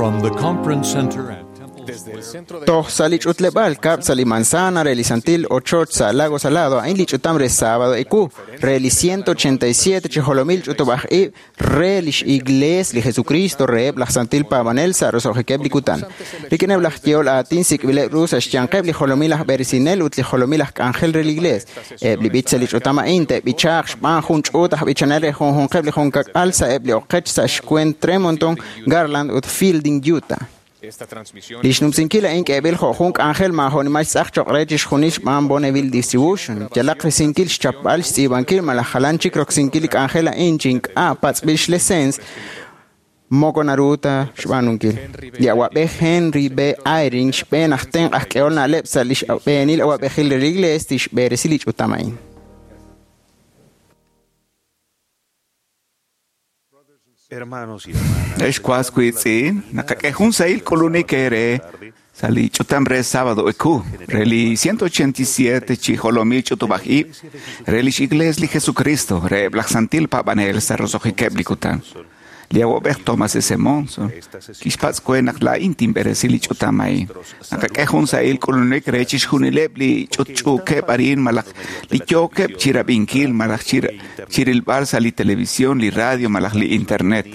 From the Conference Center at Temple Square. Toj sa' li ch'utleb'aal kab'l sa' li manzana re li Santil Ochoch sa' Lago Salado a'in li ch'utam re sábado ewu re li 187 chi jolomil ch'utub'aj ib' re lix Iglees li Jesucristo reheb' laj Santil Paab'anel sa' roso'jikeb' li kutan. Rik'ineb' laj yehol aatin sik'b'ileb' ru sa' xyanqeb' li jolomil aj b'eresinel ut li jolomil aj k'anjel re li Iglees. Eb' li b'ich sa' li ch'utam a'in te'b'ichaaq xb'aan jun ch'uut aj b'ichanel re junjunqeb' li junkak'al sa' eb' li oqech sa' xkwent Tremonton, Garland ut Fielding, Utah. Li xnumsinkil a'in k'eeb'il jo' jun k'anjel maajo'nimal xtz'aq cho'q re chixjunil xb'aan Bonneville Distribution. Yalaq risinkil xchapb'al xtz'iib'ankil malaj jalan chik roksinkil li k'anjel a'in chi ink'a' patz'b'il xlesens moko naru ta xb'aanunkil. Li awa'b'ej Henry B. Eyring xb'een aj tenq' aj k'ehol na'leb' sa' li xb'eenil awa'b'ejil re li Iglees tixb'eresi li ch'utam a'in. Hermanos y hermanas, Ex was wiitz'in, naqak'e jun sahil k'ulunik eere sa' li ch'utam re sábado eku, re li 187 chi jolomil ch'utub'aj ib', re lix Iglees li Jesucristo, reheb' laj Santil Paab'anel sa' roso'jikeb' li kutan. Li awa'b'ej Thomas S. Monson kixpatz' we naq laa'in tinb'eresi li ch'utam a'in. Naqak'e jun sahil k'ulunik re chixjunileb' li ch'utch'uukeb' arin malaj li yookeb' chirab'inkil malaj chirilb'al sa' li televisión, li radio malaj li internet.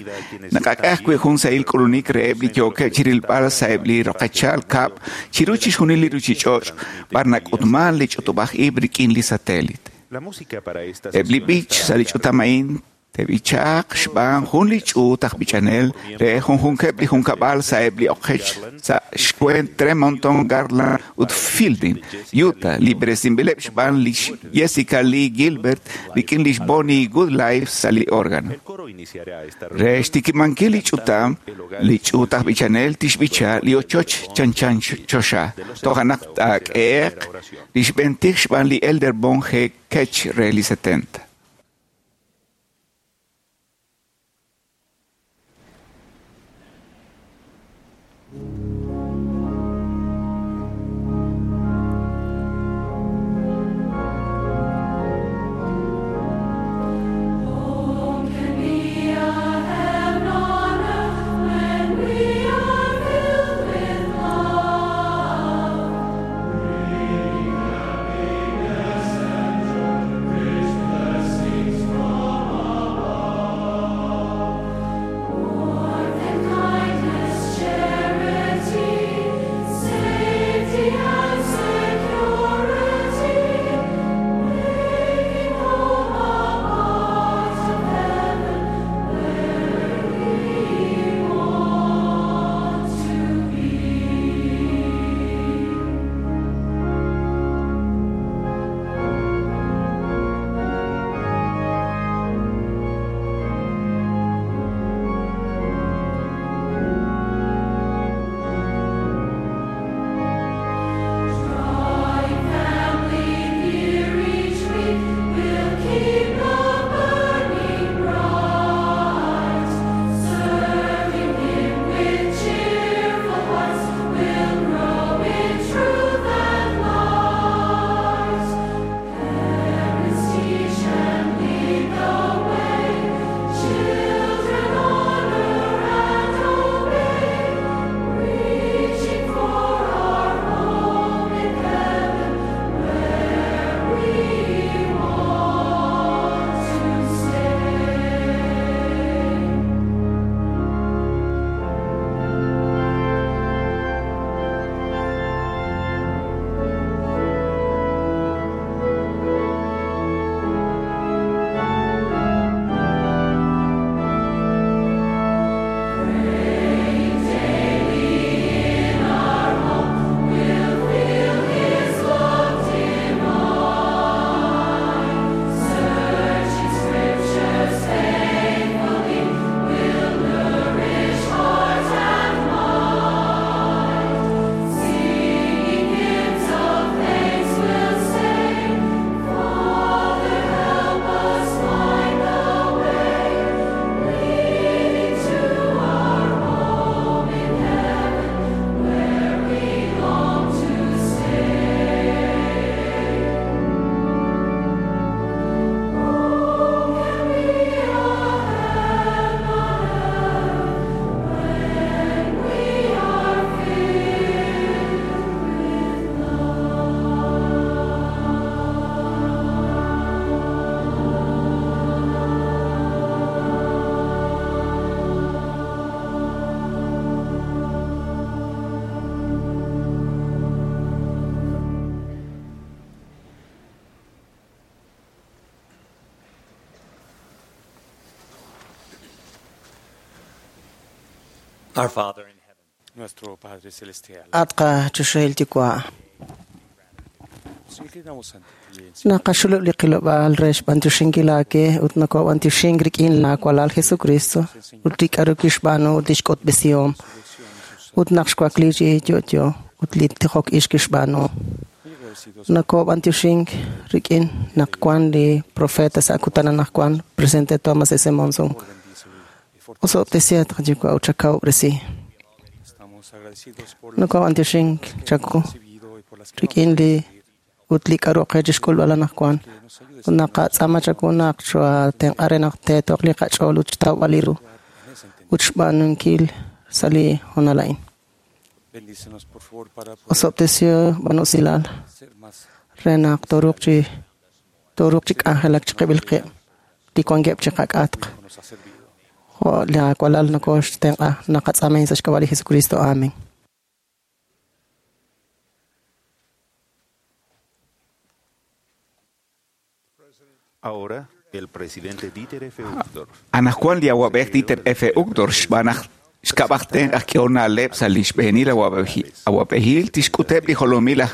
Naqak'e ajwi' jun sahil k'ulunik reheb' li yookeb' chirilb'al sa'eb' li roqechal kab' chiru chixjunil li ruchich'och' b'ar nak'utman li ch'utub'aj ib' rik'in li satélite. la música para esta Eb' li sesión b'ich estará sa' li a cargo ch'utam a'in te'b'ichaaq xb'aan jun li ch'uut aj b'ichanel re junjunkeb' li junkab'al sa'eb' li oqech sa' xkwent Tremonton, Garland ut Fielding, Utah, li b'eresinb'ileb' xb'aan lix Jessica Lee Gilbert rik'in lix Bonnie Goodlife sa' li órgano. El coro iniciará esta Re reunión xtikimankil li ch'utam, li ch'uut aj b'ichanel tixb'icha li ochoch chanchan choxa. Toja' naq taak'ehe'q li xb'entij xb'aan li Elder Bon G. Ketch re li 70. Happiness and joy, Our Father in heaven, Nuestro Padre Celestial, At qachoxahil yuwa'. nos inclinamos ante ti en Naqaxulub' li qilob'aal re xb'antioxinkil aawe ut nokob'antioxink rik'in laawalal Jesucristo ut li k'aru kixb'aanu ut lix k'utb'esihom ut naq xwakli chi yo'yo ut li tijok ix kixb'aanu. muy agradecidos Nokob'antioxink rik'in naq wan li profeta sa' kutan anaqwan presidente Thomas S. Monson. por bendícelo y fortalece. Osob'tesihaq qayuwa' ut chakawub'resi. Estamos agradecidos por las Nokob'antioxink chaku que hemos recibido y por las que rik'in vamos a li recibir. ut li k'aru qe chixk'ulb'al anaqwan. Que nos ayudes Ut naqatz'aama chaku naq xwatenq'a re naq teetoq li qach'ool ut xtawb'al li ru en ese entendimiento. ut xb'aanunkil sa' li honal a'in. Bendícenos, por favor, para poder Osob'tesihaq b'anusilal ser más re naq toruuq chi k'anjelak chiqib'il qib' li wankeb' chiqak'atq. como nos ha servido. Jo' laawalal nokoxtenq'a naqatz'aamin sa' xk'ab'a' li Jesucristo. Amén. Ahora, el presidente Dieter F. Uchtdorf, Anajwan li awab'ej Dieter F. Uchtdorf xb'aan xk'ab'ajten aj k'ehona'leb' sa' li xb'eenil awab'ejil tixk'uteb' li jolomil aj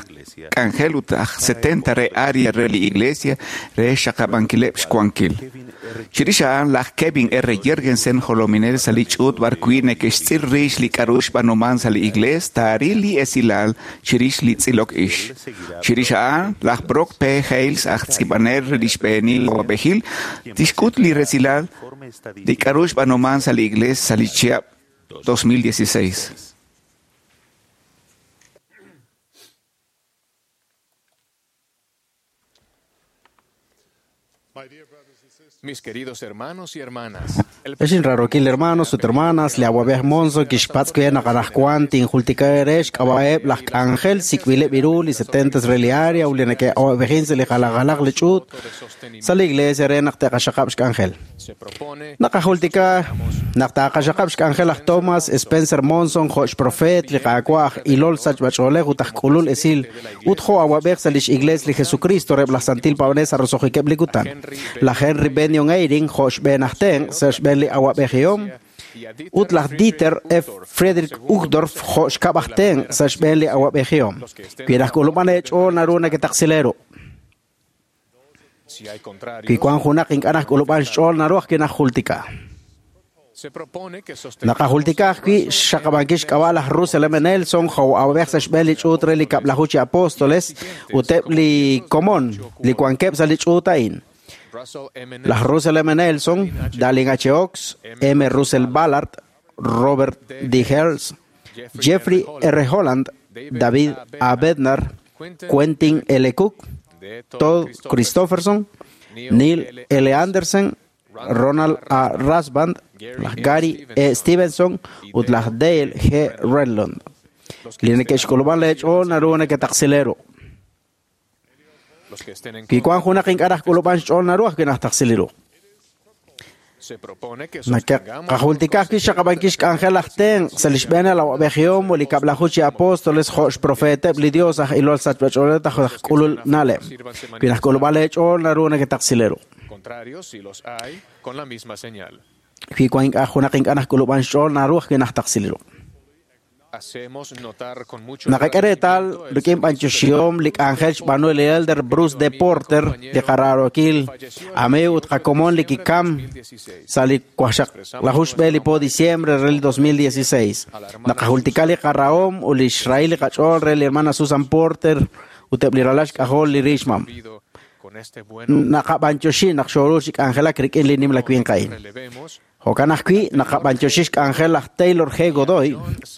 k'anjel ut aj 70 re área re li iglesia re xaqab'ankileb' xwankil. Kevin R. Chirix a'an laj Kevin R. Jergensen jolominel sa' li ch'uut b'arwi' neke'xtz'il rix li k'aru xb'aanuman sa' li iglees taaril li esilal chirix li tz'ilok ix. Chirix a'an laj Brock P. Hales aj tz'ib'anel re li xb'eenil awab'ejil tixk'ut li resilal informe li estadístico k'aru xb'aanuman sa' li iglees sa' li chihab' 2016. Mis queridos hermanos y hermanas, el Exin rarokil hermanos ut hermanas, li awab'ej Monson kixpatz' kwe naq anaqwan tinjultika eere xk'ab'a'eb' laj k'anjel sik'b'ileb' iru li 70 re li área ut li neke'awab'ejin sa' li jalajjalaj li ch'uut de sostenimiento sa' li iglesia re naq te'qaxaqab' xk'anjel. se propone Naqajultika naq taaqaxaqab' xk'anjel aj Thomas Spencer Monson jo' xprofeet li Qaawa' aj ilol sachb'ach'oolej ut aj k'ulul esil ut jo' awab'ej sa' lix iglees li Jesucristo reb' laj Santil Paab'anel sa' roso'jikeb' li kutan. Laj Henry Benyon Eyring jo' xb'een aj tenq' sa' xb'een li awab'ejihom y a Dieter ut laj Dieter F. Friedrich Uchtdorf jo' xkab' aj tenq' sa' xb'een li awab'ejihom. Wi laj k'ulub'an eech'ool naru naketaqsileru. si hay contrarios, Wi wank junaq ink'a' naj k'ulub'an xch'ool naru ajwi' najultika. se propone que sostengamos Naqajultika ajwi' xxaqab'ankil xk'ab'a' laj Russell M. Nelson jo' awab'ej sa' xb'een li ch'uut re li kab'laju chi apóstoles ut eb' li komon li wankeb' sa' li ch'uut a'in. Russell M. Laj Russell M. Nelson, Darling H. Oaks, M. Russell Ballard, Robert D. Hales, Jeffrey R. Holland, David A. Bednar, Quentin L. Cook, Todd Christofferson, Neil L. Anderson, Ronald A. Rasband, laj Gary E. Stevenson ut laj Dale G. Redlund. Li neke'xk'ulub'an leech'ool naru neketaqsileru. los que estén en Wi contra, wank junaq ink'a' naj k'ulub'an xch'ool naru ajwi' najtaqsiliru. se propone que sostengamos Naqajultika ajwi' xaqab'ankil xk'anjel aj tenq' sa' li xb'een awab'ejihom ut li kab'laju chi apóstoles jo' xprofeeteb' li Dios aj ilol sachb'ach'oolej aj k'ulul na'leb'. Wi naj k'ulub'an leech'ool naru neketaqsileru. contrarios si los hay con la misma señal. Wi wank ink'a' junaq ink'a' naj k'ulub'an xch'ool naru ajwi' najtaqsiliru. Hacemos notar con mucho Naqak'e reetal agradecimiento el rik'in b'anyoxihom li k'anjel xb'aanu li elder Bruce D. Porter li qararokil amiiw ut qakomon li kikam sa' li wajxaqlaju xb'e li po diciembre re li 2016. Naqajultika li qarahom ut li xrahil li qach'ool re li hermana Susan Porter ut eb' li ralal xk'ajol li rixmam. vivido con este bueno Naqab'anyoxi naq xooru chi k'anjelak rik'in li nimla winq a'in. relevemos Jo'kan ajwi' naqab'anyoxi xk'anjel laj Taylor G. Godoy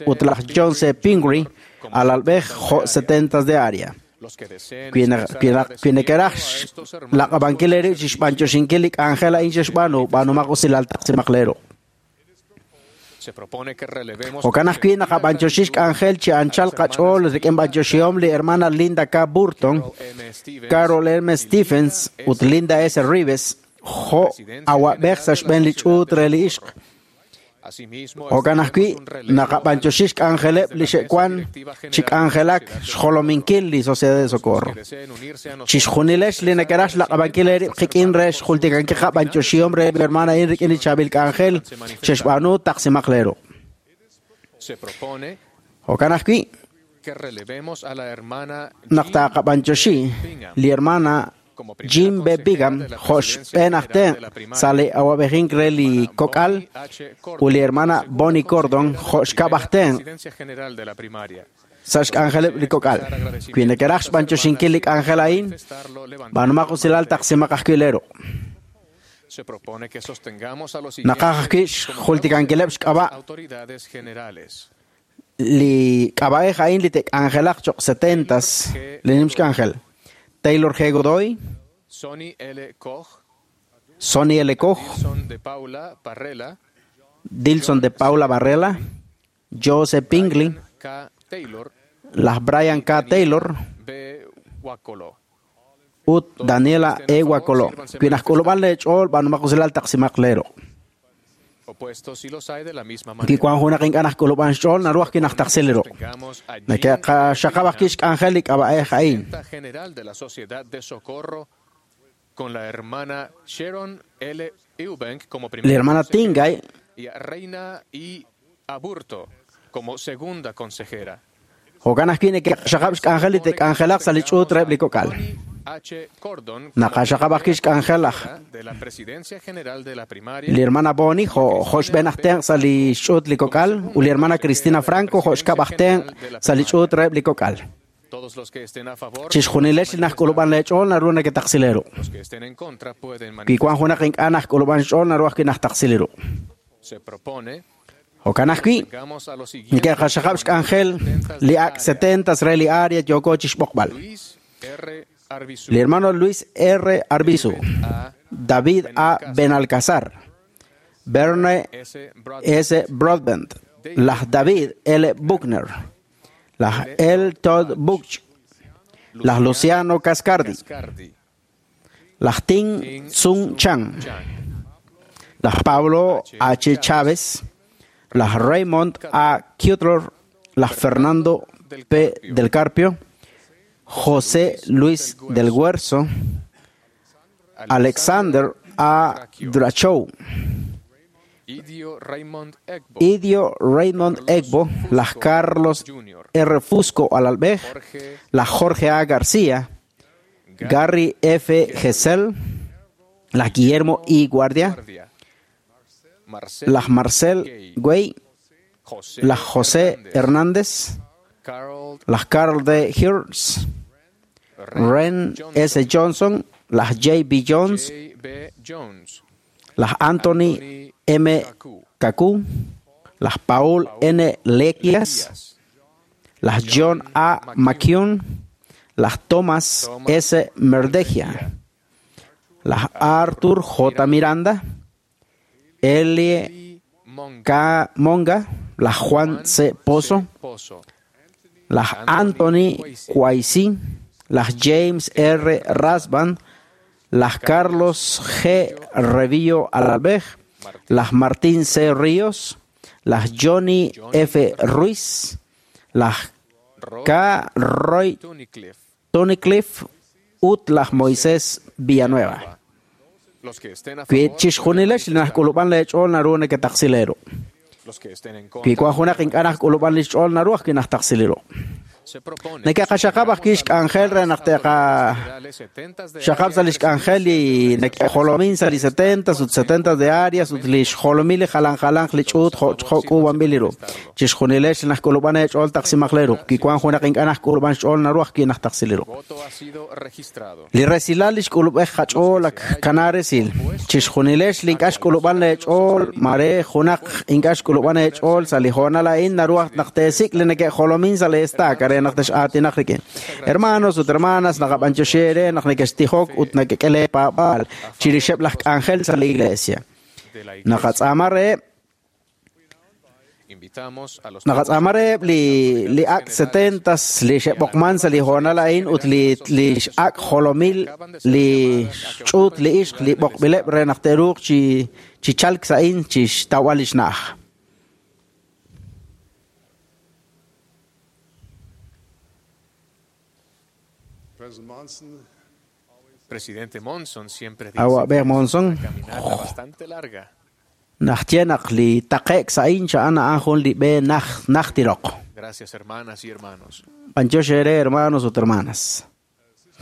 ut laj John C. Pingree alalb'ej jo' 70 de área. los que deseen Wi expresar nekeraj agradecimiento a estos hermanos laq'ab'ankil eerib' chi xb'anyoxinkil li k'anjel a'in xe'xb'aanu b'aanumaq usilal taqsimaqleru. se propone que relevemos Jo'kan ajwi' naqab'anyoxi xk'anjel chi anchal qach'ool rik'in b'anyoxihom li hermana Linda K. Burton, M. Stevens Carol M. Stephens ut Linda S. Rives jo' awab'ej sa' xb'een li ch'uut re li ixq. Asimismo, Jo'kan ajwi' extendemos un relevo naqab'anyoxi xk'anjeleb' li xe'wan chi k'anjelak xjolominkil li Sociedad de Socorro. que deseen unirse a nosotros Chixjunilex li nekeraj xlaq'ab'ankil eerib' qik'in re xjultikankil qab'anyoxihom re li hermana a'in rik'in li chaab'il k'anjel xe'xb'aanu taqsimaqleru. Jo'kan ajwi' naq taqab'anyoxi li hermana Jim B. Bigham jo' xb'een aj tenq' sa' li awa'b'ejink re li kok'al ut li hermana Bonnie Cordon jo' xkab' aj tenq' sa' xk'anjeleb' li kok'al. Wi nekeraj xb'anyoxinkil li k'anjel a'in, b'aanumaq usilal taqsimaq ajwi' leeru. Naqaj ajwi' xjultikankileb' xk'ab'a' li k'ab'a'ej a'in li te'k'anjelaq cho'q 70s li nim xk'anjel. Taylor G. Godoy, Sonny L. Koch, Sonny L. Koch, Dilson de Paula Barrela, Dilson de Paula Barrela, Joseph Pingley, K. Taylor, las Brian K. Taylor B. Wakolo. ut Daniela E. Wakolo. Wi najk'ulub'an leech'ool b'aanumaq usilal taqsimaq leero. Opuestos si los hay de la misma Wi manera. wank junaq ink'a' najk'ulub'an xch'ool naru ajwi' najtaqsil li ruq'. Tengamos a Jean Neke'qaxaqab' ajwi' xk'anjel li k'ab'a'ej a'in. Junta General de la Sociedad de Socorro con la hermana Sharon L. Eubank como primera Li hermana consejera Tingay y a Reina I. Aburto como segunda consejera. jo'kan ajwi' neke'qaxaqab' xk'anjel li te'k'anjelaq sa' li ch'uut reheb' li kok'al. Tony H. Cordon como Naqaxaqab' ajwi' xk'anjel aj de la Presidencia General de la Primaria li hermana Bonnie jo' jo' xb'een aj tenq' sa' li xch'uut li kok'al ut li hermana Cristina Franco jo' xkab' aj tenq' sa' li ch'uut reheb' li kok'al. Todos los que estén a favor, Chixjunilex li najk'ulub'an leech'ool naru neke'taqsil eeru. los que estén en contra pueden Wi manifestar. wank junaq ink'a' najk'ulub'an xch'ool naru ajwi' najtaqsil eeru. Se propone Jo'kan ajwi' tengamos a los siguientes neke'qaxaqab' xk'anjel li ak' 70s re li área yooko chixb'oqb'al. Luis R. Arbizu, Li hermano Luis R. Arbizu, A. David A. Benalcázar, Verne S. Broadbent, S. Broadbent, las David L. Buckner, las L. Todd Buch, las Luciano Cascardi, Cascardi, las Ting Tsung Chan, las Pablo H. Chávez, las Raymond A. Cutler, las Fernando P. del Carpio, José Luis del Huerzo, Alexander A. Drachow, Idio Raymond Egbo, Idio Raymond Egbo, las Carlos Jr., R. Fusco Alalbej, Jorge las Jorge A. García, Gary F. Gesell, las Guillermo I. Guardia, Guardia, Marcel las Marcel Güey, José las José Hernández, Hernández, Carl las Carl D. Hirsch, Ren S. Johnson, las J. B. Jones, J. B. Jones, las Anthony M. Kaku, las Paul N. Lequias, Díaz, las John A. McCune, las Thomas S. Merdegia, las Arthur J. Miranda, L. E. Monga, K. Monga, las Juan C. Pozo, Pozo, las Anthony Quaisi, las James R. Rasban, las Carlos G. Revillo Alalbej, las Martín C. Ríos, las Johnny F. Ruiz, las Roy K. Roy Tunnicliffe. Tunnicliffe, ut las Moisés Villanueva. Los que estén a Wi favor, chixjunilex li najk'ulub'an leech'ool naru neke'taqsileru. los que estén en Wi contra, wank junaq ink'a' najk'ulub'an li xch'ool naru ajwi' najtaqsileru. se propone Neke'qaxaqab' ajwi' xk'anjel re naq te'qa xaqab' sa' li xk'anjel li neke'jolomin sa' li 70s ut 70s de áreas ut li xjolomil li jalan jalanq li ch'uut jo' jo' k'uub'anb'il li ru. Chixjunilex li najk'ulub'an eech'ool taqsimaq leeru. Wi wank junaq ink'a' najk'ulub'an xch'ool naru ajwi' najtaqsileru. voto ha sido registrado. Li resilal li xk'ulub'ej qach'ool ak kana resil. Chixjunilex li ink'a' xk'ulub'an leech'ool mare junaq ink'a' xk'ulub'an eech'ool sa' li hoonal a'in naru aj naq teesik' li neke'jolomin sa' li estaca re naq tex'aatinaq rik'in. Hermanos ut hermanas naqab'anyoxi eere naq nekextijok ut nekek'e leepaab'aal chirixeb' laj k'anjel sa' li iglesia. De la iglesia. Naqatz'aama reheb' Invitamos a los Naqatz'aama reheb' li ak' 70s li xe'b'oqman sa' li hoonal a'in ut li ak' jolomil li xch'uut li ixq li b'oqb'ileb' re naq te'ruuq chi chalk sa' a'in chi xtawb'al li xna'aj. President Monson, Presidente Monson siempre dice Awa'b'ej Monson caminata bastante larga. Naj ye naq li taqe'k sa' a'in xa'an a'an jun li b'e naj najtiroq. Gracias, hermanas y hermanos. B'antiox eere hermanos ut hermanas.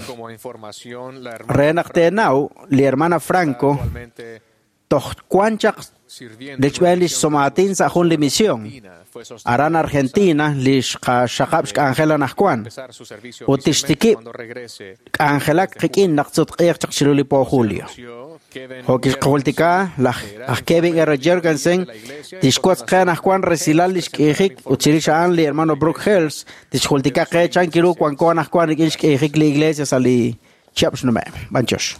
Como información, la hermana Re naq teenaw li hermana Franco actualmente toj wan chaq sirviendo lechb'een lix somaatin sa' jun li misión. fue sostenida Aran Argentina lix qaxaqab' xk'anjel anajwan. empezar su servicio Ut oficialmente tixtikib' cuando regrese. k'anjelak qik'in naq tzutq'iiq chaq chiru li po julio. Kevin Jo' kixqajultika laj aj Kevin R. Jorgensen tixwotz qe anajwan resilal lix k'iijik ut chirix a'an li hermano Brooke Hales tixjultika qe chan kiru wanko anajwan rik'in xk'iijik li iglesia sa' li chihab' xnume'. B'antiox.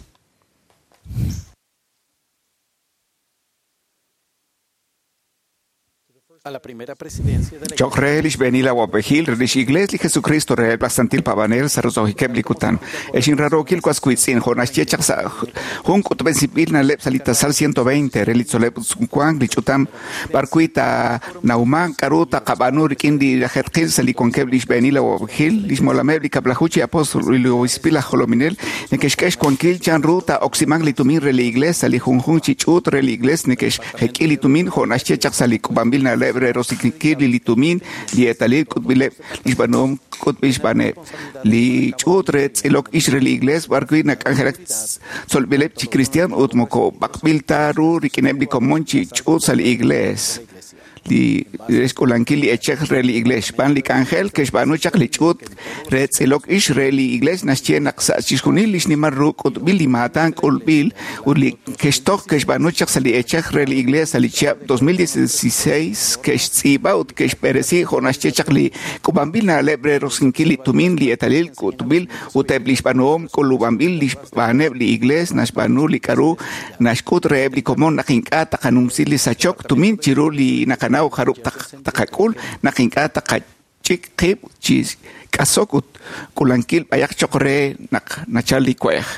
A la primera presidencia de la Choq re lix b'eenil awab'ejil re lix iglees li Jesucristo reheb' laj Santil Paab'anel sa' roso'jikeb' li kutan. Ex inrarookil was wiitz'in jo' naxye chaq sa' jun k'utb'esinb'il na'leb' sa' li tasal 120 re li tzol'leb' sumwank li ch'utam b'ar wi' taanawman k'a'ru taqab'aanu rik'in li lajeetqil sa' li wankeb' lix b'eenil awab'ejil lix molameb' li kab'laju chi apóstol ut li obispil aj jolominel neke'xk'e xwankil chan ru taa'oksimanq li tumin re li iglees sa' li junjunq chi ch'uut re li iglees neke'xjek'i li tumin jo' naxye chaq sa' li k'ub'anb'il na'leb' re roksinkil li tumin li eetalil k'utb'ileb' lix b'aanuhom k'utb'il xb'aaneb' li ch'uut re tz'ilok ix re li iglees b'ar wi' nak'anjelak tzolb'ileb' chi cristian ut moko b'aqb'il ta ru rik'ineb' li komon chi ch'uut sa' li iglees li re xk'ulankil li eechej re li iglees xb'aan li k'anjel ke'xb'aanu chaq li ch'uut re tz'ilok ix re li iglees naxye naq sa' chixjunil li xnimal ru k'utb'il li maatan k'ulb'il ut li ke'xtoj ke'xb'aanu chaq sa' li eechej re li iglees sa' li chihab' 2016 ke'xtz'iib'a ut ke'xb'eresi jo' naxye chaq li k'ub'anb'il na'leb' re roksinkil li tumin li eetalil k'utb'il ut eb' li xb'aanuhom k'ulub'anb'il li xb'aaneb' li iglees naxb'aanu li k'a'ru naxk'ut reheb' li komon naq ink'a' taqanumsi li sachok tumin chiru li naqanaw jarub' taqak'ul naq ink'a' taqach'ik qib' chi k'asok ut k'ulankil b'ayaq choq re naq nachal li we'ej.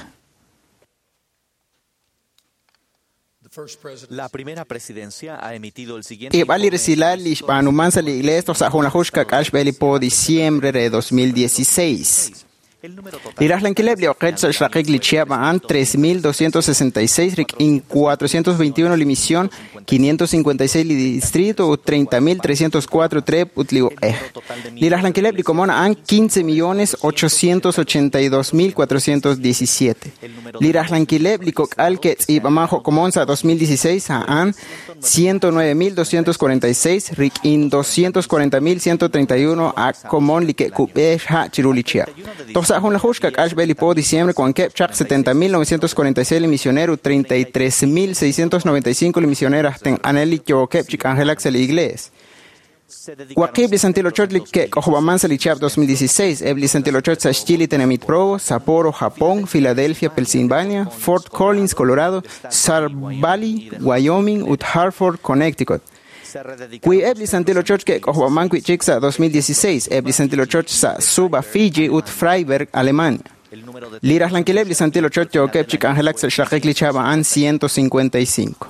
La primera presidencia ha emitido el siguiente Xk'eeb'al li resilal li xb'aanuman sa' li iglees toj sa' junlaju xka'k'aal xb'e li po diciembre re 2016. Li rajlankileb' li oqech sa' xraqik li chihab' a'an 3.266 rik'in 421 li misión, 556 li distrito ut 30.304 trep ut li uq'ej. Li rajlankileb' li komon a'an 15.882.417. Li rajlankileb' li kok'al ke'tz'iib'aman jo' komon sa' 2016 a'an 109.246 rik'in 240.131 a komon li ke'kub'e xha' chiru li chihab'. Toj sa' junlaju xka'k'aal xb'e li po diciembre wankeb' chaq 70.946 li misionero ut 33.695 li misionero aj tenq'anel li yookeb' chi k'anjelak sa' li iglees. Waqib' li Santil Ochoch li ke'k'ojob'aman sa' li chihab' 2016, eb' li Santil Ochoch sa' xyi li tenamit Provo, Sapporo, Japón, Philadelphia, Pennsylvania, Fort Collins, Colorado, Sar Valley, Wyoming ut Hartford, Connecticut. Wi eb' li Santil Ochoch ke'k'ojob'aman wi'chik sa' 2016, eb' li Santil Ochoch sa' Suva, Fiji ut Freiberg, Alemania. Li rajlankileb' li Santil Ochoch yookeb' chi k'anjelak sa' xraqik li chihab' a'an 155.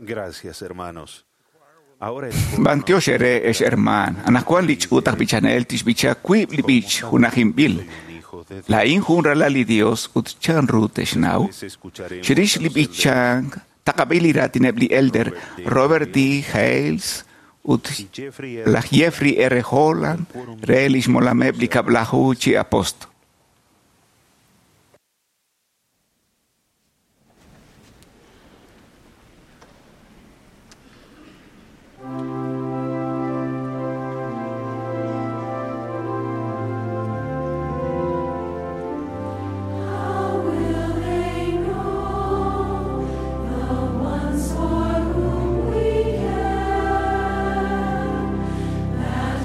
Gracias, hermanos. Ahora el B'antiox ere ex herman. Anajwan li ch'uut aj b'ichanel tixb'icha wiib' li b'ich junajinb'il. La'in jun ralal li Dios ut chan ru texnaw. escucharemos Chirix li b'ichank taqab'il li raatineb' li elder Robert D. Hales ut Jeffrey R. laj Jeffrey R. Holland re lix molameb' li kab'laju chi apóstol.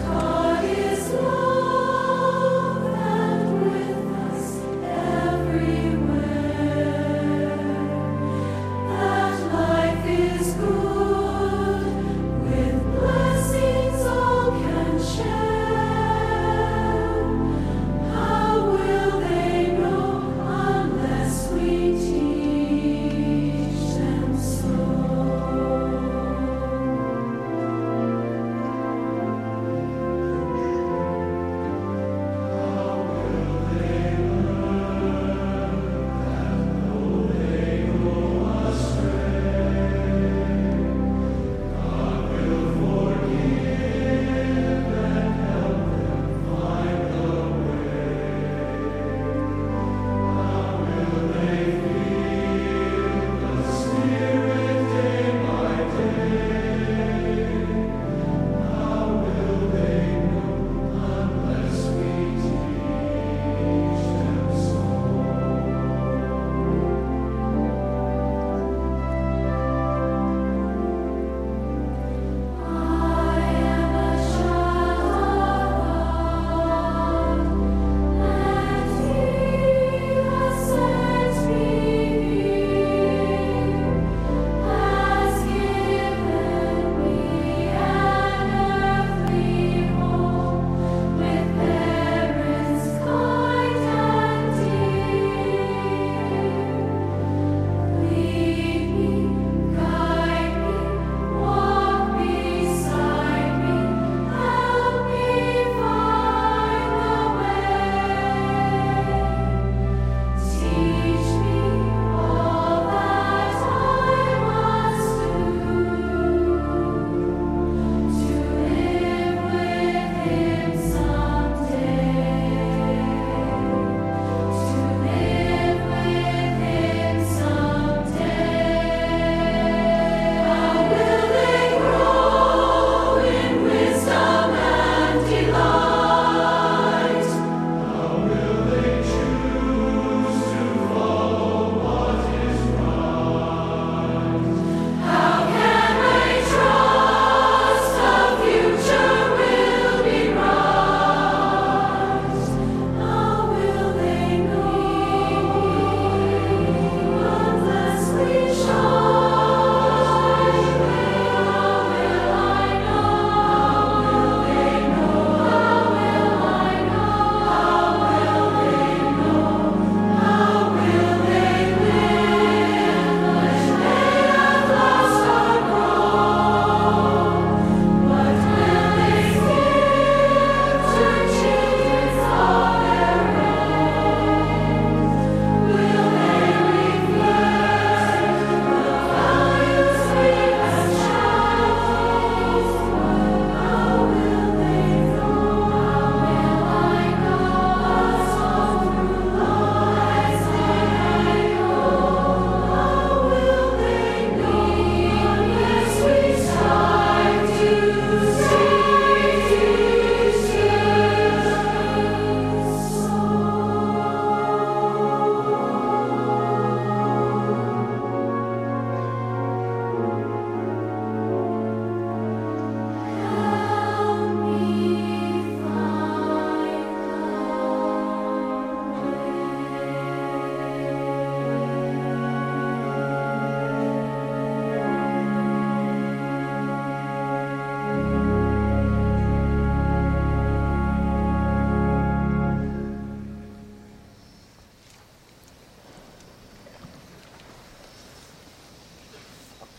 God is love and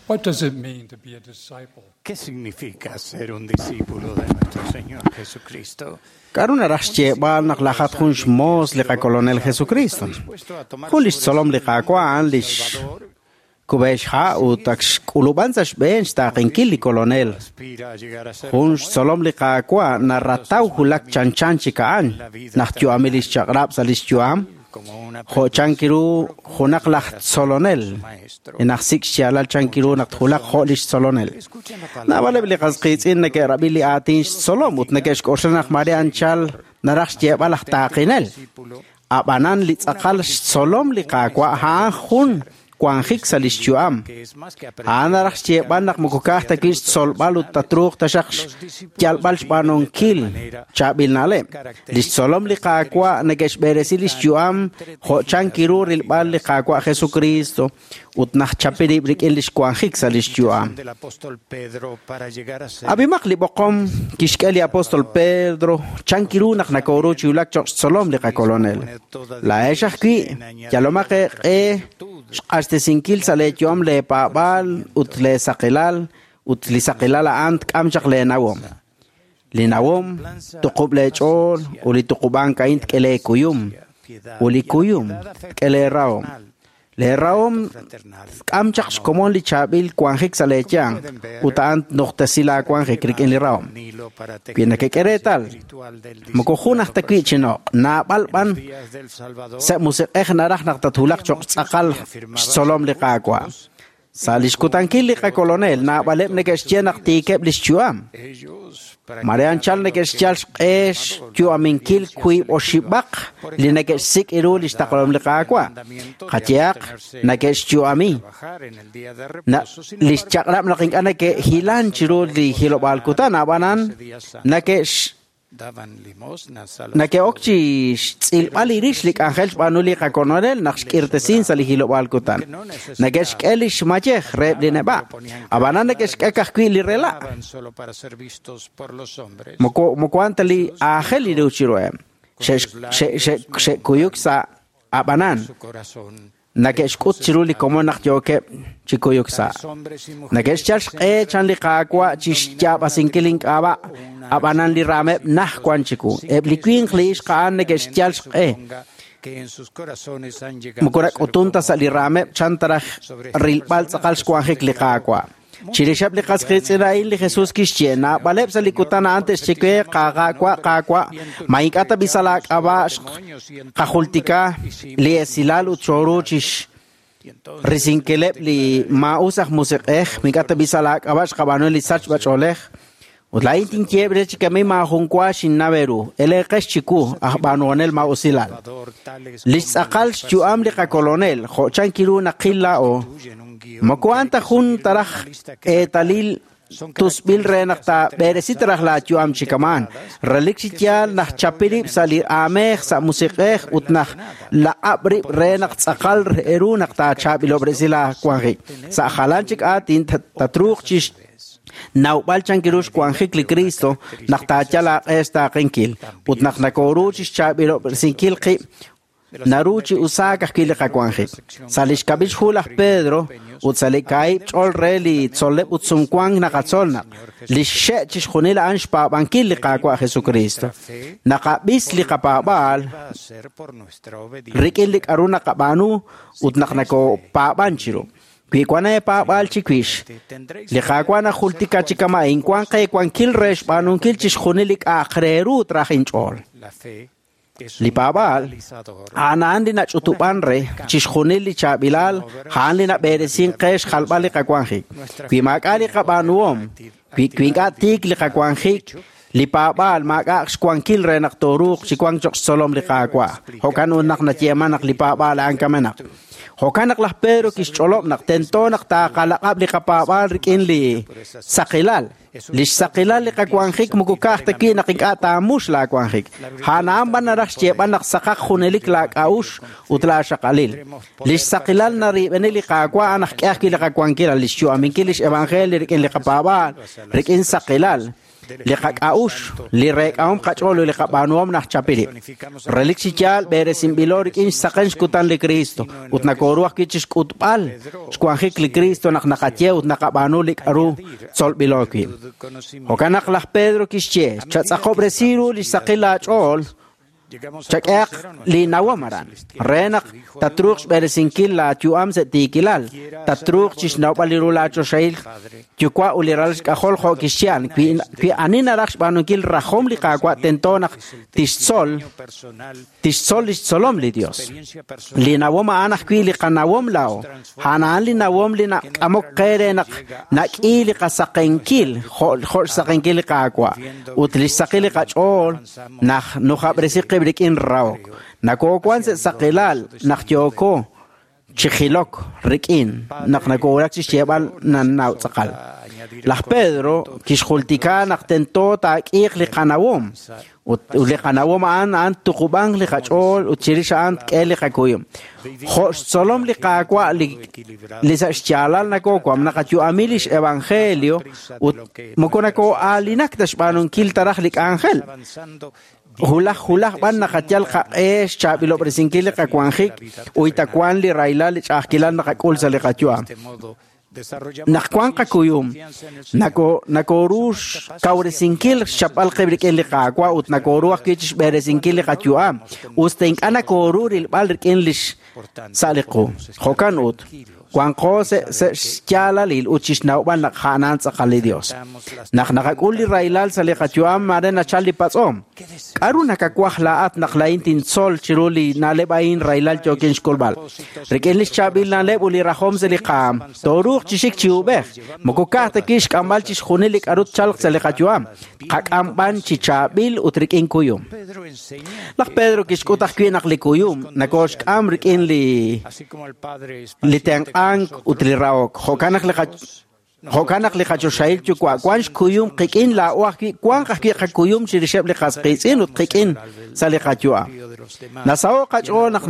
What does it mean to be a disciple? ¿Qué significa ser un discípulo de nuestro Señor Jesucristo? K'aru naraj xyeeb'al naq lajat jun xmoos li qakolonel Jesucristo. Jun li xtzolom li Qaawa' a'an li xkub'e xha' ut ak xk'ulub'an sa' xb'een xtaaqenkil li kolonel. Jun xtzolom li Qaawa' narataw wulak chanchan chik a'an naq yu'amil li xchaq'rab' sa' li xyu'am jo' chankiru junaq laj tzolonel naq sik' xyaalal chankiru naq tjulaq jo' li xtzolonel. Naab'aleb' li qas qiitz'in neke'rab'i li aatin xtzolom ut neke'xk'oxla naq mare anchal naraj xyeeb'al laj taaqinel. Ab'anan li tz'aqal xtzolom li Qaawa' a'an jun wanjik sa' li xyu'am. A'an naraj xyeeb'al naq moko ka'aj ta wi' xtzolb'al ut tatruuq taxaq xyalb'al xb'aanunkil chaab'il na'leb'. Li xtzolom li Qaawa' neke'xb'eresi li xyu'am jo' chankiru rilb'al li Qaawa' Jesucristo ut naq chapi rib' rik'in li xwanjik sa' li xyu'am. Ab'imaq li b'oqom kixk'e li apóstol Pedro chankiru naq nakoru chi wulak cho'q xtzolom li qakolonel. Laa'ex ajwi' yalomaq eeq'e xq'axtesinkil sa' leeyu'am leepaab'aal ut leesaqilal ut li saqilal a'an tk'am chaq leenawom. Li nawom tuqub' leech'ool ut li tuqub'ank a'in tk'e leekuyum ut li kuyum tk'e leerahom. Leerahom tk'am chaq xkomon li chaab'il wanjik sa' leeyanq ut a'an tnuqtesi laawanjik rik'in li rahom. Wi nakek'e reetal, moko jun aj ta wi' chinoq', naab'al b'an sa' musiq'ej naraj naq tatwulaq cho'q tz'aqal xtzolom li Qaawa'. Sa' li xkutankil li qakolonel, naab'aleb' neke'xye naq tiikeb' li xyu'am. Mare anchal neke'xyal xq'e xyu'aminkil wiib' oxib'aq li neke'xsik' ru li xtaqlahom li Qaawa'. Qayehaq neke'xyu'ami li xchaq'rab' naq ink'a' neke'hilan chiru li hilob'aal kutan, ab'anan neke'ok chi xtz'ilb'al li rix li k'anjel xb'aanu li qakolonel naq xk'irtesin sa' li hilob'aal kutan. Neke'xk'e li xmayej reheb' li neb'a', ab'anan neke'xk'e ka'ajwi' li rela'. Moko a'an ta li aajel li ru chiruheb'. Xe'kuyuk sa' ab'anan neke'xk'ut chiru li komon naq yookeb' chi kuyuk sa'. Neke'xyal xq'e chan li Qaawa' chi xyaab'asinkil ink'ab'a', ab'anan li raameb' naj wan chiwu. Eb' li winq li ixq a'an neke'xyal xq'e. Moko nak'utun ta sa' li raameb' chan taraj rilb'al tz'aqal xwanjik li Qaawa'. Chirixeb' li qas qiitz'in a'in li Jesús kixye, naab'aleb' sa' li kutan a'an te'xye we, Qaawa', Qaawa', ma ink'a' ta b'i sa' laak'ab'a' qajultika li esilal ut xooru chi risinkileb' li maa'us aj musiq'ej, ma ink'a' ta b'i sa' laak'ab'a' xqab'aanu li sachb'ach'oolej. Ut laa'in tinyeeb' re chi kami maajun wa xinnaw eeru, eleeqex chiwu aj b'aanuhonel maa'usilal. Li xtz'aqal xyu'am li qakolonel, jo' chankiru naqil laa'o, moko a'an ta jun taraj eetalil tusb'il re naq taab'eresi taraj laayu'am chi kamaan. Relik chi yaal naq chapi rib' sa' li aamej, sa' musiq'ej ut naq laq'ab' rib' re naq tz'aqal eru naq taachaab'ilob'resi laawanjik. Sa' jalan chik aatin tatruuq chi nawb'al chankiru xwanjik li Cristo naq taayal aaq'e xtaaqenkil ut naq nakoru chi xchaab'ilob'resinkil qib' naru chi usaak ajwi' li qawanjik. Sa' li xkab'il xhu laj Pedro ut sa' li kaahib' ch'ol re li tzol'leb' ut sumwank naqatzol naq li xxe' chixjunil a'an xpaab'ankil li Qaawa' Jesucristo. Naqab'is li qapaab'aal rik'in li k'aru naqab'aanu ut naq nakopaab'an chiru. Wi wan eepaab'aal chiwix, li Qaawa' najultika chi kama'in wan qeewankil re xb'aanunkil chixjunil li k'a'aq re ru traj inch'ool. Li paab'aal a'an a'an li nach'utub'an re chixjunil li chaab'ilal, a'an li nab'eresin qe xjalb'al li qawanjik. Wi maak'a' li qab'aanuhom, wi ink'a' tiik li qawanjik, li paab'aal maak'a' xwankil re naq tooruuq chi wank cho'q xtzolom li Qaawa'. Jo'kan ut naq nayeeman naq li paab'aal a'an kamenaq. Jo'kan naq laj Pedro kixch'olob' naq tento naq taaqalaq'ab' li qapaab'aal rik'in li saqilal. Li xsaqilal li qawanjik moko ka'aj ta wi' naq ink'a' taamux laawanjik. A'an a'an b'an naraj xyeeb'al naq saqaq junelik laak'a'ux ut laaxaqalil. Li xsaqilal narib'eni li Qaawa' a'an aj k'e ajwi' li qawankil, li xyu'aminkil li xevangelio rik'in li qapaab'aal, rik'in saqilal. Li qak'a'uxl, li reek'ahom qach'ool ut li qab'aanuhom najchapi rib'. Relik chi yaal b'eresinb'ilo rik'in xsaqen xkutan li Cristo ut nakooru ajwi' chixk'utb'al xwanjik li Cristo naq naqaye ut naqab'aanu li k'aru tzolb'ilo wi'. Jo'kan naq laj Pedro kixye, chatz'aqob'resi ru li xsaqil laach'ool chak'ehaq li nawom aran re naq tatruuq xb'eresinkil laayu'am sa' tiikilal, tatruuq chixnawb'al li ru laachoxahil yuwa' ut li ralal xk'ajol jo' kixye a'an. Wi ani naraj xb'aanunkil rajom li Qaawa' tento naq tixtzol tixtzol li xtzolom li Dios. Li nawom a'an ajwi' li qanawom laa'o. A'an a'an li nawom li nak'amok qe re naq nak'i li qasaqenkil jo' xsaqenkil li Qaawa' ut li xsaqil li qach'ool naq nujab'resi qib' rik'in rahok. Nakoowan sa' saqilal naq yooko chi jilok rik'in naq nakowulak chi xyeeb'al nannaw tz'aqal. Laj Pedro kixjultika naq tento taak'iiq li qanawom ut li qanawom a'an a'an tuqub'anq li qach'ool ut chirix a'an tk'e li qakuyum. Jo' xtzolom li Qaawa' li sa' xyaalal nakoowank naqayu'ami lix evangelio ut moko nakoo'aalinak ta xb'aanunkil ta raj li k'anjel. Hulaj hulaj b'an naqayal qaq'e xchaab'ilob'resinkil li qawanjik uyta wan li rahilal li ch'a'ajkilal naqak'ul sa' li qayu'am. Naq wan qakuyum, nakooru xkawresinkil xchapb'al qib' rik'in li Qaawa' ut nakooru ajwi' chixb'eresinkil li qayu'am, us ta ink'a' nakooru rilb'al rik'in lix sa' li qu. Jo'kan ut, wanqo sa' xyaalalil ut chixnawb'al naq a'an tz'aqal li Dios. Naq naqak'ul li rahilal sa' li qayu'am, mare nachal li patz'om. K'aru nakawaj laa'at naq laa'in tintzol chiru li na'leb' a'in rahilal yookin xk'ulb'al? Rik'in li xchaab'il na'leb' ut li rajom sa' li qaam, tooruuq chi xik chi ub'ej. Moko ka'aj ta wi' xk'amb'al chixjunil li k'aru tchalq sa' li qayu'am, qak'am b'an chi chaab'il ut rik'in kuyum. Laj Pedro kixk'ut ajwi' naq li kuyum nakooxk'am rik'in li tenq'ank ut li rahok. Jo'kan naq li qachoxahil yuwa' wan xkuyum qik'in laa'o ajwi' wanq ajwi' qakuyum chirixeb' li qas qiitz'in ut qik'in sa' li qayu'am. Nasaho' qach'ool naq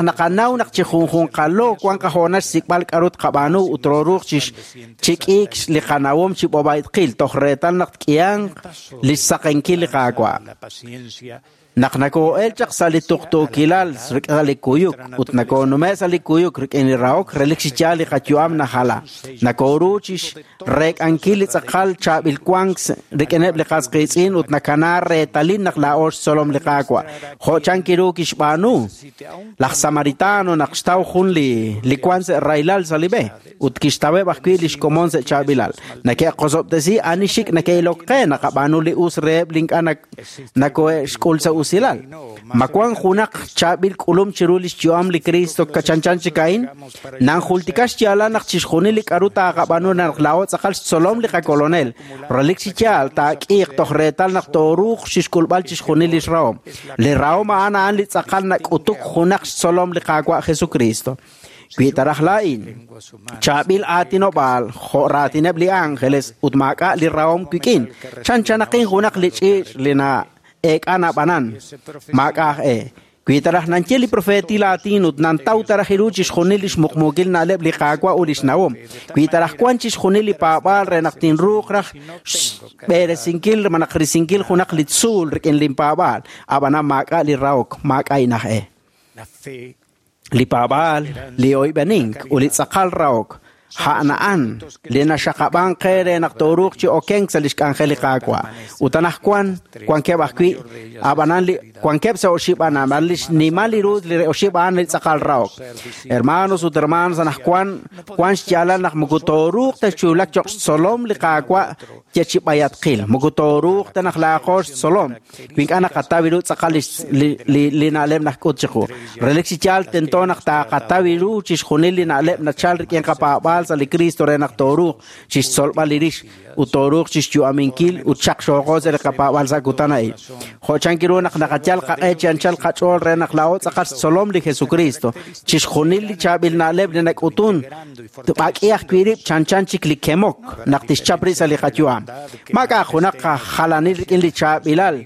naqanaw naq chi junjunqalo wan qahoonal xsik'b'al k'aru tqab'aanu ut tooruuq chi k'iik li qanawom chi b'ob'aytqil toj reetal naq tk'ihanq li xsaqenkil li Qaawa'. Naq nakoo'el chaq sa' li tuqtuukilal rik'in li kuyuk ut nakoonume' sa' li kuyuk rik'in li rahok relik chi yaal li qayu'am najala. Nakooru chi xreek'ankil li tz'aqal chaab'il wank rik'ineb' li qas qiitz'in ut nakana reetalil naq laa'o xtzolom li Qaawa'. Jo' chan kiru kixb'aanu laj Samaritano naq xtaw jun li wank sa' rahilal sa' li b'e ut kixtaweb' ajwi' li xkomon sa' chaab'ilal. Nake'qosob'tesi ani xik nake'ilok qe naqab'aanu li us reheb' li ink'a' nakohe'xk'ul sa' usilal. Ma wan junaq chaab'il k'ulum chiru li xyu'am li Cristo kachanchan chik a'in? Nanjultika xyaalal naq chixjunil li k'aru taaqab'aanu naq laa'o tz'aqal xtzolom li qakolonel. Relik chi yaal taak'iiq toj reetal naq tooruuq chixk'ulb'al chixjunil li xrahom. Li rahom a'an a'an li tz'aqal nak'utuk junaq xtzolom li Qaawa' Jesucristo. Wi taraj laa'in, chaab'il aatinob'aal jo' raatineb' li ángeles ut maak'a' li rahom wik'in, chanchanaqin junaq li ch'iich' li na'eek'a nab'anan, maak'a' aj e. Wi taraj nanye li profeetil aatin ut nantaw taraj iru chixjunil li xmuqmuukil na'leb' li Qaawa' ut li xnawom. Wi taraj wan chixjunil li paab'aal re naq tinruuq raj xb'eresinkil malaj risinkil junaq li tzuul rik'in linpaab'aal, ab'anan maak'a' li rahok, maak'a' inaj e. Li paab'aal, li oyb'enink ut li tz'aqal rahok a'an a'an li naxaqab'ank qe re naq tooruuq chi okenk sa' li xk'anjel li Qaawa'. Ut anaqwan wankeb' ajwi' ab'anan li wankeb' sa' oxib' a'an ab'an li xnimal li ru li oxib' a'an li tz'aqal rahok. Hermanos ut hermanas, anaqwan wan xyaalal naq moko tooruuq ta xchulak cho'q xtzolom li Qaawa' ye chi b'ayatqil. Moko tooruuq ta naq laaqo xtzolom. Wi ink'a' naqataw ru tz'aqal li na'leb' najk'ut chiqu. Relik chi yaal tento naq taaqataw ru chixjunil li na'leb' nachal rik'in qapaab'aal sa' li Cristo re naq tooruuq chixtzolb'al li rix ut tooruuq chixyu'aminkil ut xaqxooqo sa' li qapaab'aal sa' kutan a'in. Jo' chan kiru naq naqayal qaq'e chi anchal qach'ool re naq laa'o tz'aqal xtzolom li Jesucristo. Chixjunil li chaab'il na'leb' li nak'utun tb'ak'i ajwi' rib' chanchan chik li kemok naq tixchap rib' sa' li qayu'am. Maak'a' junaq jalanil rik'in li chaab'ilal.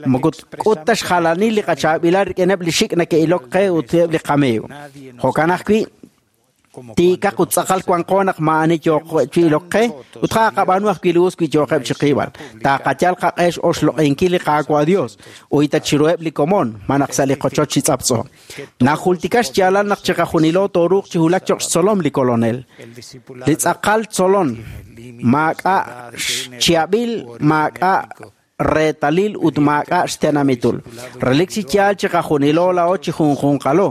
Moko k'ut ta xjalanil li qachaab'ilal rik'ineb' li xik' nake'ilok qe ut eb' li qamiiw. Jo'kan ajwi', Tiikaq ut tz'aqal wanqo naq maa'ani yooq qe ut qaqab'aanu ajwi' li us wi yooqeb' chi qiib'al. Taqayal qaq'e x'oxloq'inkil li Qaawa' Dios uyta chiruheb' li komon malaj sa' li qochoch chi tz'aptz'o. Najultika xyaalal naq chiqajunilo tooruuq chi wulak cho'q xtzolom li Kolonel. Li tz'aqal tzolon maak'a' xchihab'il, maak'a' reetalil ut maak'a' xtenamitul. Relik chi yaal chiqajunilo laa'o chi junjunqalo,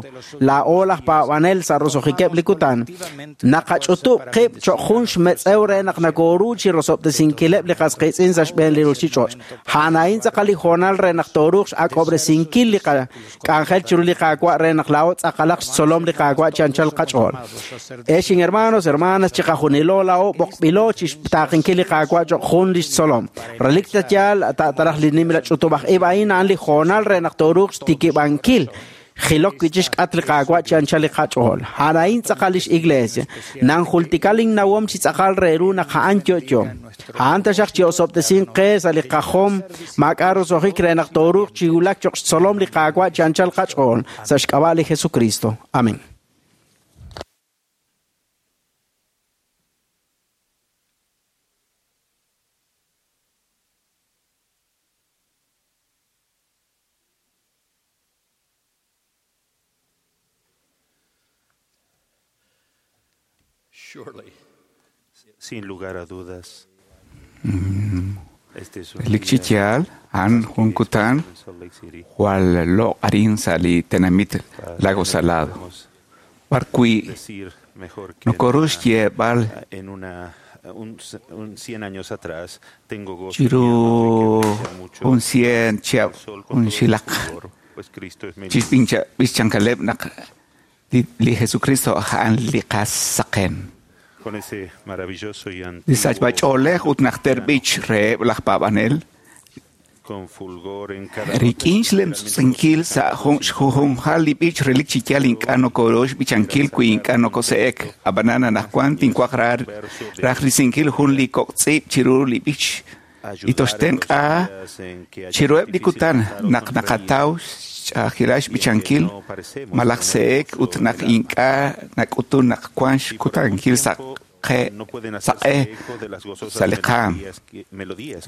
laa'o laj paab'anel sa' roso'jikeb' li kutan. Naqach'utub' qib' cho'q jun xmetz'ew re naq nakooru chi rosob'tesinkileb' li qas qiitz'in sa' xb'een li ruuchich'och'. A'an a'in tz'aqal li hoonal re naq tooruuq x'ak'ob'resinkil li qak'anjel chiru li Qaawa' re naq laa'o tz'aqalaq xtzolom li Qaawa' chi anchal qach'ool. Ex hermanos, hermanas, chiqajunilo laa'o b'oqb'ilo chi xtaaqinkil li Qaawa' cho'q jun li xtzolom. Relik ta yaal taraj li nimla ch'utub'aj ib' a'in a'an li hoonal re naq tooruuq xtikib'ankil jilok wi' chixk'atq li Qaawa' chi anchal li qach'ool. A'an a'in tz'aqal lix iglesia. Nanjultika linnawom chi tz'aqal re ru naq a'an yo'yo. A'an taxaq chi osob'tesink qe sa' li qajom maak'a' roso'jik re naq tooruuq chi wulak cho'q xtzolom li Qaawa' chi anchal qach'ool sa' xk'ab'a' li Jesucristo. Amén. Surely. Sin lugar a dudas. Este es un Relik chi día yaal a'an jun kutan en Salt Lake City. jwal loq' arin sa' li tenamit Lago Salado. Podemos B'ar wi' decir mejor que nokoru xyeeb'al en una un 100 años atrás tengo gozo y chiru alma de que brilla mucho jun cien chihab' el sol con jun todo su xilaq fulgor, pues Cristo es mi luz. chixb'incha b'ixchankaleb' naq li Jesucristo a'an li qasaqen. Con ese maravilloso y Li antiguo sachb'ach'oolej ut najter b'ich reheb' laj paab'anel con fulgor en cada rik'in xlemtz'inkil sa' jun xjujunjal li b'ich relik chi yaal ink'a' nokoru xb'ichankil wi ink'a' nokose'ek. Ab'anan anaqwan tinwaj raj risinkil jun li kok' tz'iib' chiru li b'ich li toxtenq'a chiruheb' li kutan naq naqataw xch'a'ajkilal xb'ichankil malaj se'ek ut naq ink'a' nak'utun naq wan xkutankil sa' qe saq'e sa' li qaam.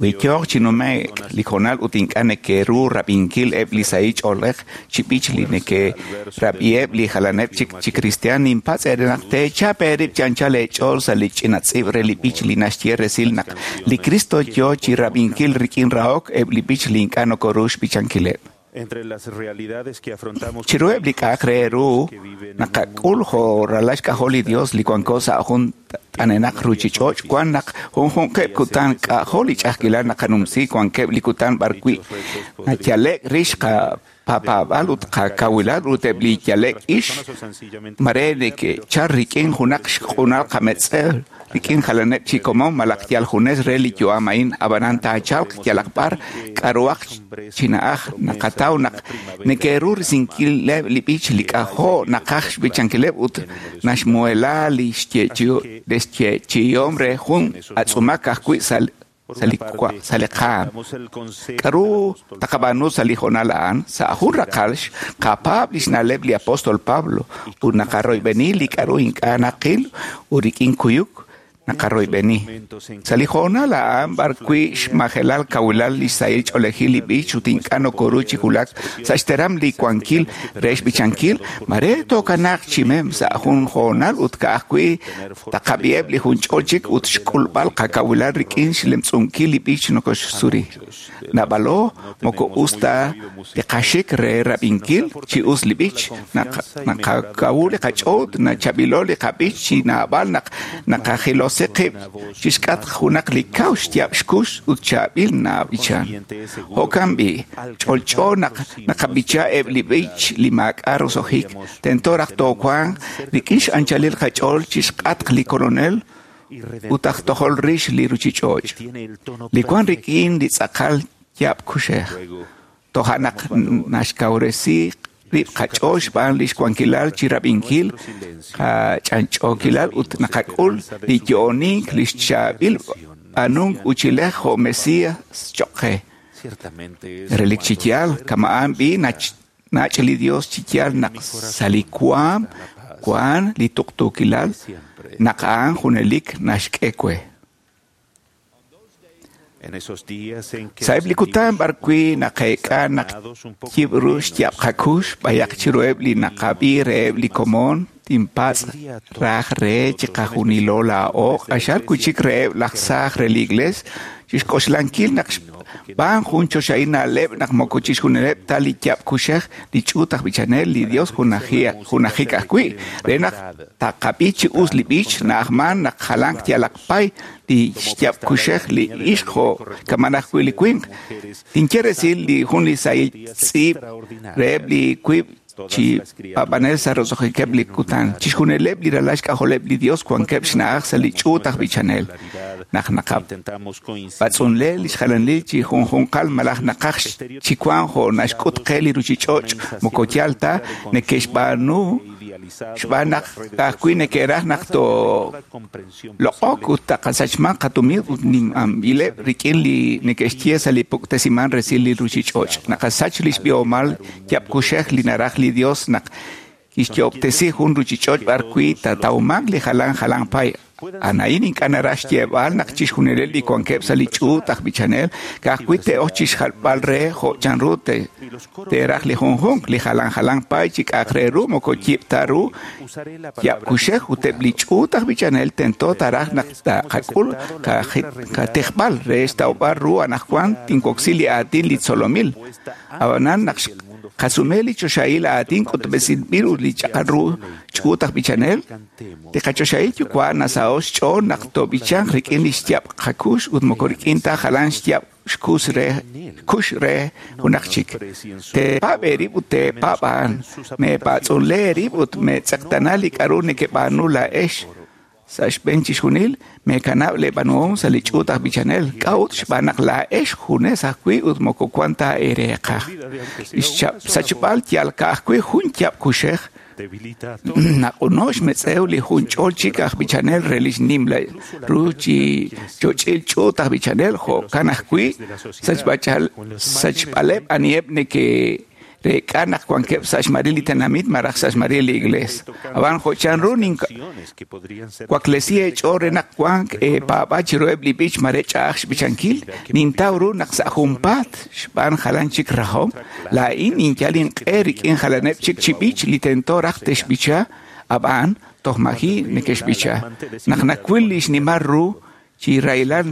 Wi yooq chi nume'k li hoonal ut ink'a' neke'ru rab'inkil eb' li sahil ch'oolej chi b'ich li neke'rab'iheb' li jalaneb' chik chi kristiaan, ninpatz' eere naq teechap eerib' chi anchal eech'ool sa' li ch'ina tz'iib' re li b'ich li naxye resil naq li Cristo yoo chi rab'inkil rik'in rahok eb' li b'ich li ink'a' nokoru xb'ichankileb'. Entre las realidades que afrontamos Chiruheb' li k'a'aq re ru naqak'ul jo' ralal xk'ajol li Dios li wanko sa' jun t'anenaq ruuchich'och' wan naq junjunqeb' kutan k'a'jo' li ch'a'ajkilal naqanumsi wankeb' li kutan b'ar wi' nayale'k rix qapaab'al ut qakawilal ut eb' li yale'k ix mare neke'chal rik'in junaq xq'unal qametz'ew rik'in jalaneb' chi komon malaj yal junes re li yu'am a'in ab'anan taachalq yalaq b'ar k'a'ruhaq chi na'aj naqataw naq neke'ru risinkileb' li b'ich li k'a'jo' naqaj xb'ichankileb' ut naxmuhela li xyeechi'ihom re jun atz'umak ajwi' sa' li qaam. K'a'ru taqab'aanu sa' li hoonal a'an? Sa' jun raqal xqapaab' li xna'leb' li apóstol Pablo ut naqaroyb'eni li k'a'ru ink'a' naqil ut rik'in kuyuk naqaroyb'eni. Sa' li hoonal a'an b'ar wi' xmajelal kawilal li xsahil ch'oolejil li b'ich ut ink'a' nokoru chi wulak sa' xteram li wankil re xb'ichankil, mare tookanaaq chi mem sa' jun hoonal ut ka'ajwi' taqab'iheb' li junch'ol chik ut xk'ulb'al qakawilal rik'in xlemtz'unkil li b'ich nokoxsuri. Naab'alo moko us ta li qaxik re rab'inkil chi us li b'ich, naqakawu li qach'ool nachab'ilo li qab'ich chi naab'al naq naqajilosi qib' chixk'atq junaq li kaw xyaab' xkux ut chaab'il naab'ichan. Jo'kan b'i' ch'olch'o naq naqab'icha eb' li b'ich li maak'a' roso'jik, tento raj toowanq rik'in x'anchalil qach'ool chixk'atq li Kolonel ut aj tojol rix li ruuchich'och', li wan rik'in li tz'aqal yaab' kuxej. Toja' naq naxkawresi rib' qach'ool xb'aan li xwankilal chi rab'inkil qach'anch'ookilal ut naqak'ul li yo'onink li xchaab'il b'aanunk uchilej jo' Mesías cho'q qe. Relik chi yaal kama'an b'i nach' li Dios chi yaal naq sa' li waam Wan li tuqtuukilal naq a'an junelik naxk'e we. Sa'eb' li kutan b'arwi' naqeek'a naq yib' ru xyaab' qakux b'ayaq chiruheb' li naqab'i reheb' li komon tinpatz' raj re chiqajunilo laa'o q'axal wi' chik reheb' laj saaj re li Iglees chixk'oxlankil naq xb'aan jun choxahil na'leb' naq moko chixjunileb' ta li yaab' kuxej li ch'uut aj b'ichanel li Dios junajik ajwi' re naq taqab'i chi us li b'ich na'ajman naq jalan yalaq pay li xyaab' kuxej li ixq jo' kaman ajwi' li winq. Tinye resil li jun li sahil tz'iib' reheb' li wiib' chi paab'anel sa' roso'jikeb' li kutan. Chixjunileb' li ralal xk'ajoleb' li Dios wankeb' xna'aj sa' li ch'uut aj b'ichanel. Naq naqab'atz'unle li xjalanil chi junjunqal malaj naqaj chi wank jo' naxk'ut qe li ruchich'och' moko yal ta neke'xb'aanu xb'aan naq ka'ajwi' neke'raj naq tooloq'ok ut taqasachman qatumin ut nimamb'ileb' rik'in li neke'xye sa' li puktesiman resil li ruchich'och'. Naqasach li xb'ihomal yaab' kuxej li naraj li Dios naq kixyo'ob'tesi jun ruchich'och' b'arwi' taatawmanq li jalan jalan pay. A'in ink'a' naraj xyeeb'al naq chixjunileb' li wankeb' sa' li ch'uut aj b'ichanel ka'ajwi' te'ok chixjalb'al re jo' chanru te'raj li junjunq li jalan jalan pay chi k'a'aq re ru moko yib' ta ru yaab' kuxej ut eb' li ch'uut aj b'ichanel tento taraj naq taqak'ul qatijb'al re xtawb'al ru anaqwan tinwoksi li aatin li tzolomil. Ab'anan naq qasume li choxahil aatin k'utb'esinb'il ut li ch'aqal ru ch'uut aj b'ichanel, li qachoxahil yuwa' nasaho' xch'ool naq toob'ichanq rik'in li xyaab' qakux ut moko rik'in ta jalan xyaab' xkux re junaq chik. Teepaab' eerib' ut teepaab' a'an. Meepatz'unle eerib' ut meetz'eqtana li k'a'ru nekeb'aanu laa'ex. Sa' xb'een chixjunil, meekanab' leeb'aanuhom sa' li ch'uut aj b'ichanel. K'a'ut xb'aan naq laa'ex junes ajwi' ut moko wan ta eereeqaj. Li xsachb'al yal ka'ajwi' jun yaab' kuxej naq'uno xmetz'ew li jun ch'ol chik aj b'ichanel re li xnimla ru chi choch'il ch'uut aj b'ichanel jo'kan ajwi' sachb'aleb' aniheb' neke'reek'a naq wankeb' sa' xmaril li tenamit malaj sa' xmaril li Iglees. Ab'an jo' chanru ninwaklesi eech'ool re naq wank eepaab'al chiruheb' li b'ich mare ch'a'aj xb'ichankil, nintaw ru naq sa' junpaat xb'aan jalan chik rajom, laa'in ninyal inq'e rik'in jalaneb' chik chi b'ich li tento raj te'xb'icha, ab'an toj maji' neke'xb'icha. Naq nawil li xnimal ru chi rahilal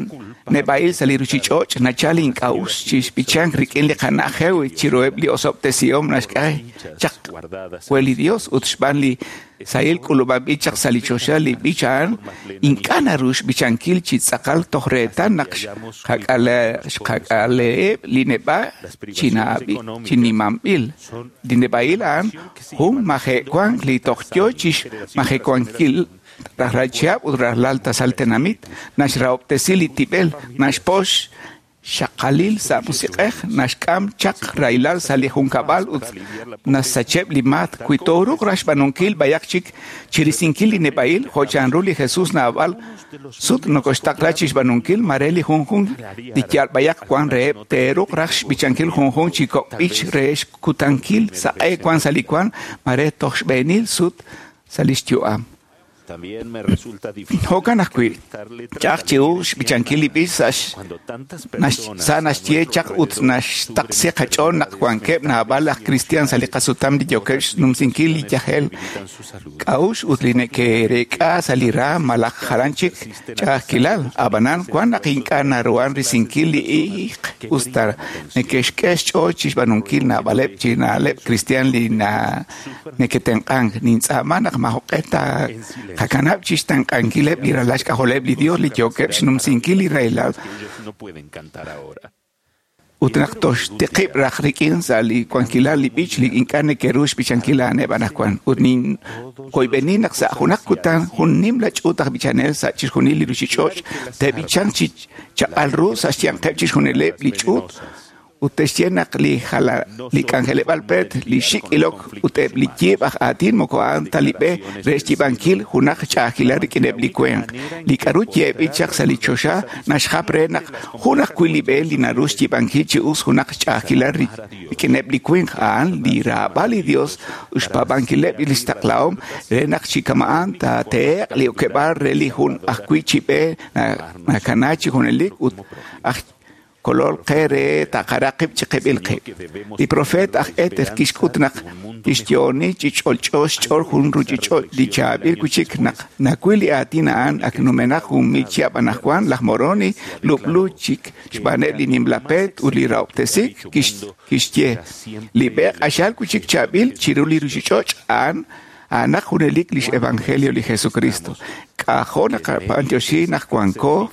neb'a'il sa' li ruchich'och' nachal ink'a'uxl chi xb'ichank rik'in li qana'jew chiruheb' li osob'tesihom naxk'e chaq we li Dios ut xb'aan li sahil k'ulub'anb'il chaq sa' li choxa li b'ich a'an ink'a' naru xb'ichankil chi tz'aqal toj reetal naq xqak'aleheb' li neb'a' chi nimamb'il. Li neb'a'il a'an jun majewank li toj yo chi xmajewankil rajlal chihab' ut rajlal tasal tenamit naxrahob'tesi li tib'el naxpox xaqalil sa' musiq'ej naxk'am chaq rahilal sa' li junkab'al ut nasacheb' li maat. Wi tooruuq raj xb'aanunkil b'ayaq chik chirisinkil li neb'a'il jo' chanru li Jesus naab'al sut nokoxtaqla chi xb'aanunkil mare li junjunq li yal b'ayaq wan reheb' teeruuq raj xb'ichankil junjunq chi kok' b'ich re xkutankil saq'e wan sa' li wan mare toj xb'eenil sut sa' li xyu'am. Jo'kan ajwi' ch'a'aj chiru xb'ichankil li b'ich sa' naxye chaq ut naxtaqsi qach'ool naq wankeb' naab'al aj kristiaan sa' li qasutam li yookeb' xnumsinkil li yajel k'a'uxl ut li neke'reek'a sa' li raam malaj jalan chik ch'a'ajkilal. Ab'anan wan naq ink'a' naruhan risinkil li iiq usta neke'xk'e xch'ool chi xb'aanunkil naab'aleb' chi na'leb' kristiaan li neke'tenq'ank. Nintz'aama naq maajoq'e taqakanab' chi xtenq'ankileb' li ralal xk'ajoleb' li Dios li yookeb' xnumsinkil li rahilal ut naq toxtiqib' raj rik'in sa' li wankilal li b'ich li ink'a' neke'ru xb'ichankil a'aneb' anaqwan. Ut ninkoyb'eni naq sa' junaq kutan jun nimla ch'uut aj b'ichanel sa' chixjunil li ruchich'och' te'b'ichanq chi chaq'al ru sa' xyanqeb' chixjunileb' li ch'uut Ut te'xye naq li k'anjeleb'aal pleet, li xik' ilok ut eb' li yiib' aj aatin moko a'an ta li b'e re xyiib'ankil junaq ch'a'ajkilal rik'ineb' li winq. Li k'aru yeeb'il chaq sa' li choxa naxjap re naq jun ajwi' li b'e li naru xyiib'ankil chi us junaq ch'a'ajkilal rik'ineb' li winq a'an li raab'al li Dios ut xpaab'ankileb' lix taqlahom re naq chi kama'an taatehe'q li okeb'aal re li jun ajwi' chi b'e nakana chi junelik ut aj kolol qe re taqara qib' chi qib'il qib'. Li profeet aj Éter kixk'ut naq kixyo'oni chi ch'olch'o xch'ool jun ruchich'och' li chaab'il wi'chik naq nawil li aatin a'an ak numenaq 1,000 chihab' anaqwan laj Moroni lub'lu chik xb'aaneb' li nimla peet ut li rahob'tesik kixye li b'e q'axal wi'chik chaab'il chiru li ruchich'och' a'an a'anaq junelik lix evangelio li Jesucristo. K'ajo' naqab'antioxi naq wanko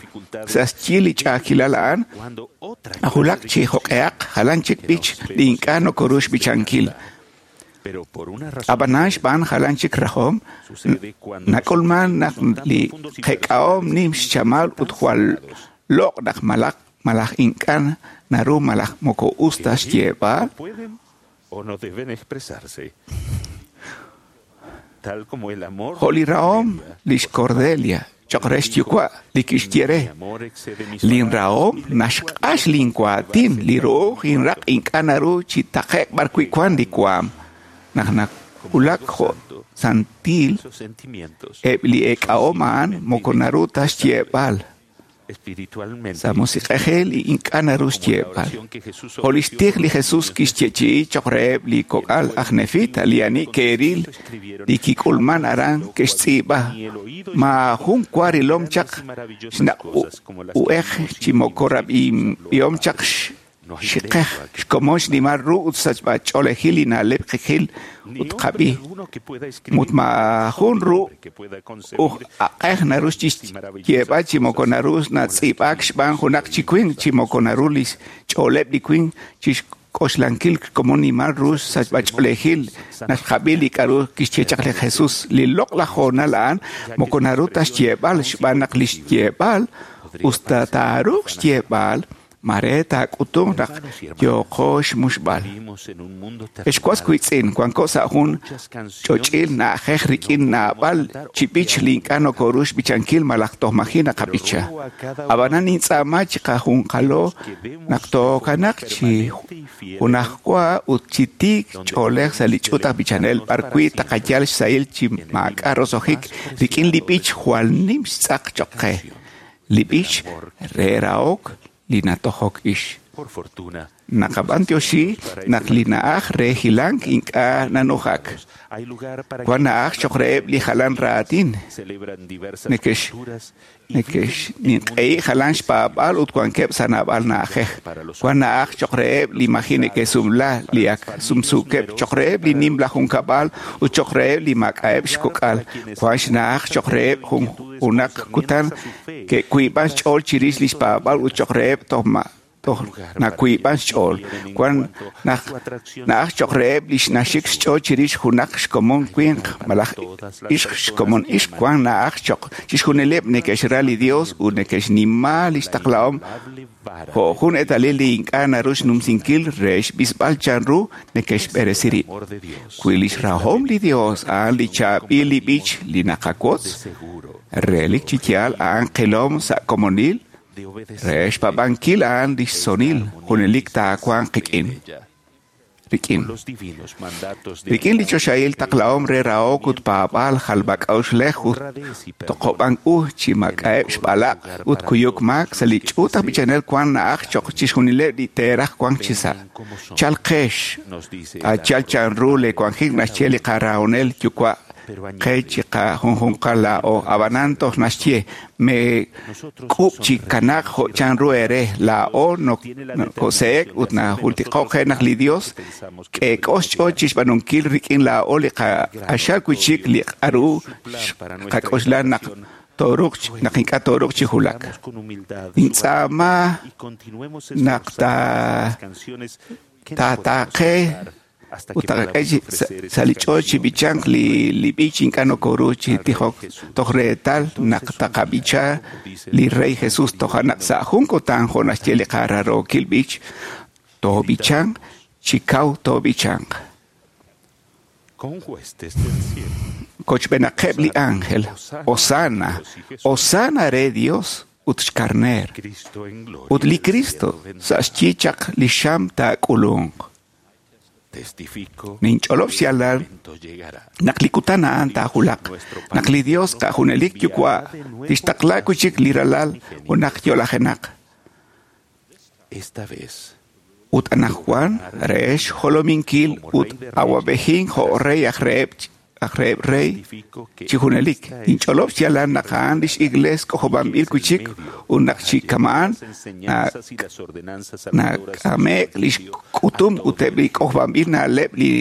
sa' xyi li ch'a'ajkilal a'an, ajulaq chi joq'ehaq jalan chik b'ich li ink'a' nokoru xb'ichankil. Ab'anan xb'aan jalan chik rajom, nak'ulman naq li qek'ahom nim xchamal ut jwal loq' naq malaj ink'a' naru malaj moko us ta xyeeb'al. Jo' li rahom lix Cordelia choq' re xyuwa' li kixye re, linrahom naxq'ax linwaatin, li ru'uj inraq' ink'a' naru chi taqe'q b'arwi' wank li waam. Naq nawulak jo' santil, eb' li eek'ahom a'an moko naru ta xyeeb'al. Sa' musiq'ejil ink'a' naru xyeeb'al. Jo' lix tij li Jesus kixyeechi'i choq' reheb' li kok'al aj Nefita li ani ke'ril li kik'ulman aran ke'xtz'iib'a. Maajun wa rilom chaq xnaq' u'ej chi moko rab'ihom chaq xiqej xkomon xnimal ru ut sachb'ach'oolejil li na'leb' qijil ut qab'i. Mut maajun ru uj aq'ej naru xyeeb'al chi moko naru natz'iib'aak xb'aan junaq chi winq chi moko naru li xch'ooleb' li winq chi xk'oxlankil xkomon nimal ru sachb'ach'oolejil naxqab'i li k'aru kixye chaq li Jesus. Li loq'laj hoonal a'an moko naru ta xyeeb'al xb'aan naq li xyeeb'al usta taaruuq xyeeb'al mare taak'utunq naq yooqo xmuxb'al. Ex was wiitz'in, wanko sa' jun ch'och'il na'ajej rik'in naab'al chi b'ich li ink'a' nokoru xb'ichankil malaj toj maji' naqab'icha. Ab'anan nintz'aama chi qajunqalo naq tookanaq chi junajwa ut chi tiik ch'oolej sa' li ch'uut aj b'ichanel b'arwi' taqayal xsahil chi maak'a' roso'jik rik'in li b'ich jwal nim xtz'aq choq' qe. Li b'ich re rahok li natojok ix. Naqab'antioxi naq li na'aj re hilank ink'a' nanujak. Wank na'aj choq' reheb' li jalan raatin. Neke'xninq'ehi jalan xpaab'al ut wankeb' sa' naab'al na'ajej. Wank na'aj choq' reheb' li maji' neke'sumla, li ak sumsuukeb', choq' reheb' li nimla junkab'al ut choq' reheb' li maak'a'eb' xkok'al. Wank xna'aj choq' reheb' junaq kutan ke'wiib'an xch'ool chirix li xpaab'al ut choq' reheb' toj nawiib'an xch'ool. Wank na'aj choq' reheb' li naxik xch'ool chirix junaq xkomon winq malaj ixq xkomon ixq. Wank na'aj choq' chixjunileb' neke'xra li Dios ut neke'xnima lix taqlahom jo' jun eetalil li ink'a' naru xnumsinkil re xb'isb'al chanru neke'xb'eresi rib'. Wi lix rahom li Dios a'an li chaab'il li b'ich li naqawotz, relik chi yaal a'an qilom sa' komonil re xpaab'ankil a'an lix sonil junelik taawanq qik'in. Rik'in li choxahil taqlahom re rahok ut paab'aal jalb'ak'a'uxlej ut toqob'ank u chi maak'a'eb' xb'alaq' ut kuyuk maak sa' li ch'uut aj b'ichanel wank na'aj choq' chixjunileb' li teeraj wank chi sa'. Chalqex, achal chanru leewanjik naxye li qarahonel yuwa' qe chi qajunjunqal laa'o. Ab'anan toj naxye me k'ub' chi kanaaq jo' chanru eere laa'o nokose'ek ut najultiko'k qe naq li Dios k'eek'o xch'ool chi xb'aanunkil rik'in laa'o li q'axal wi'chik li k'aru qak'oxla naq tooruuq naq ink'a' tooruuq chi wulak. Nintz'aama naq taataaqe ut taqak'e sa' li ch'ool chi b'ichank li b'ich ink'a' nokoru chi tijok toj reetal naq taqab'icha li Rey Jesus toja' naq sa' jun kutan jo' naxye li qararookil b'ich Toob'ichanq chi kaw toob'ichanq. Con huestes del cielo. Kochb'enaqeb' li ángel. Hosanna, Hosanna re Dios ut xkarneer. Cristo en gloria. Ut li Cristo sa' xyi chaq li xam taak'ulunq. Testifico Ninch'olob' xyaalal momento llegará. naq li kutan a'an taajulaq, naq li Dios qa'junelik yuwa' tixtaqla wi' chik li ralal junaq yo'lajenaq. Esta vez Ut anajwan re xjolominkil ut awab'ejin jo' rey aj reheb' rey testifico que chi junelik. Ninch'olob' xyaalal naq a'an lix iglees k'ojob'anb'il wi' chik ut naq chi kama'an las enseñanzas y las ordenanzas salvadoras nak'ame'k lix k'utum ut eb' li k'ojob'anb'il na'leb' li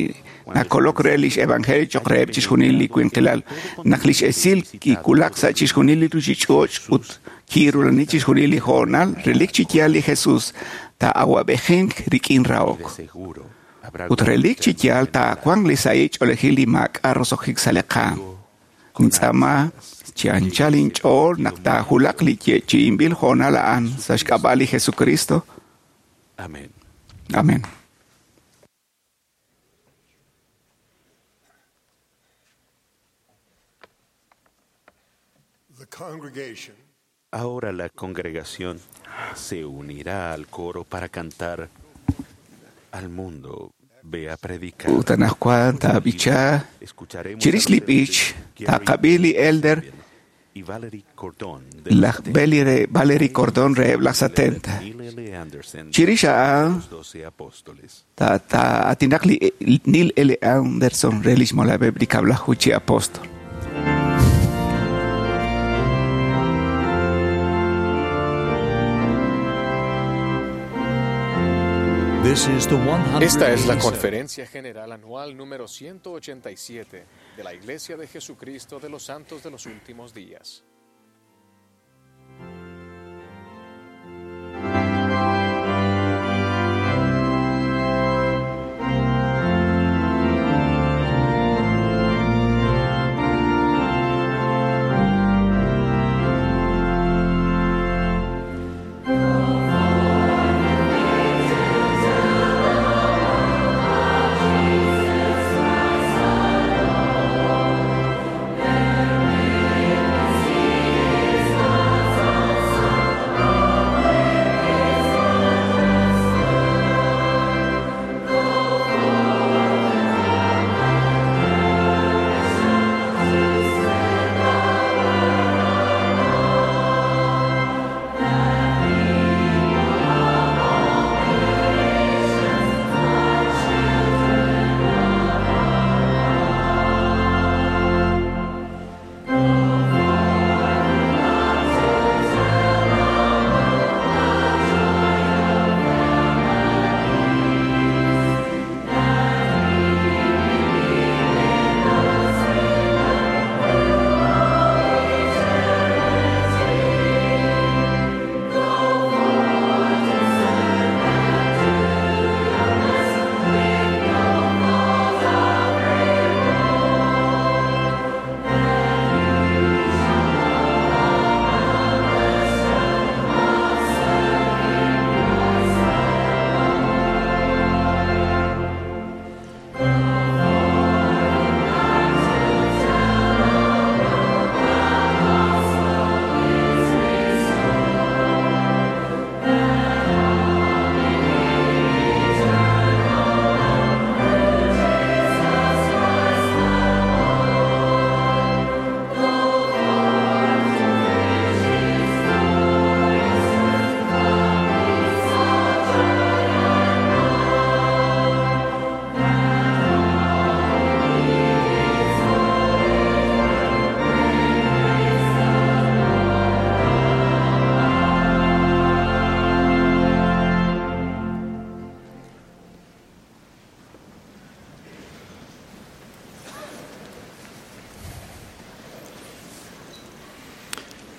nakolok re lix evangelio choq' reheb' chixjunil li winqilal. Naq lix esil kiwulak sa' chixjunil li ruchich'och' ut kirulani chixjunil li hoonal, relik chi yaal li Jesus taa'awab'ejink rik'in de rahok. seguro habrá Ut relik chi yaal taawanq li sahil ch'oolejil li maak'a' roso'jik sa' li qaam. Nintz'aama chi anchal inch'ool naq taajulaq li yeechi'inb'il hoonal a'an sa' xk'ab'a' li Jesucristo. Amén. Amén. The congregation Ahora la congregación se unirá al coro para cantar al mundo. Ve a predicar. Ut anajwan taab'icha Escucharemos chirix a los li elders b'ich Gary taaqab'i li elder y Valerie Cordón de los laj 70, Valerie Cordón reheb' laj 70. Neil L. Anderson Chirix a'an los 12 apóstoles. taa'aatinaq li Neil L. Anderson re lix molab'eb' li kab'laju chi apóstol. This is the Esta es la 187th Conferencia General Anual número 187 de la Iglesia de Jesucristo de los Santos de los Últimos Días.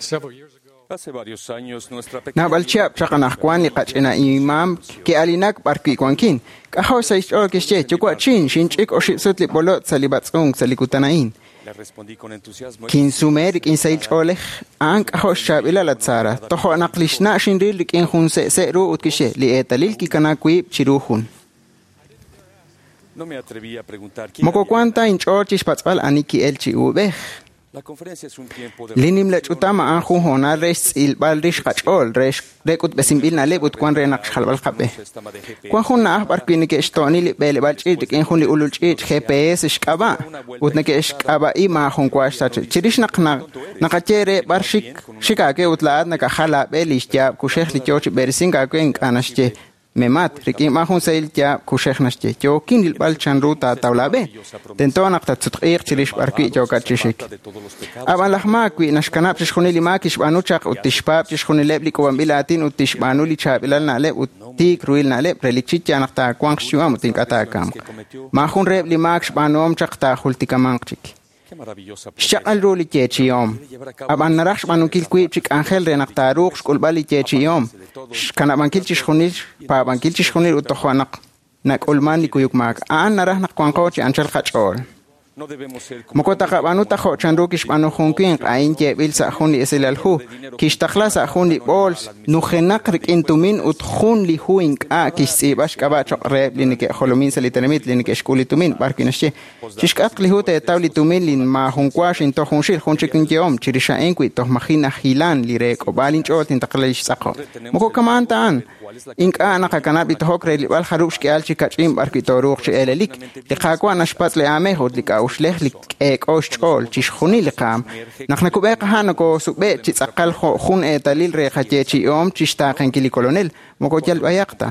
Several years ago, Hace varios años nuestra pequeña Naab'al chihab' chaq anajwan li qach'ina imam ki'alinak b'arwi' wankin. K'ajo' sa' xch'ool kixye, yuwa'chin, xinch'ik oxib' sut li b'olot' sa' li b'atz'unk sa' li kutan a'in. Kinsume rik'in sahil ch'oolej, a'an k'ajo' xchaab'ilal at Sara. Tojo' naq li xna' xinril rik'in jun se'se' ru ut kixye, li eetalil kikana wiib' chiru jun. Moko wan ta inch'ool chixpatz'b'al ani ki'el chi uub'ej. Li nimla ch'utam a'an jun hoonal re xtz'ilb'al rix qach'ool, re k'utb'esinb'il na'leb' ut wan re naq xjalb'al qab'e. Wan jun na'aj b'ar wi' neke'xto'ni li b'eleb'aal ch'iich' rik'in jun li ulul ch'iich' GPS xk'ab'a' ut neke'xk'ab'a'i maajun wa xsach. Chirix naq naqaye re b'ar xik aawe ut laa'at nakajal aab'e li xyaab' kuxej li yoo chi b'eresink aawe ink'a' naxye. Memat, rik'in b'an jun sahil yaab' kuxej naxye, yookin rilb'al chanru taataw laab'e. Tento naq tatsutq'iiq chirix b'ar wi' yookat chi xik. Ab'an laj maak wi' naxkanab' chixjunil li maak kixb'aanu chaq ut tixpaab' chixjunileb' li k'uub'anb'il aatin ut tixb'aanu li chaab'ilal na'leb' ut tiik ruhil na'leb' relik chi yaal naq taawanq xyu'am ut ink'a' taakamq. Maajun reheb' li maak xb'aanuhom chaq taajultikamanq chik. Xchaq'al ru li yeechi'om. Ab'an naraj xb'aanunkil wiib' chi k'anjel re naq taaruuq xk'ulb'al li yeechi'om, xkanab'ankil chixjunil, xpaab'ankil chixjunil ut tojo' naq nak'ulman li kuyuk maak. A'an naraj naq wanqo chi anchal qach'ool. Moko taqab'aanu ta jo' chanru kixb'aanu jun winq, a'in yeeb'il sa' jun li esilal hu, kixtaqla sa' jun li b'ools nujenaq rik'in tumin ut jun li hu ink'a' kixtz'iib'a xk'ab'a' choq' reheb' li neke'jolomin sa' li tenamit li neke'xk'ul li tumin, b'ar wi' naxye. Chixk'atq li hu teetaw li tumin li maajun wa xintoj junxil, jun chik inyehom, chirix a'in wi' toj maji najilan li reek'ob'aal inch'ool tintaqla li xtz'aqo. Moko kama'an ta a'an. Ink'a' naqakanab' li tojok re rilb'al jarub' xk'ihal chi kach'in b'ar wi' tooruuq chi elelik. Li Qaawa' naxpatz' li aamej ut li k'a'uxlej li k'eek'o xch'ool chixjunil li qaam. Naq nakub'e qaha' nokosub'e' chi tz'aqal jo' jun eetalil re qayeechi'om chixtaaqenkil li Kolonel, moko yal b'ayaq ta.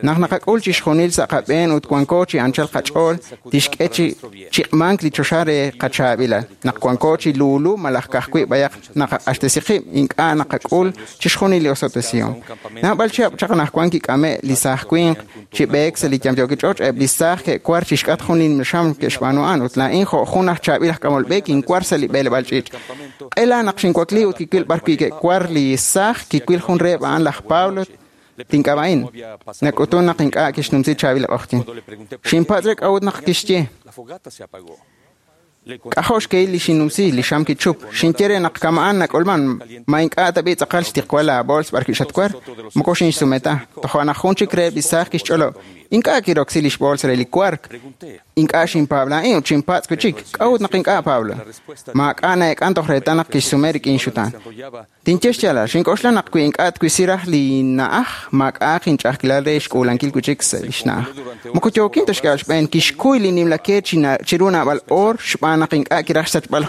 Naq naqak'ul chixjunil sa' qab'een ut wanko chi anchal qach'ool, tixk'e chi chiq'mank li choxa re qachaab'ilal. Naq wanko chi luulu malaj ka'ajwi' b'ayaq naqaq'axtesi qib', ink'a' naqak'ul chixjunil li osob'tesihom. Naab'al chihab' chaq anaqwan kik'ame' li saaj winq chi b'eek sa' li yamyookil ch'och', eb' li saaj ke'war chixk'atq jun li xam ke'xb'aanu a'an ut laa'in jo' jun aj chaab'il aj k'amol b'e kinwar sa' li b'eleb'aal ch'iich'. Q'ela naq xinwakli ut kiwil b'ar wi' ke'war li saaj, kiwil jun reheb' a'an laj Pablo tink'ab'a'in. Nak'utun naq ink'a' kixnumsi chaab'il q'oqyin. Xinpatz' re k'a'ut naq kixye. K'ajo' xkehil li xinnumsi, li xam kichup. Xinye re naq kama'an nak'ulman, ma ink'a' tab'i tz'aqal xtiqwal laabols b'ar wi' xatwar, moko xinxsume ta. Tojo' naq jun chik reheb' li saaj kixch'olob', ink'a' kiroksi li xbools re li wark. Ink'a' xinpaab' laa'in ut xinpatz' wi' chik, k'a'ut naq ink'a' Pablo. Maak'a' na'eek'an toj reetal naq kixsume rik'in xutaan. Tinye xyaalal, xink'oxla naq wi ink'a' twisi raj li na'aj, maak'a'aq inch'a'ajkilal re xk'uulankil wi' chik sa' li xna'aj. Moko yookin ta xk'eb'al xb'een, kixkuy li nimla ke chiru naab'al oor xb'aan naq ink'a' kiraj xsachb'al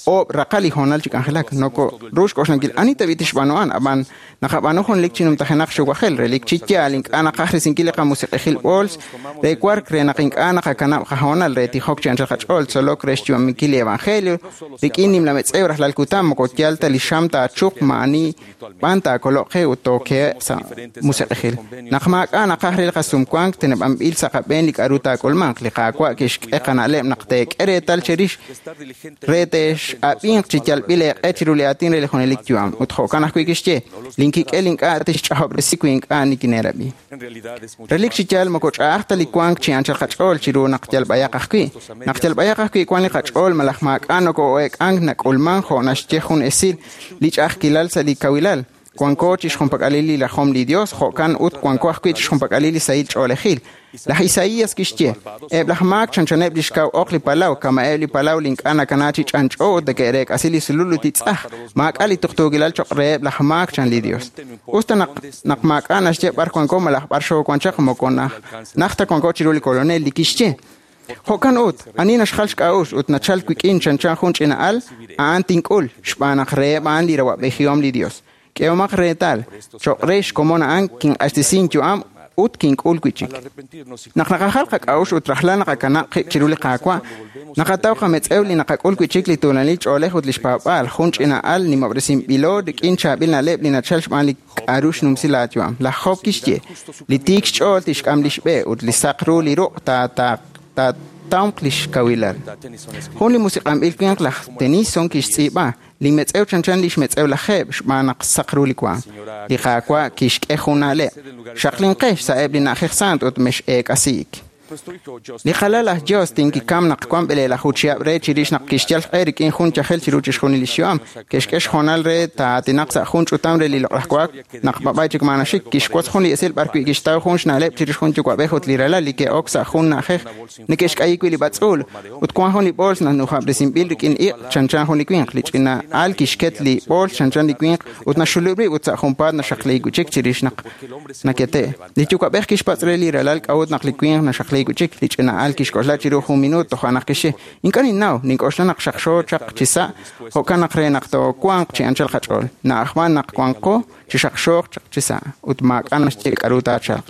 oob' raqal li hoonal chi k'anjelak. Noko ru xk'oxlankil ani tab'i tixb'aanu a'an, ab'an naqab'aanu jun lik chi numtajenaq xuwajel, relik chi yaal ink'a' naqaj risinkil li qamusiq'ejil b'ools re wark re naq ink'a' naqakanab' qahoonal re tijok chi anchal qach'ool, tzolok re xyu'aminkil li evangelio, rik'in nimla metz'ew rajlal kutan moko yal ta li xam taachuq ma'ani b'an taakoloq qe ut tooke'eb' sa' musiq'ejil. Naq maak'a' naqaj re li qasumwank teneb'anb'il sa' qab'een li k'a'ru taak'ulmanq, li Qaawa' kixk'e qana'leb' naq teek'e reetal cherix re te'x'ab'inq chi yalb'il eeq'e chiru li aatin re li junelik yu'am. Ut jo'kan ajwi' kixye, linkik'el ink'a' tixch'ajob'resi wi ink'a' nikineerab'i. Relik chi yaal moko ch'a'aj ta li wank chi anchal qach'ool chiru naq yal b'ayaq ajwi'. Naq yal b'ayaq ajwi' wan li qach'ool malaj maak'a' nokoo'eek'ank nak'ulman jo' naxye jun esil li ch'a'ajkilal sa' li kawilal. Wanko chixjunpak'alil li rajom li Dios, jo'kan ut wanko ajwi' chixjunpak'alil li sahil ch'oolejil. Laj Isaías kixye, eb' laj maak chanchaneb' li xkaw oq li palaw, kama'eb' li palaw li ink'a' nakana chi ch'anch'o ut neke'reek'asi li sulul ut li tz'aj. Maak'a' li tuqtuukilal choq' reheb' laj maak chan li Dios. Us ta naq maak'a' naxye b'ar wanko malaj b'ar xoowan chaq moko naj ta wanko chiru li Kolonel li kixye. Jo'kan ut, ani naxjal xk'a'uxl ut nachal wik'in chanchan jun ch'ina al, a'an tink'ul, xb'aan naq reheb' a'an li rawa'b'ejihom li Dios. K'ehomaq reetal, choq' re xkomon a'an kinq'axtesi inyu'am ut kink'ul wi' chik. Naq naqajal qak'a'uxl ut rajlal naqakanab' qib' chiru li Qaawa', naqataw qametz'ew li naqak'ul wi' chik li tuulanil ch'oolej ut li xpaab'aal, jun ch'ina al nimob'resinb'ilo rik'in chaab'il na'leb' li nachal xb'aan li k'a'ru xnumsi laayu'am. Laj Job kixye, li tiik xch'ool tixk'am li xb'e ut li saq ru li ruq' taatawnq li xkawilal. Jun li musiq'anb'il winq laj Tennyson kixtz'iib'a, li metz'ew chanchan li xmetz'ew laj Jeb xb'aan naq saq ru li waam. Li Qaawa' kixk'e jun na'leb', xaqlinqex sa'eb' li na'ajej sant ut mex'eek'asiik. Li qalal laj Justin kikam naq wan 20 chihab' re chirix naq kixyal xq'e rik'in jun yajel chiru chixjunil li xyu'am. Ke'xk'e xhoonal re taa'aatinaq sa' jun ch'utam re li loq'laj wa'ak naq b'ab'ay chik maanaxik. Kixwotz jun li esil b'arwi' kixtaw jun xna'leb' chirix jun yuwa'b'ej ut li ralal li ke'ok sa' jun na'ajej neke'xk'ayi wi' li b'atz'uul ut wan jun li b'ools nanujab'resinb'il rik'in iq' chanchan jun li winq. Li ch'ina al kixket li b'ools chanchan li winq ut naxulub' rib' ut sa' junpaat naxaqliik wi' chik chirix naq nakete'. Li yuwa'b'ej kixpatz' re li ralal k'a'ut naq li winq naxaqliik wi' chik. Li ch'ina al kixk'oxla chiru jun minuut toja' naq kixye: Ink'a' ninnaw, nink'oxla naq xaqxo chaq chi sa', jo'kan naq re naq toowanq chi anchal qach'ool. Na'ajman naq wanqo chi xaqxooq chaq chi sa' ut maak'a' naxye k'aru taachalq.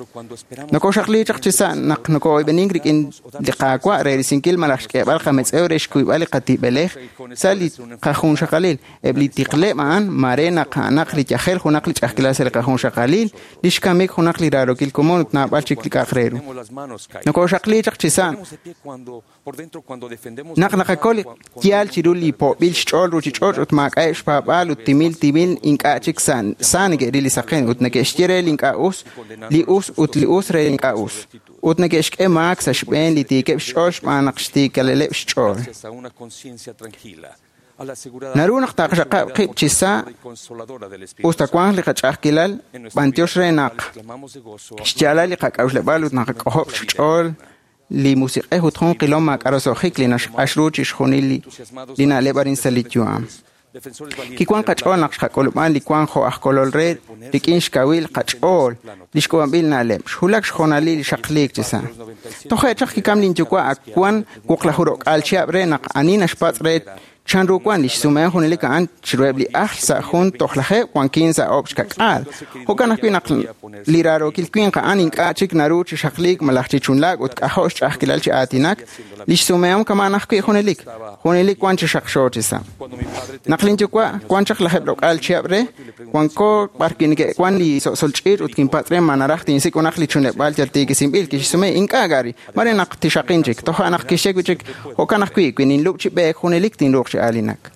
Nokoxaqli chaq chi sa' naq nokoo'oyb'enink rik'in li Qaawa' re risinkil malaj xk'eeb'al qametz'ew re xkuyb'al li qatib'elej sa' li qajunxaqalil. Eb' li tiqleb' a'an mare naq a'anaq li yajel junaq li ch'a'ajkilal sa' li qajunxaqalil, li xkamik junaq li raarokil komon ut naab'al chik li k'a'aq re ru. Nokoxaqli chaq chi sa' naq naqakol li yaal chiru li po'b'il xch'ool ruuchich'och' ut maak'a'eb' xpaab'aal ut timil timil ink'a' chik sa neke'ril li saqen ut neke'xye re li ink'a' us, li us ut li us re li ink'a' us. Ut neke'xk'e maak sa' xb'een li tiikeb' xch'ool xb'aan naq xtiikaleleb' xch'ool. Naru naq taqxaqab' qib' chi sa' us ta wanq li qach'a'ajkilal, b'antiox re naq xyaalal li qak'a'uxleb'aal ut naqak'ojob' xch'ool li musiq'ej ut jun qilom maak'a' roso'jik li naxq'ax ru chixjunil li na'leb' arin sa' li yu'am. Kiwan qach'ool naq xqak'ulub'an li wank jo' aj kolol re rik'in xkawil qach'ool li xk'uub'anb'il na'leb', xwulak xhoonalil li xaqliik chi sa'. Toje' chaq kikam linyuwa' ak wan 60 chihab' re naq ani naxpatz' re chanru wan li xsumehom junelik a'an chiruheb' li ajl sa' jun tojlajeb' wankin sa' 10 xkak'aal. Jo'kan ajwi' naq li raarokil winq a'an ink'a' chik naru chi xaqliik malaj chi chunlaak ut k'ajo' xch'a'ajkilal chi aatinak, li xsumehom kama'an ajwi' junelik, junelik wan chi xaqxo chi sa'. Naq linyuwa' wan chaq 10 chihab' re, wanko b'arwi' neke'wan li so'sol ch'iich' ut kinpatz' re ma naraj tinsik' junaq li chunleb'aal yal tiikisinb'il. Kixsume ink'a' Gary, mare naq tixaqin chik. Toja' naq kixye wi' chik, jo'kan ajwi' wi ninlub' chi b'eek junelik tinruuq chi aalinak.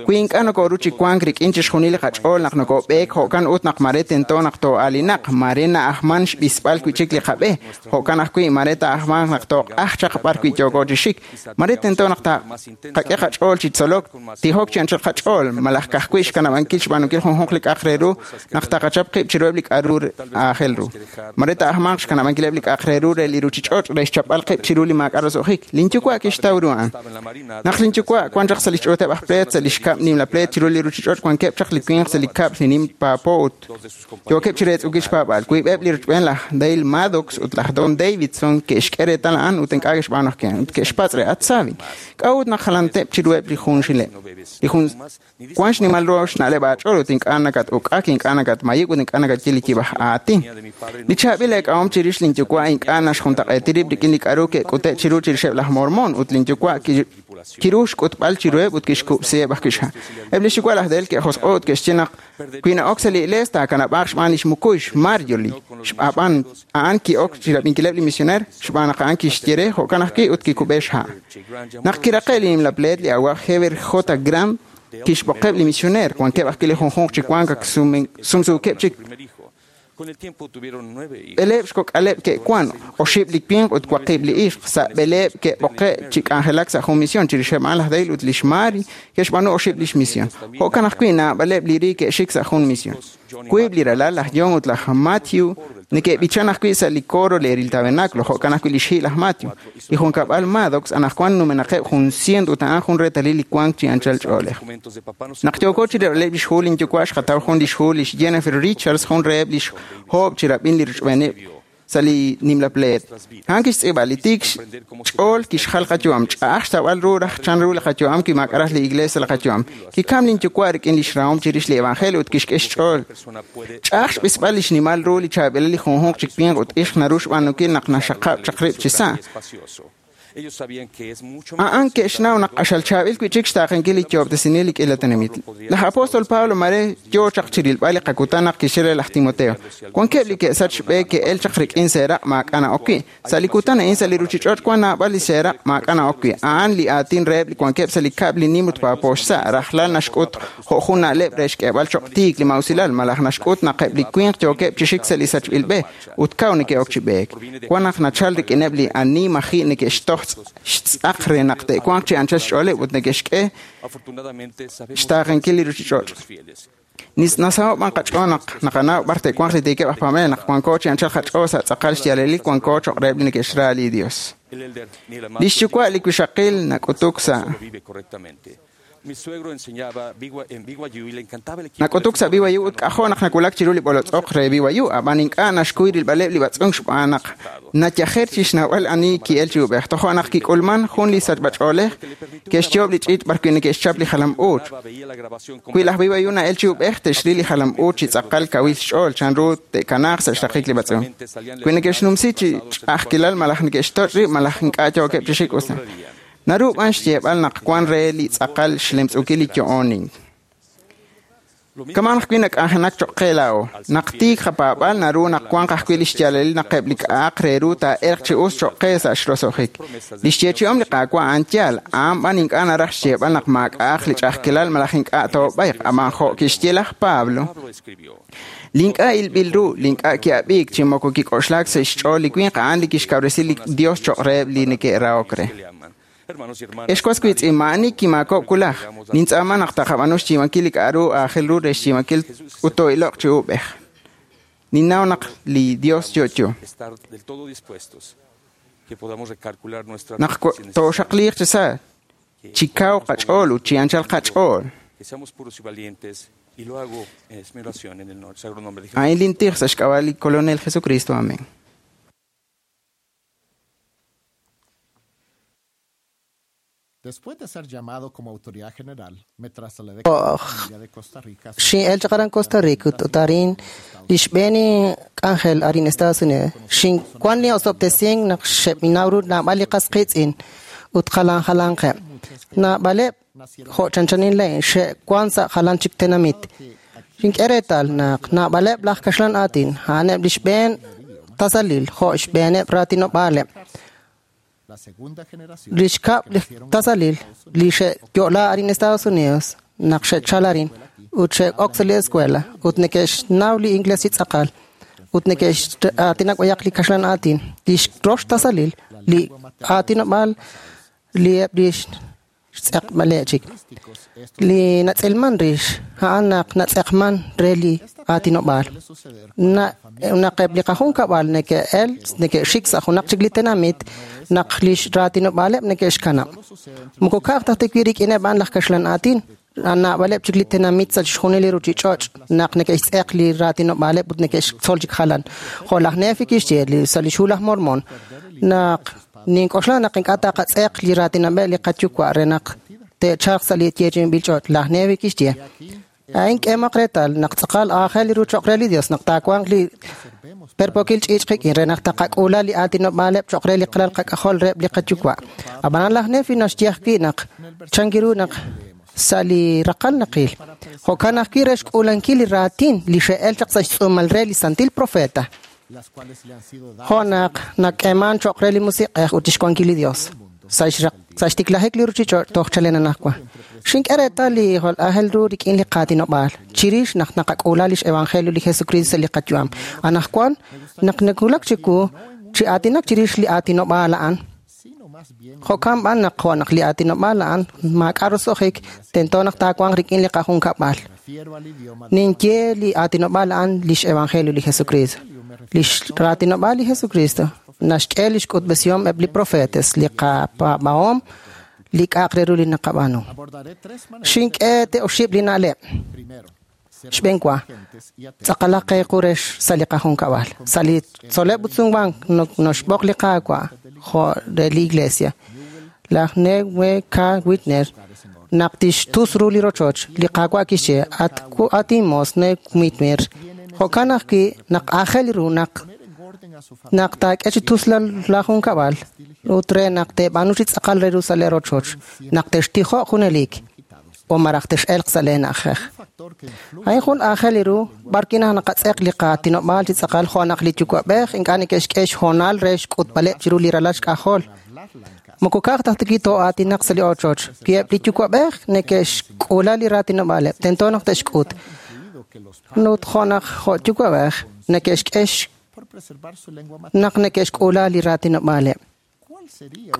Wi ink'a' nokoru chi wank rik'in chixjunil li qach'ool naq nokob'eek, jo'kan ut naq mare tento naq too'aalinaq, mare na'ajman xb'isb'al wi' chik li qab'e, jo'kan ajwi' mare taa'ajmanq naq tooq'aj chaq b'arwi' yooko chi xik, mare tento naq taqak'e qach'ool chi tzolok, tijok chi anchal qach'ool, malaj ka'ajwi' xkanab'ankil xb'aanunkil junjunq li k'a'aq re ru naq taqachap qib' chiruheb' li k'a'ru aajel ru. Mare taa'ajmanq xkanab'ankileb' li k'a'aq re ru re li ruuchich'och' re xchapb'al qib' chiru li maak'a' roso'jik. Linyuwa' kixtaw ru a'an. Naq linyuwa' wan chaq sa' li xch'uuteb' aj pleet sa' li xkab' nimla pleet chiru li ruuchich'och' wankeb' chaq li winq sa' li kab'l li nim paapo ut yookeb' chi reetz'ukil xpaab'aal. Wiib'eb' li rochb'een laj Dale Maddox ut laj Don Davidson ke'xk'e reetal a'an ut ink'a' ke'xb'aanu ajwi' ut ke'xpatz' re at Savi, k'a'ut naq jalanteb' chiruheb' li junxileb'? Li jun wan xnimal ru xna'leb' aach'ool ut ink'a' nakat'uk'ak, ink'a' nakatmayib'k ut ink'a' nakatye li yib'aj aatin. Li chaab'il eek'ahom chirix linyuwa' ink'a' naxjuntaq'eeti rib' rik'in li k'a'ru ke'k'ute' chiru chirixeb' laj Mormon ut linyuwa' kiru xk'utb'al chiruheb' ut kixkub'siheb' ajwi' xha'. Eb' li xyuwa' laj Dale ke'josq'o ut ke'xye naq wi na'ok sa' li iglees taakanab'aaq xb'aan li xmukuy xMarjorie. Xb'aan a'an ki'ok chirab'inkileb' li misioneer xb'aan naq a'an kixye re jo'kan ajwi' ut kikub'e xha'. Naq kiraqe' li nimla pleet li awa'b'ej Heber J. Grant kixb'oqeb' li misioneer, wankeb' ajwi' li junjunq chi wank ak sumsuukeb' chik. B'eleeb' xkok'aleb' ke'wan, 8 li winq ut 8 li ixq, sa' b'eleeb' ke'b'oqe' chi k'anjelak sa' jun mision chirixeb' a'an laj Dale ut lix Mary ke'xb'aanu 8 lix mision. Jo'kan ajwi' naab'aleb' li ri ke'xik sa' jun mision. Wiib' li ralal laj John ut laj Matthew neke'b'ichan ajwi' sa' li coro leeril tabernáculo, jo'kan ajwi' li xhi' laj Matthew. Li junkab'al Maddox anaqwan numenaqeb' 100 ut a'an jun reetalil li wank chi anchal ch'oolej. Naq yooko chi rilb'aleb' lix hu linyuwa' xqataw jun lix hu lix Jennifer Richards, jun reheb' lix hoob' chirab'in li rochb'eeneb' sa' li nimla pleet. A'an kixtz'iib'a li tiik xch'ool kixjal qayu'am, ch'a'aj xtawb'al ru raj chanru li qayu'am wi maak'a' raj li iglees sa' li qayu'am. Kikam linyuwa' rik'in lix rahom chirix li evangelio ut kixk'e xch'ool. Ch'a'aj xb'isb'al li xnimal ru li chaab'ilal li junjunq chi winq ut ixq naru xb'aanunkil naq naxaqab' chaq rib' chi sa'. A'an ke'xnaw naq q'axal chaab'il wi'chik xtaaqenkil li yoob'tesinil li k'iila tenamit. Laj apóstol Pablo mare yoo chaq chirilb'al li qakutan naq kixye re laj Timoteo. Wankeb' li ke'sach xb'e ke'el chaq rik'in seeraq' maak'a' na'ok wi'. Sa' li kutan a'in sa' li ruuchich'och' wan naab'al li seeraq' maak'a' na'ok wi'. A'an li aatin reheb' li wankeb' sa' li kab'l li nim ut paapo xsa'. Rajlal naxk'ut jo' jun na'leb' re xk'eeb'al choq' tiik li mausilal malaj naxk'ut naq eb' li winq yookeb' chi xik sa' li sachb'il b'e ut kaw neke'ok chi b'eek. Wan naq nachal rik'ineb' li ani maji' neke'xtoj xtz'aq re naq te'wanq chi anchal xch'ooleb' ut neke'xk'e xtaaqenkil li ruuchich'och'. Nasaho' b'an qach'ool naq naqanaw b'ar te'wanq li tiikeb' aj paab'anel naq wanko chi anchal qach'ool sa' tz'aqal xyaalalil wanko choq' reheb' li neke'xra li Dios. Li xyuwa' li wixaqil nak'utuk sa' Nak'utuk sa' BYU ut k'ajo' naq nawulak chiru li b'olotz'oq re BYU, ab'an ink'a' naxkuy rilb'aleb' li b'atz'unk xb'aan naq nayajer chi xnawb'al ani ki'el chi ub'ej. Tojo' naq kik'ulman jun li sachb'ach'oolej ke'xyoob' li ch'iich' b'arwi' neke'xchap li jalam-uuch. Wi laj BYU na'el chi ub'ej, te'xril li jalam-uuch chi tz'aqal kawil xch'ool chanru te'kanaaq sa' xraqik li b'atz'unk. Wi neke'xnumsi chi ch'a'ajkilal malaj neke'xtoch' rib' malaj ink'a' yookeb' chi xik us. Naru b'an xyeeb'al naq wan re li tz'aqal xlemtz'ukil li yo'onink. Kama'an ajwi' nak'anjelak choq' qe laa'o. Naq tiik qapaab'al naru naq wanq ajwi' li xyaalalil naq eb' li k'a'aq re ru taa'elq chi us choq' qe sa' xroso'jik. Li xyeechi'om li Qaawa' a'an yaal, a'an b'an ink'a' naraj xyeeb'al naq maak'a'aq li ch'a'ajkilal malaj ink'a' toob'ayq, ab'an jo' kixye laj Pablo, li ink'a' ilb'il ru, li ink'a' ki'ab'iik chi moko kik'oxlaak sa' xch'ool li winq a'an li kixkawresi li Dios choq' reheb' li neke'rahok re. Ex was wiitz'in, maa'ani kimaakob'k wulaj. Nintz'aama naq taqab'aanu xyiib'ankil li k'a'ru aajel ru re xyiib'ankil ut too'iloq chi ub'ej. Ninnaw naq li Dios yo'yo. Naq tooxaqliiq chi sa', chi kaw qach'ool ut chi anchal qach'ool. A'in lintij sa' xk'ab'a' li Kolonel Jesucristo. Amén. Después de ser llamado como autoridad general, me trasladé con la familia de Costa Rica. Xin'el chaq aran Costa Rica ut arin li xb'een k'anjel arin Estados Unidos. Xinwan li osob'tesink naq xe'b'inaw ru naab'al li qas qiitz'in ut jalan jalanqeb'. Naab'aleb' jo' chanchanin lain xe'wan sa' jalan chik tenamit. Xink'e reetal naq naab'aleb' laj kaxlan aatin a'aneb' li xb'een tasalil jo' xb'eeneb' raatinob'aaleb'. Li xkab' li tasalil li xe'yo'la arin Estados Unidos naq xe'chal arin ut xe'ok sa' li escuela ut neke'xnaw li inglés chi tz'aqal ut neke'x'aatinak b'ayaq li kaxlan aatin. Li rox tasalil li aatinob'aal li eb' li xtz'eqb'aleb' chik. Li natz'ilman rix a'an naq natz'eqman re li aatinob'aal. Naq eb' li qajunkab'al neke'el neke'xik sa' junaq chik li tenamit naq li raatinob'aaleb' neke'xkanab'. Moko ka'aj ta wi' rik'ineb' a'an laj kaxlan aatin, naab'aleb' chik li tenamit sa' chixjunil li ruuchich'och' naq neke'xtz'eq li raatinob'aaleb' ut neke'xtzol chik jalan. Jo' laj Nefi kixye sa' li xhu laj Mormon naq nink'oxla naq ink'a' taqatz'eq li raatinob'eb' li qayuwa' re naq te'chalq sa' li yeechi'inb'il ch'och'. Laj Nefi kixye a'in k'emaq reetal naq tz'aqal aajel li ru choq' re li Dios naq taawanq li perpokil ch'iich' qik'in re naq taqak'uula li aatinob'aaleb' choq' re li qalal qak'ajol reheb' li qayuwa'. Ab'anan laj Nefi naxye ajwi' naq chankiru naq sa' li raqal naqil. Jo'kan ajwi' re xk'uulankil li raatin li xe'el chaq sa' xtz'uumal re li santil profeta. Jo' naq nak'eeman choq' re li Musiq'ej ut xwankil li Dios. Sa' xtiklajik li ruuchich'och' toj chalen anaqwan. Xink'e reetal li jwal aajel ru rik'in li qaatinob'aal chirix naq naqak'uula lix evangelio li Jesucristo sa' li qayu'am. Anaqwan naq nawulak chiwu chi aatinak chirix li aatinob'aal a'an, jo'kan b'an naq jo' naq li aatinob'aal a'an maak'a' roso'jik tento naq taawanq rik'in li qajunkab'al. Ninye li aatinob'aal a'an lix evangelio li Jesucristo. Lix raatinob'aal li Jesucristo naxk'e lix k'utb'esihom eb' li profetes, li qapaab'ahom, li k'a'aq re ru li naqab'aanu. Xink'e te'oxib' li na'leb'. Xb'een wa, tz'aqalaq qe qu re sa' li qajunkab'al. Sa' li tzol'leb' ut sumwank noxb'oq li Qaawa' jo' re li Iglesia. Laj Newe K. Whitner naq tixtus ru li rochoch, li Qaawa' kixye at inmoos Ne Whitmer. Jo'kan ajwi' naq aajel ru naq Naq taak'e chi tuslal laajunkab'al ut re naq teeb'aanu chi tz'aqal re ru sa' lee rochoch, naq textijoq junelik o malaj tex'elq sa' lee na'ajej. A'in jun aajel ru b'ar wi' naq naqatz'eq li qaatinob'aal chi tz'aqal jo' naq li yuwa'b'ej ink'a' neke'xk'e xhoonal re xk'utb'aleb' chiru li ralal xk'ajol. Moko ka'aj ta wi' too'aatinaq sa' li ochoch. Wi eb' li yuwa'b'ej neke'xk'uula li raatinob'aaleb', tento naq te'xk'ut. Ut jo' naq jo' yuwa'b'ej neke'xk'e naq neke'xk'uula li raatinob'aaleb'.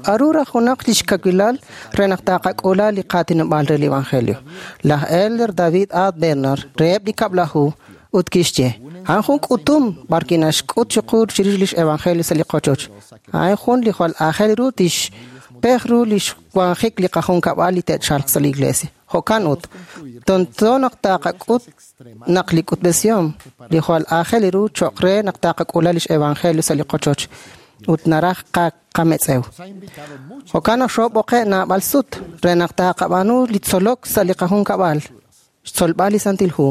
K'aru raj junaq lix kawilal re naq taqak'uula li qaatinob'aal re li Evangelio? Laj Elder David A. Bednar reheb' li kab'laju ut kixye, a'an jun k'utum b'ar wi' naxk'ut chiqu chirix lix Evangelio sa' li qochoch. A'in jun li jwal aajel ru tixpej ru lix wanjik li qajunkab'al li te'chalq sa' li iglesia. Jo'kan ut, tento naq taqak'ut naq li k'utb'esihom li jwal aajel ru cho'q re naq taqak'uula lix Evangelio sa' li qochoch ut naraj qametz'ew. Jo'kan naq xoob'oqe' naab'al sut re naq taqab'aanu li tzolok sa' li qajunkab'al, xtzolb'al li Santil Hu.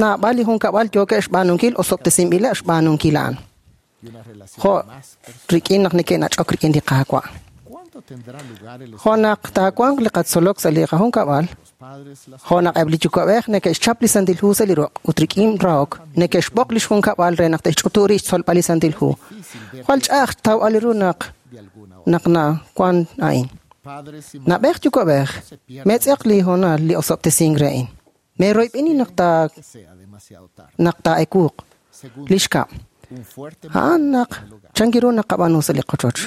Naab'al li junkab'al yookeb' xb'aanunkil osob'tesinb'ileb' xb'aanunkil a'an. Jo' rik'in naq neke'nach'ok rik'in li Qaawa'. Jo' naq taawanq li qatzolok sa' li qajunkab'al, jo' naq eb' li yuwa'b'ej neke'xchap li Santil Hu sa' li ruq' ut rik'in rahok neke'xb'oq lix junkab'al re naq te'xch'utu rib' xtzolb'al li Santil Hu. Jwal ch'a'aj xtawb'al ru naq naq nawan a'in. Nab'ej yuwa'b'ej, metz'eq li hoonal li osob'tesink re a'in. Meroyb'eni naq ta naq taa'ekuuq li xkab'. A'an naq chanki ru naqab'aanu sa' li qochoch.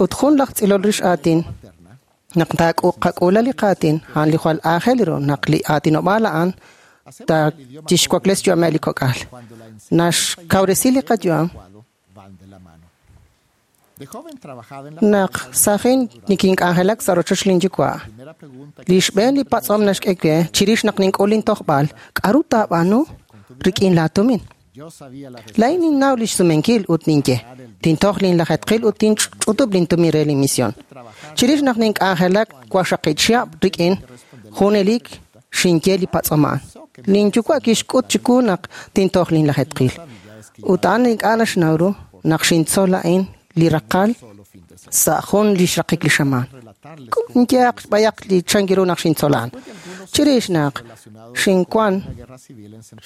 Ut jun laj tz'ilol rix aatin naq taak'uula li qaatin a'an li jwal aajel ru naq li aatinob'aal a'an ta tixwakles yu'ameb' li kok'al. Naxkawresi li qayu'am naq sajin nikink'anjelak sa' rochoch lin yuwa'. Li xb'een li patz'om naxk'e we chirix naq nink'ul lintojb'al, k'aru taab'aanu rik'in laatumin? Laa'in ninnaw lix sumenkil ut ninye, tintoj linlajetqil ut tinch'utub' lintumin re linmision. Chirix naq nink'anjelak waqxaqib' chihab' rik'in junelik xinye li patz'om a'an. Linyuwa' kixk'ut chiwu naq tintoj linlajetqil. Ut a'an ink'a' naxnaw ru naq xintzol a'in li raqal sa' jun li xraqik li xamaan. Nyehaq b'ayaq li chanki ru naq xintzol a'an. Chirix naq xinwan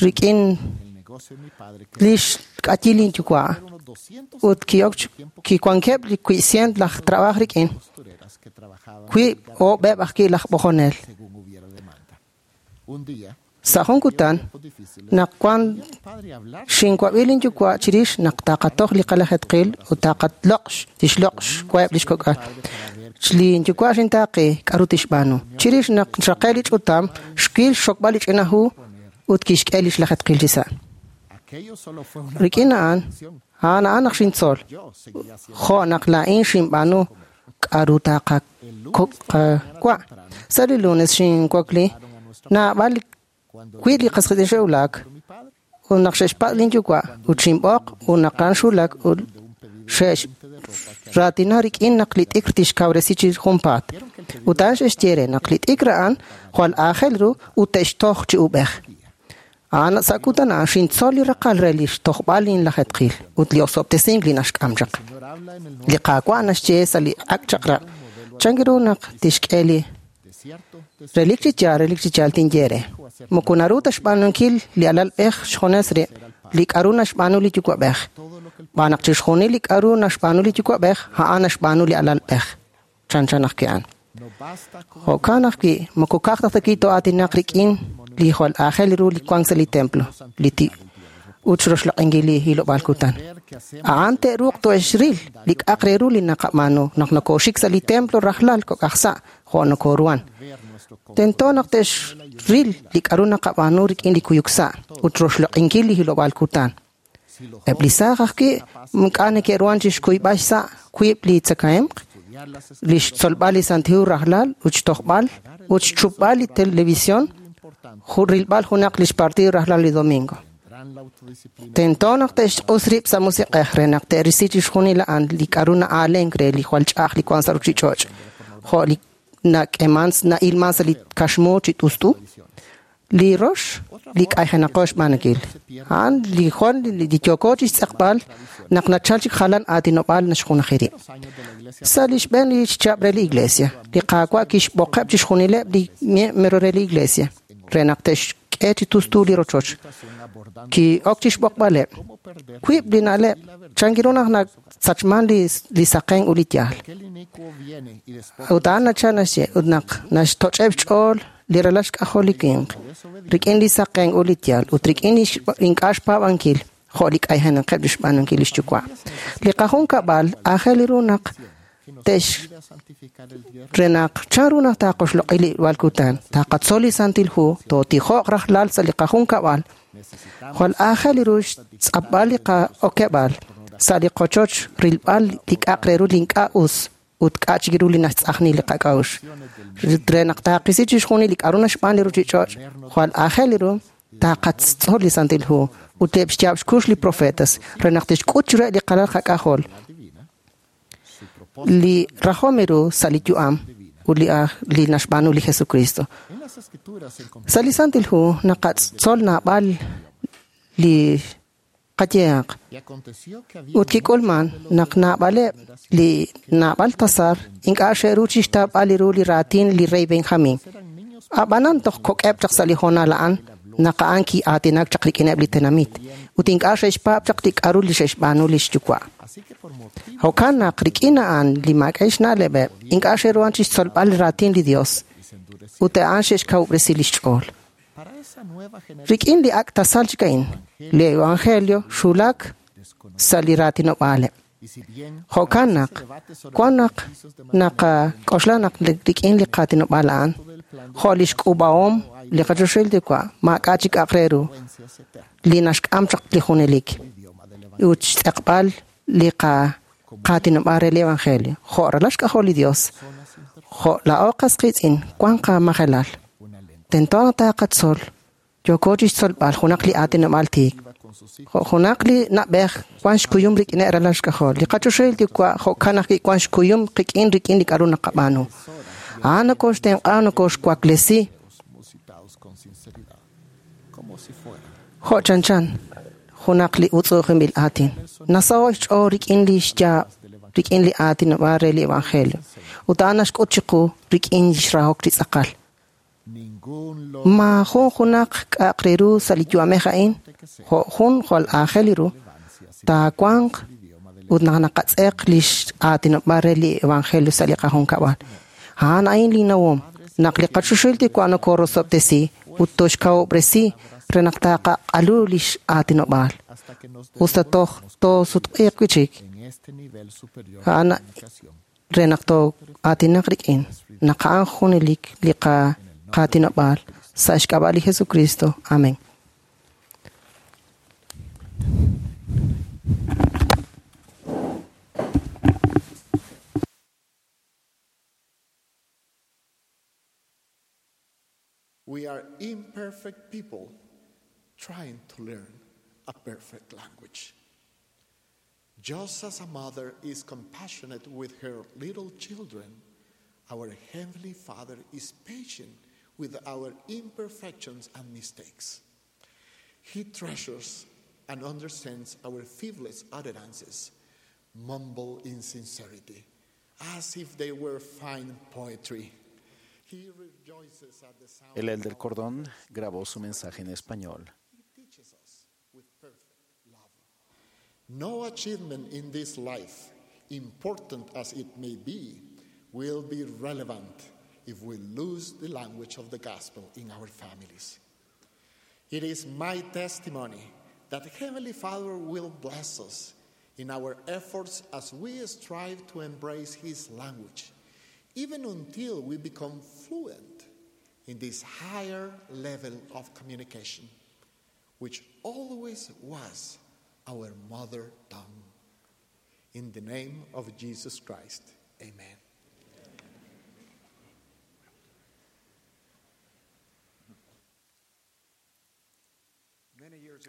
rik'in lix k'ayil linyuwa' ut ki'ok kiwankeb' li 100 laj trab'aj rik'in, wiib' oob'eb' ajwi' laj b'ojonel. Sa' jun kutan naq wan xinwab'i linyuwa' chirix naq taqatoj li qalajetqil ut taqatloq' tixloq' xwaheb' lix kok'al. Linyuwa' xintaaqi k'aru tixb'aanu. Chirix naq xraqe' li ch'utam, xwil xxokb'al li ch'ina hu ut kixk'e lix lajetqil chi sa'. Rik'in a'an, a'an a'an naq xintzol. Jo' naq laa'in xinb'aanu k'aru taqawa'. Sa' li lunes xinwakli naab'al wi' li qasqiitz'in xe'wulak ut naq xe'xpatz' linyuwa' ut xinb'oq ut naq a'an xwulak ut xe'raatina rik'in naq li t'ikr tixkawresi chi junpaat. Ut a'an xe'xye re naq li t'ikr a'an jwal aajel ru ut te'xtoj chi ub'ej. A'an sa' kutan a'an xintzol li raqal re li xtojb'al linlajetqil ut li osob'tesink li naxk'am chaq. Li Qaawa' naxye sa' li ak' chaq'rab' chanki ru naq tixk'e li relik chi yaal tinye re. Moko naru ta xb'aanunkil li alalb'ej xjunes rib' li k'aru naxb'aanu li yuwa'b'ej. Xb'aan naq chixjunil li k'aru naxb'aanu li yuwa'b'ej, a'an naxb'aanu li alalb'ej. Chanchan ajwi' a'an. Jo'kan ajwi' moko ka'aj ta wi' too'aatinaq rik'in li jwal aajel ru li wank sa' li templo, li ut xroxloq'inkil li hilob'aal kutan. A'an te'ruuq to'exril li k'aq re ru li naqab'aanu naq nokooxik sa' li templo rajlal kok'aj sa' jo' nokooruhan. Tento naq te'xril li k'aru naqab'aanu rik'in li kuyuk sa' ut roxloq'inkil li hilob'aal kutan. Eb' li saaj ajwi' ink'a' neke'ruhan chi xkuyb'al xsa' wiib' li tzakahemq, li xtzolb'al li Santil Hu rajlal ut xtojb'al ut xchupb'al li televisión, rilb'al junaq lix partido rajlal li domingo. Tento naq te'xq'us rib' sa' musiq'ej re naq te'risi chixjunil a'an li k'aru na'aalenk re li jwal ch'a'aj li wank sa' ruchich'och', jo' li nak'eman na'ilman sa' li kaxmu chi t'ust'u, Li rox li k'ayjenaqo xb'aanunkil. A'an li jwal li yooko chi xtz'eqb'al naq nachal chik jalan aatinob'aal naxjunaji rib'. Sa' li xb'een li xchab' re li iglesia, li Qaawa' kixb'oqeb' chixjunileb' li miembro re li iglesia re naq te'xk'e chi tustu li rochoch. Ki'ok chi xb'oqb'aleb'. Wiib' li na'leb' chan ru naq nasachman li saqen ut li yaal. Ut a'an nachal naxye ut naq naxtoch'eb' xch'ool li ralal xk'ajol li winq rik'in li saqen ut li yaal ut rik'in ink'a' xpaab'ankil jo' li k'ayjenaqeb' li xb'aanunkil li xyuwa'. Li qajunkab'al aajel ru naq te'x re naq chan ru naq taaqoxloq'i li walkutan taqatzol li Santil Hu tootijo'q rajlal sa' li qajunkab'al jwal aajel ru xtz'apb'al li qa'okeb'al sa' li qochoch rilb'al li k'a'aq re ru li ink'a' us ut k'a' chik ru li naxtz'ajni li qak'a'uxl. Re naq taaqisi chixjunil li k'a'ru naxb'aan li ruchich'och' jwal aajel ru taqatzol li Santil Hu ut eb' xyaab' xkux li profetas re naq tixk'ut chiruheb' li qalal qak'ajol li rajom ru sa' li yu'am ut li naxb'aanu li Jesucristo. Sa' li Santil Hu naqatzol naab'al li qayehaq ut kik'ulman naq naab'aleb' li naab'al tasar ink'a' xe'ru chixtaab'al ru li raatin li rey Benjamin. Ab'anan toj kok'eb' chaq sa' li hoonal a'an naq a'an ki'aatinak chaq rik'ineb' li tenamit ut ink'a' xe'xpaab' chaq li k'a'ru li xe'xb'aanu li xyuwa'. Jo'kan naq rik'in a'an li maak'a' xna'leb'eb' ink'a' xe'ruhan chixtzolb'al li raatin li Dios ut a'an xe'xkawub'resi li xch'ool. Rik'in li ak' tasal chik a'in, li Evangelio xulak sa' li raatinob'aaleb'. Jo'kan naq wan naq naqak'oxla naq rik'in li qaatinob'aal a'an, jo' li xk'ub'ahom li qachoxahil Yuwa' maak'a' chik k'a'aq re ru li naxk'am chaq li junelik ut xtz'eqb'al li qaatinob'aal re li Evangelio. Jo' ralal xk'ajol li Dios, jo' laa'o qas qiitz'in wan qamajelal. Tento naq taqatzol yooko chixtzolb'al junaq li aatinob'aal tiik. Jo' junaq li na'b'ej wan xkuyum rik'ineb' ralal xk'ajol. Li qachoxahil Yuwa' jo'kan ajwi' wan xkuyum qik'in rik'in li k'a'ru naqab'aanu. A'an nokoxtenq'a nokoxwaklesi jo' chanchan junaq li utz'u'ujinb'il aatin. Nasaho' xch'ool rik'in li xyaab' rik'in li aatinob'aal re li Evangelio. Ut a'an naxk'ut chiqu rik'in xrahok li tz'aqal. Maajun junaq k'a'aq re ru sa' li yu'amej a'in jo' jun jwal aajel ru taawanq ut naq naqatz'eq li aatinob'aal re li Evangelio sa' li qajunkab'al. A'an a'in li nawom naq li qachoxahil Yuwa' nokorosob'tesi ut toxkawub'resi re naq taqaq'alu li aatinob'aal. Usta toj toosutq'iiq wi'chik a'an re naq too'aatinaq rik'in naq a'an junelik li qaatinob'aal sa' xk'ab'a' li Jesucristo. Amén. We are imperfect people trying to learn a perfect language. Just as a mother is compassionate with her little children, our Heavenly Father is patient with our imperfections and mistakes. He treasures and understands our feeblest utterances, mumble in sincerity, as if they were fine poetry. He rejoices at the sound El Elder Cordón grabó su mensaje en español. teaches us with perfect love. No achievement in this life, important as it may be, will be relevant if we lose the language of the gospel in our families. It is my testimony that Heavenly Father will bless us in our efforts as we strive to embrace His language, even until we become fluent in this higher level of communication, which always was our mother tongue. In the name of Jesus Christ, amen.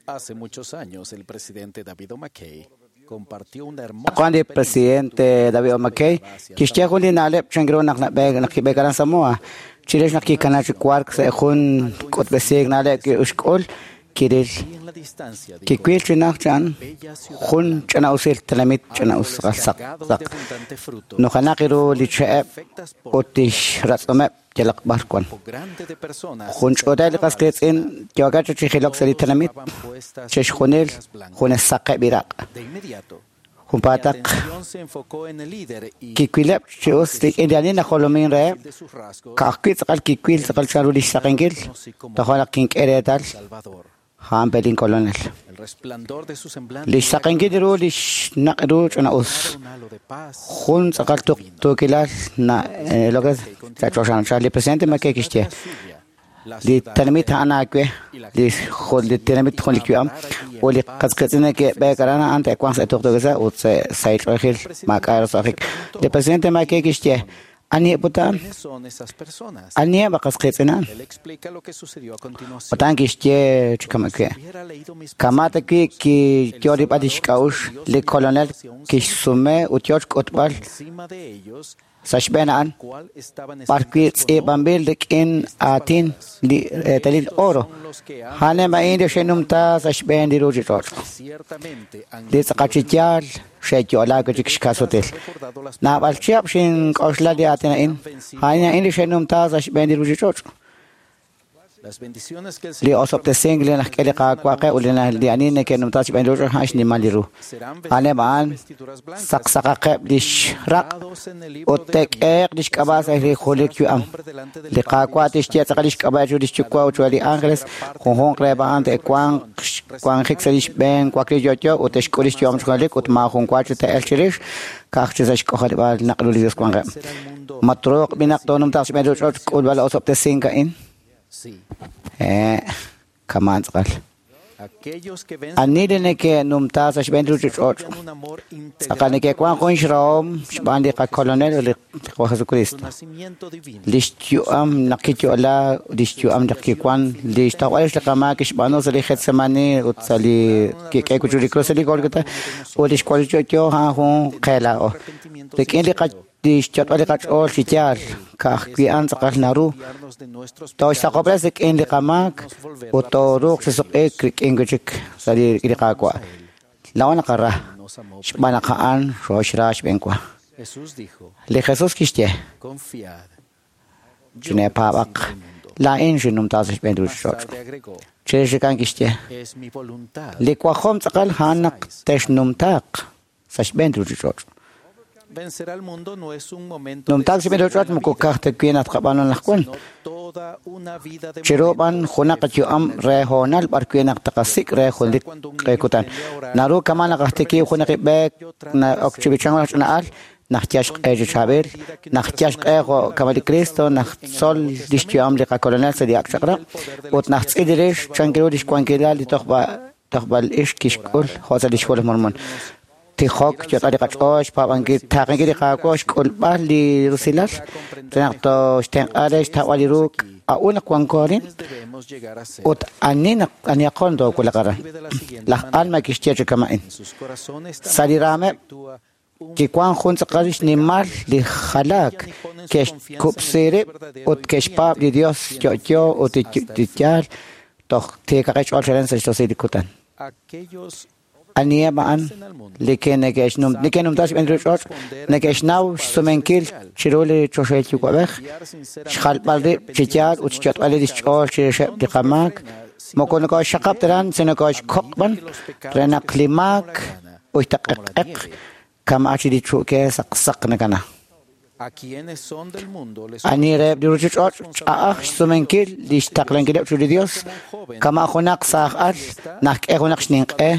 Hace muchos años, el presidente David O. McKay Juan li presidente David O. McKay kixye jun li na'leb' chan ru naq nab'eek naq kib'eek aran Samoa chirix naq kikana chi wark sa' jun k'utb'esiik na'leb' ki'uxk'ul kiril kiwil chi naj chan jun ch'ina'usil tenamit ch'ina'us saq saq nujenaq ru li che'eb' ut tixratz'umeb' yalaq b'ar wan jun ch'uuteb' li qas qiitz'in yookeb' chi jilok sa' li tenamit chixjunil junes saqeb' iraq' junpaataq kiwileb' chi us rik'in li ani najolomin reheb' ka'ajwi' tz'aqal kiwil tz'aqal chan ru li xsaqenkil tojo' naq kink'e reetal a'an pelin kolonel li xsaqenkil ru li xnaq' ru ch'ina'us jun tz'aqal tuqtuukilal na lo que sa' choxanchal li presidente McKay kixye li tenamit a'an aawe li tenamit jun li yu'am ut li qas qiitz'in neke'b'eek aran a'an te'wanq sa' tuqtuukilal ut sa' sahil ch'oolejil maak'a' roso'jik li presidente McKay kixye aniheb' ut a'an aniheb' qas qiitz'in a'an ut a'an kixye chi kama' wi' kama' ta wi' kiyo rib'al lix k'a'uxl li kolonel kixsume ut yo xk'utb'al sa' xb'een a'an b'ar wi' tz'iib'anb'il rik'in aatin li eetalil oro a'aneb' a'in li xe'numta sa' xb'een li ruuchich'och' li tz'aqal chi yaal xe'yo'laak wi' chik xkasutil naab'al chihab' xink'oxla li aatin a'in a'in a'in li xe'numta sa' xb'een li ruuchich'och' li osob'tesink li najk'e li Qaawa' qe ut li ani neke'numta xb'een ruuchich'och' a'an xnimal li ru a'aneb' a'an saqsaqaqeb' lix raq' ut te'k'ehe'q lix k'ab'a' sa' li junelik yu'am li Qaawa' tixye tz'aqal lix k'ab'a' chiru lix Yuwa' ut chiru li ángeles junjunq reheb' a'an te'wanq wanjik sa' lix b'een wakliik yo'yo ut te'xk'ul lix yu'am chi junelik ut maajun wa chi te'elq chirix ka'aj chi sa' xk'ojarib'aal naq' ru li Dios wanqeb' ma truuq b'inaq toonumtaaq xb'een ruuchich'och' k'ulb'al osob'tesink a'in kamaan tz'aqal ani li neke'numta sa' xb'een ruuchich'och' tz'aqal neke'wank jun xrahom xb'aan li qakolonel ut li Qaawa' Jesucristo lix yu'am naq kiyo'la lix yu'am naq kiwan li xtojb'al rix li qamaak kixb'aanu sa' li Getsemani ut sa' li kik'eek wi' chiru li krus sa' li Golgota ut lix wakliik chi yo'yo a'an jun qe laa'o rik'in li xyot'b'al li qach'ool chi yaal ka'ajwi' a'an tz'aqal naru tooxsaqob'res rik'in li qamaak ut tooruuq chi suq'iik rik'in wi' chik sa' li Qaawa' laa'o naqara xb'aan naq a'an xooxra xb'een wa li Jesús kixye chineepaab'aq laa'in xinnumta sa' xb'een ruuchich'och' chirix a'an kixye li wajom tz'aqal a'an naq texnumtaaq sa' xb'een ruuchich'och' Numtaak xb'een ruuchich'och' moko ka'aj ta wi' naq tqab'aanu anaqwan chiru b'an junaq yu'am re hoonal b'ar wi' naq tqasik' re junelik q'e kutan naru kama' naq ajtikib' junaq b'eek na'ok chi b'ichank junaq ch'ina'al naq yal xq'e chi chaab'il naq yal xq'e jo' kama' li Cristo naq tzol lix yu'am li qakolonel sa' li ak' chaq'rab' ut naq tz'il rix chan ru lix wankilal li tojb'al ix kixk'ul jo' sa' lix Hu laj Mormon tijok yot'al li qach'ool xpaab'ankil taaqenkil li Qaawa' xk'ulb'al li rusilal re naq tooxtenq'a re xtawb'al li ru a'un naq wanko arin ut ani naq anihaqon toowulaq aran laj Alma kixye chi kama'in sa' li raameb' kiwan jun tz'aqal xnimal li jalaak ke'xkub'si rib' ut ke'xpaab' li Dios yo'yo ut li yaal toj tiikaqeb' xch'ool chalen sa' xtosil li kutan aniheb' a'an li neke'numta xb'een ruuchich'och' neke'xnaw xsumenkil chiru li choxahil yuwa'b'ej xjalb'al rib' chi yaal ut xyot'b'al lix ch'ool chirixeb' li qamaak moko nokooxxaqab' taran sino nokooxkoq' b'an re naq li maak uytaq'eq'eq kama' chi li chu'ke saqsaq nakana ani reheb' li ruuchich'och' ch'a'aj xsumenkil li xtaqlankileb' chiru li Dios kama' junaq saaj al naq k'e junaq xninq'e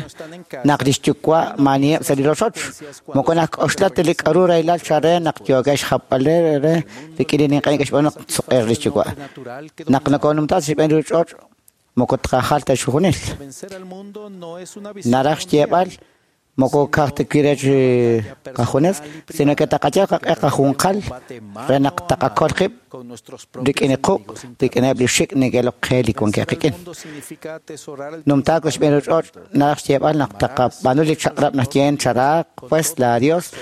naq lix yuwa' maaniheb' sa' li rochoch moko nak'oxla ta li k'aru rahilal chare naq yookeb' xjapb'al re rik'in li ninq'e neke'xb'aanu naq tsuq'eeq lix yuwa' naq nokoonumta sa' xb'een ruuchich'och' moko tqajal ta xjunil naraj xyeeb'al Moko ka'aj ta wi' re chi qajunes, sino que taqayal qaq'e qajunqal re naq taqakol qib' rik'in li quq' rik'ineb' li xik' neke'ilok qe li wankeb' qik'in. Numtaak sa' xb'een ruuchich'och' naraj xyeeb'al naq taqab'aanu li chaq'rab' naxye charaaq pues laa Dios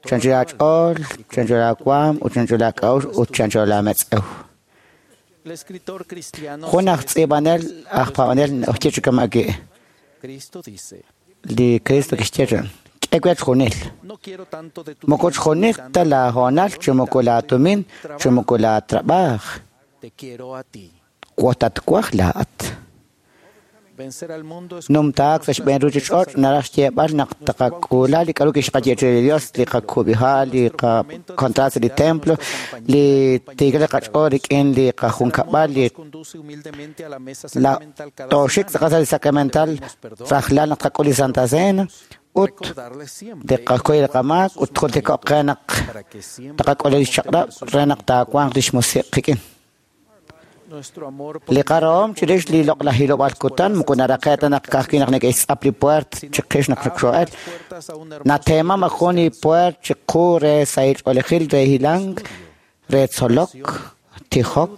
chancho laach'ool, chancho laawaanm ut chancho laak'a'uxl ut chancho laametz'ew. Jun aj tz'iib'anel aj paab'anel oxye chi kama' wi'. Li Cristo kixye re, K'e we chjunil. Moko chjunil ta laahoonal chi moko laatumin chi moko laatrab'aaj. Tatwaj laa'at. Numtaak sa' xb'een ruuchich'och' naraj xyeeb'al naq taqak'uula li k'a'ru kixqaye re li Dios, li qakub'iha', li qakontraat sa' li templo, li tiikal li qach'ool rik'in li qajunkab'al, li la tooxik tz'aqal sa' li sacramental rajlal naq tqak'ul li Santa Cena, ut li qakuy li qamaak ut jultiko'q qe naq taqak'ul lix chaq'rab' re naq taawanq lix musiq' qik'in. Li qarahom chirix li loq'laj hilob'aal kutan moko naraqe' ta naq ka'ajwi' naq neke'xtz'ap li pueert chiqix naq xoo'el. Nateemam aj jun li pueert chiqu re sahil ch'oolejil re hilank, re tzolok, tijok,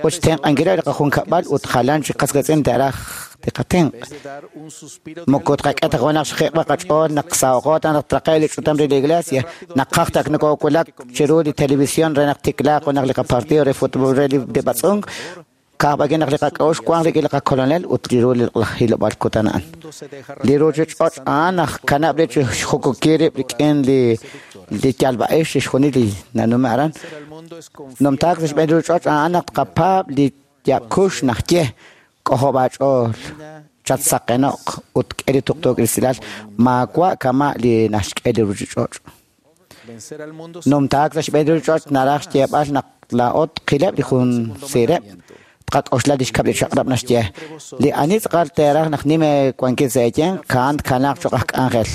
ut xtenq'ankileb' li qajunkab'al ut jalan chi qas qiitz'in te'raj li qatenq'. Moko tqak'e ta junaq xjiq'b'al qach'ool naq saho'qo ta naq traqe' li ch'utam re li iglesia, naqaj ta nokowulak chiru li televisión re naq tiklaaq junaq li qapartido re fútbol re li b'atz'unk, ka'ajb'aki naq li qak'a'uxl wanq rik'in li qakolonel ut li ru li hilob'aal kutan a'an. Li ruuchich'och' a'an aj kanab' rib' chi xjukukil rib' rik'in li yalb'a'ix chixjunil li nanume' aran. Numtaak sa' xb'een ruuchich'och' a'an naq tqapaab' li yaab'kux naxye k'ojob' aach'ool, chatsaqeno'q ut k'e li tuqtuukil usilal maawa' kama' li naxk'e li ruuchich'och'. Numtaak sa' xb'een ruuchich'och' naraj xyeeb'al naq laa'o tqileb' li jun siireb', tqak'oxla li xkab' li chaq'rab' naxye. Li ani tz'aqal teeraj naq nim eewankil sa' eeyanq, a'an tkanaaq cho'q aj k'anjel.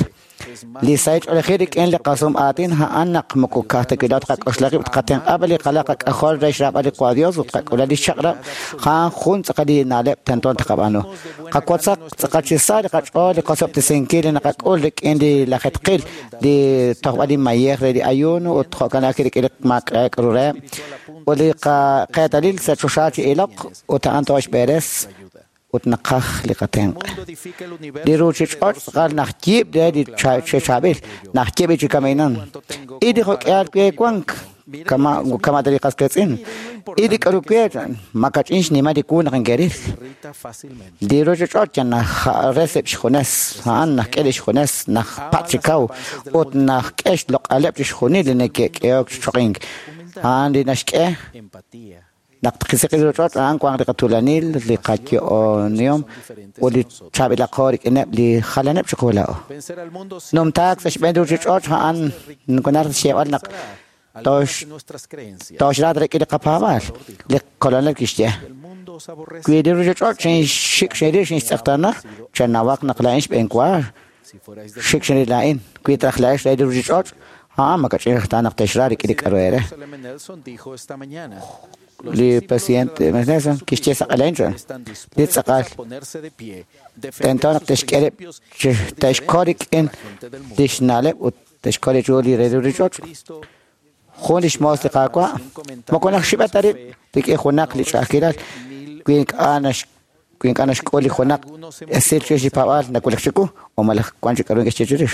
Li sahil ch'oolejil rik'in li qasum aatin a'an naq moko ka'aj ta wi' laa'o tqak'oxla qib' tqatenq'a b'an li qalal qak'ajol re xraab'al li Qwa Dios ut tqak'ula li xchaq'rab' a'an jun tz'aqal li na'leb' tento taqab'aanu. Qawotzaq tz'aqal chi sa li qach'ool li qosob'tesinkil li naqak'ul rik'in li lajetqil, li tojb'al li mayej re li ayuno ut jo'kan ajwi' rik'in li maak'a' k'aru reheb' ut li qeetalil sa' choxa chi iloq ut a'an tooxb'eres ut naqaj li qatenq'. Li ruuchich'och' tz'aqal naxyiib' re li chaab'il, naxyiib' chi kaminan. Il li jo'k'ihal we wank kama' ta li qas qiitz'in. Il li k'aru we makach'in xnimal li wu naq inke'ril. Li ruuchich'och' yal najreseb' xjunes, a'an naxk'e li xjunes, najpatz' chi kaw ut naxk'e xloq'aleb' chixjunil li neke'k'ehok chi choqink. A'an li naxk'e naq tqisiq li ruuchich'och' a'an wanq li qatuulanil, li qayo'onihom ut li chaab'ilaqo rik'ineb' li jalaneb' chiqu laa'o. Numtaak sa' xb'een ruuchich'och' a'an naraj xyeeb'al naq tooxraat rik'in li qapaab'aal. Li kolonel kixye, wi li ruuchich'och' xinxik xinril xinxtz'eqtaana, chanawaq naq laa'in xb'een wa xik xinril laa'in. Wi traj laa'ex re li ruuchich'och', a'an makach'in raj ta naq te'xra rik'in li k'aru eere. Li presidente Nelson kixye sa' q'alain li tz'aqal tento naq te'xk'e rib' te'xkol rik'in li xna'leb' ut te'xkol ru li re ruuchich'och'. Jun li xmoos li Qaawa' moko naxxib'e ta rib' rik'in junaq li ch'a'ajkilal wi ink'a' naxk'ul li junaq esil chirix li paab'aal nawulak chiwu o malaj wank chi k'aru neke'xye chirix.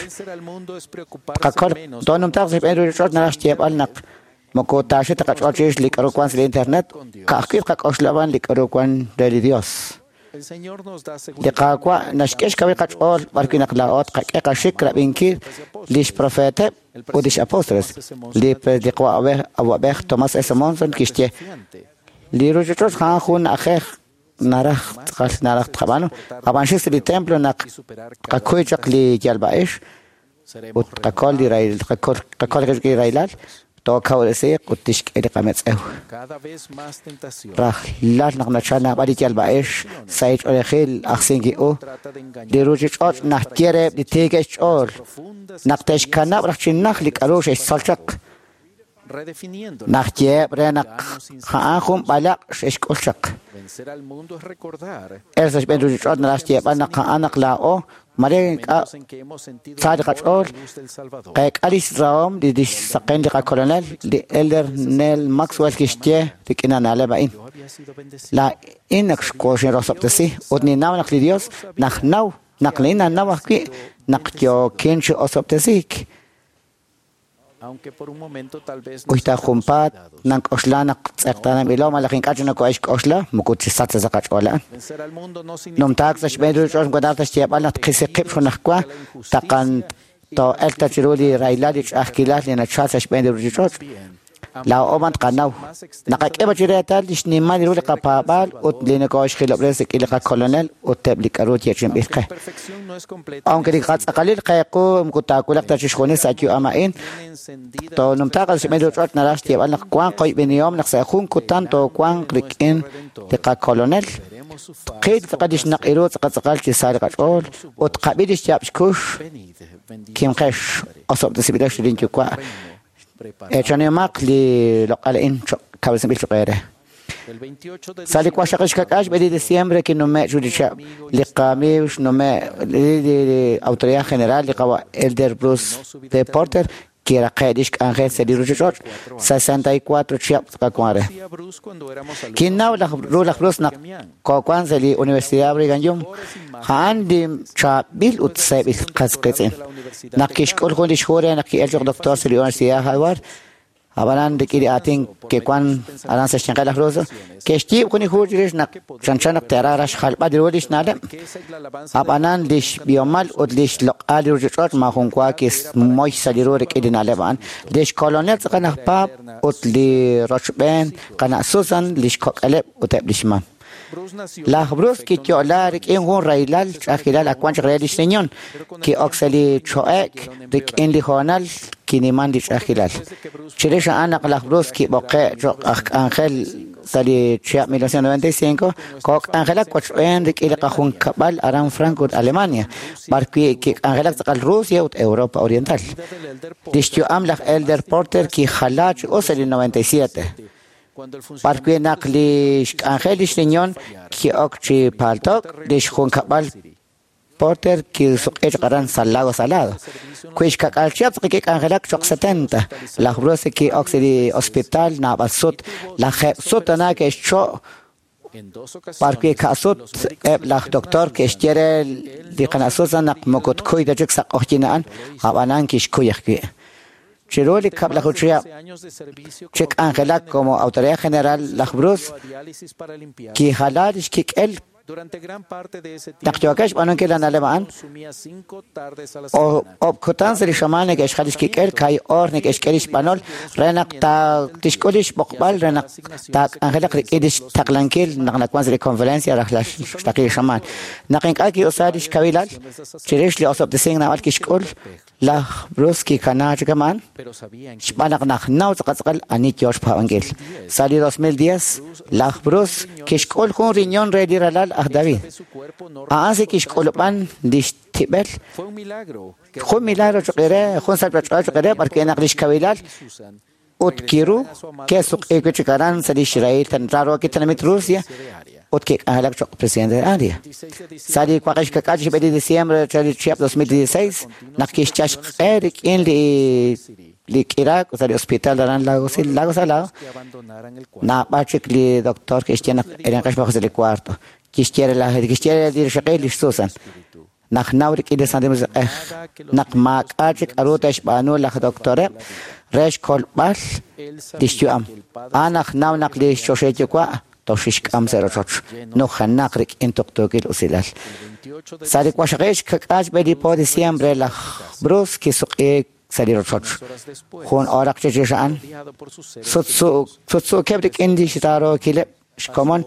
Tqakol toonumtaaq sa' xb'een ruuchich'och' naraj xyeeb'al naq moko taaxi ta qach'ool chirix li k'aru wank sa' li internet, ka'ajwi' tqak'oxla b'an li k'aru wank re li Dios. Li Qaawa' naxk'e xkawil qach'ool b'arwi' naq laa'o tqak'e qaxik rab'inkil li xprofeeteb' ut li xapóstoles. Li awa'b'ej Thomas S. Monson kixye, li ruuchich'och' a'an jun na'ajej naraj tz'aqal naraj tqab'aanu. Ab'an xik sa' li templo naq tqakuy chaq li yalb'a'ix ut tqakol li rahilal, tookawresiiq ut tixk'e li qametz'ew. Rajlal naq nachal naab'al li yalb'a'ix sa' ch'oolejil ajsinki-u, li ruuchich'och' naxye reheb' li tiikeb' xch'ool naq te'xkanab' raj chi naj li k'aru xe'xtzol chaq. Naq yeeb' re naq a'an jun b'alaq' xe'xk'ul chaq. El sa' xb'een ruchich'och' naraj xyeeb'al naq a'an naq laa'o mare ink'a' sa li qach'ool qeek'a lix rahom li lix saqen li qakolonel li Elder Neil Maxwell kixye rik'in na'leb' a'in. Laa'in naq xkoxinrosob'tesi ut ninnaw naq li Dios najnaw naq laa'in nannaw ajwi' naq yookin chi osob'tesiik. Uy ta junpaat nank'oxla naq tz'eqtaananb'ilo malaj ink'a' chi noko'exk'oxla moko chisach sa' qach'ool a'an. Numtaak sa' xb'een ruchich'och' moko naraj ta xyeeb'al naq tqisi qib' junajwa taqan too'elq ta chiru li rahilal li ch'a'ajkilal li nachal sa' xb'een li ruchich'och'. Laa'o man tqanaw. Naqak'e chi reetal li xnimal ru li qapaab'aal ut li noko'xjilob'resi rik'in li qakolonel ut eb' li k'a'ru yeechi'inb'il qe. Aunque li qatz'aqalil qeequ moko taawulaq ta chixjunil sa' yu'am a'in, toonumtaaq sa' xb'een ruchich'och' naraj xyeeb'al naq wanq qoyb'enihom naq sa' jun kutan toowanq rik'in li qakolonel. Tqil tz'aqal li xnaq' ru tz'aqal chi sa li qach'ool ut tqab'i li xyaab' xkux kimqex osob'tesib'ilex lin yuwa'. Echanimaq li loq'al a'in kawresinb'il choq' eere. Sa' li 28 xb'e diciembre kinume' chu li chab' li qamiiw xnume' li Autoridad General li qawa Elder Bruce D. Porter kiraqe' lix k'anjel sa' li ruchich'och' 64 chihab' tz'aqawan re. Kinnaw ru laj Bruce naq koowan sa' li Universidad Brigham Young a'an li chaab'il ut seeb'il qas qiitz'in. Naq kixk'ul jun lix hu re naq ki'el choq' doctor sa' li Universidad Harvard, ab'anan rik'in li aatin ke'wan aran sa' xyanqeb' laj Ruso, ke'xyiib' jun li hu chirix naq chanchan naq te'raj raj xjalb'al ru lix na'leb'. Ab'anan lix b'ihomal ut lix loq'al li ruchich'och' maajun wa kismoy sa' li ru rik'in li na'leb' a'an. Lix kolonel tz'aqal aj Paap ut li rochb'een qana' Susan lix kok'aleb' ut eb' lix mam. Laj Bruce kiyo'la rik'in jun rahilal ch'a'ajkilal ak wan chaq re lix riñon. Ki'ok sa' li cho'ek rik'in li hoonal kiniman li ch'a'ajkilal. Chirix a'an naq laj Bruce kib'oqe' choq' aj k'anjel sa' li chihab' 1995, kook'anjelak wachb'een rik'in li qajunkab'al aran Frankfurt, Alemania, b'arwi' kik'anjelak tz'aqal Rusia ut Europa Oriental. Lix yu'am laj Elder Porter kijala chi us sa' li 97. B'arwi' naq li xk'anjel lix riñon ki'ok chi paltok lix junkab'al Porter kisuq'i chaq aran sa' Lago Salado. Kui xkak'al chihab' tz'aqal kik'anjelak choq' 70. Laj Bruce ki'ok sa' li hospital naab'al sut. Laj sut tana ke'xcho' b'arwi' ka'sut eb' laj doctor ke'xye re li qana' Susan naq moko tkuy ta chik sa' q'oqyin a'an, ab'anan kixkuy ajwi'. Chiru li kab'laju chihab' chi k'anjelak como Autoridad General laj Bruce kijala lix kik'el naq yookeb' xb'aanunkil la na'leb' a'an, ob'kutan sa' li xamaan neke'xjal lix kik'el, kay oor neke'xk'e lix b'anol re naq tixk'ul lix b'oqb'al re naq taak'anjelaq rik'in lix taqlankil naq nawan sa' li conferencia rajlal xtaqil li xamaan. Naq ink'a' ki'usa lix kawilal, chirix li osob'tesink naab'al kixk'ul, laj Bruce kikana chi kama'an, xb'aan naq najnaw tz'aqal ani yoo xpaab'ankil. Sa' li 2010, laj Bruce kixk'ul jun riñon re li ralal aj David. A'an si kixk'ulub'an lix tib'el. Jun milagro choq' re, jun salpach'ool choq' re, b'arwi' naq lix kawilal ut kiru ke'suq'i wi' chik aran sa' lix rahil raro kitanamit Rusia ut kik'anjelak choq' presidente de área. Sa' li 29 xb'e de diciembre sa' li chihab' 2016 naq kixchal xq'e rik'in li k'iraak sa' li hospital aran Lago Salado, naab'al chik li doctor kixye naq erenqex b'aj sa' li cuarto. Kixye li rixaqil lix Susan. Naq naw rik'in li Santil Musiq'ej naq maak'a' chik k'a'ru te'xb'aanu laj doctoreb' re xkolb'al lix yu'am. A'an naq naw naq li xchoxahil yuwa' toxixk'am sa' rochoch nujenaq rik'in tuqtuukil usilal. Sa' li 29 xb'e li po diciembre laj Bruce kisuq'i sa' li rochoch. Jun oraq chirix a'an sutsuukeb' rik'in lix rarookileb' xkomon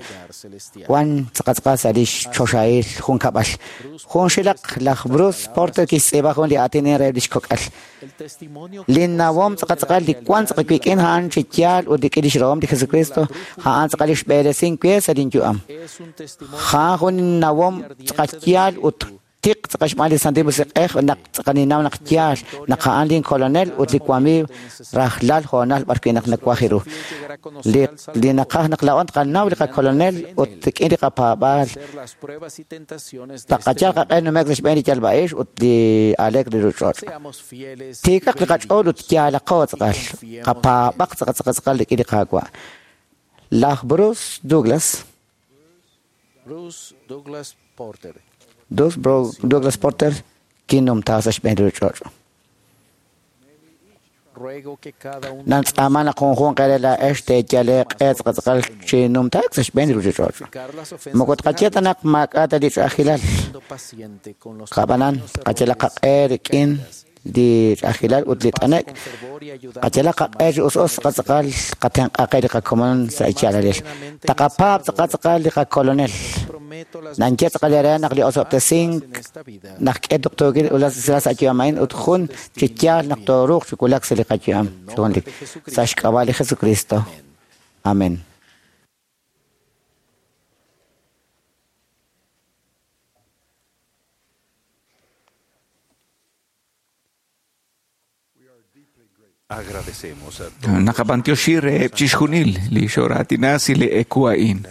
wan tz'aqatz'aqal sa' lix choxahil junkab'al. Jun xilaq laj Bruce Porter kixtz'iib'a jun li aatin re lix kok'al. Li nawom tz'aqatz'aqal li wan tz'aqal wik'in a'an chi yaal ut rik'in lix rahom li Jesucristo a'an tz'aqal lix b'eresin we sa' lin yu'am. A'an jun nawom tz'aqal yaal ut Tiq tz'aqal xb'aan li Santil Musiq'ej naq tz'aqal ninnaw naq yaal naq a'an lin Kolonel ut li wamiiw rajlal hoonal b'ar wi' naq nawaj ru. Li naqaj naq laa'o tqanaw li qaKolonel ut rik'in li qapaab'aal taqayal qaq'e nume'k sa' xb'een li yalb'a'ix ut li aaleek li ruuchich'och'. Tiikaq li qach'ool ut yaalaqo tz'aqal, qapaab'aq tz'aqal tz'aqal tz'aqal rik'in li Qaawa'. Laj Bruce Douglas Douglas Porter kinumta sa' xb'een li ruuchich'och'. Nantz'aama naq junjunq eere laa'ex teeyal eeq'e tz'aqal tz'aqal chi numtaak sa' xb'een li ruuchich'och'. Moko tqaye ta naq maak'a' ta li ch'a'ajkilal. Qab'anan, qayalaq qaq'e rik'in li ch'a'ajkilal ut li t'anek', qayalaq qaq'e chi us us tz'aqal tz'aqal qatenq'a qe li qakomon sa' yaalalil. Taqapaab' tz'aqal tz'aqal li qaKolonel. Nanye tz'aqal eere naq li osob'tesink naq k'e tuqtuukil usilal sa' yu'am a'in ut jun chi yaal naq tooruuq chi wulak sa' li qayu'am chi junelik. Sa' xk'ab'a' li Jesucristo. Amén. Naqab'antioxi reheb' chixjunil li xoratinasi li eku a'in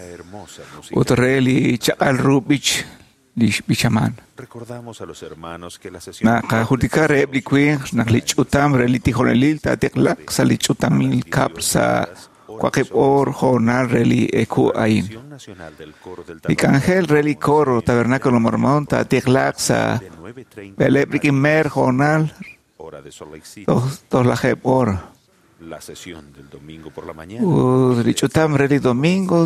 ut re li chaq'al ru b'ich li xb'ichaman. Naqajultika reheb' li winq naq li ch'utam re li tijonelil taatiqlaq sa' li ch'utamil kab'l sa' waqib' oor hoonal re li eku a'in. Li k'anjel re li coro Tabernáculo Mormón taatiqlaq sa' b'eleb' rik'in meer hoonal tojlajeb' hora. Ut li ch'utam re li domingo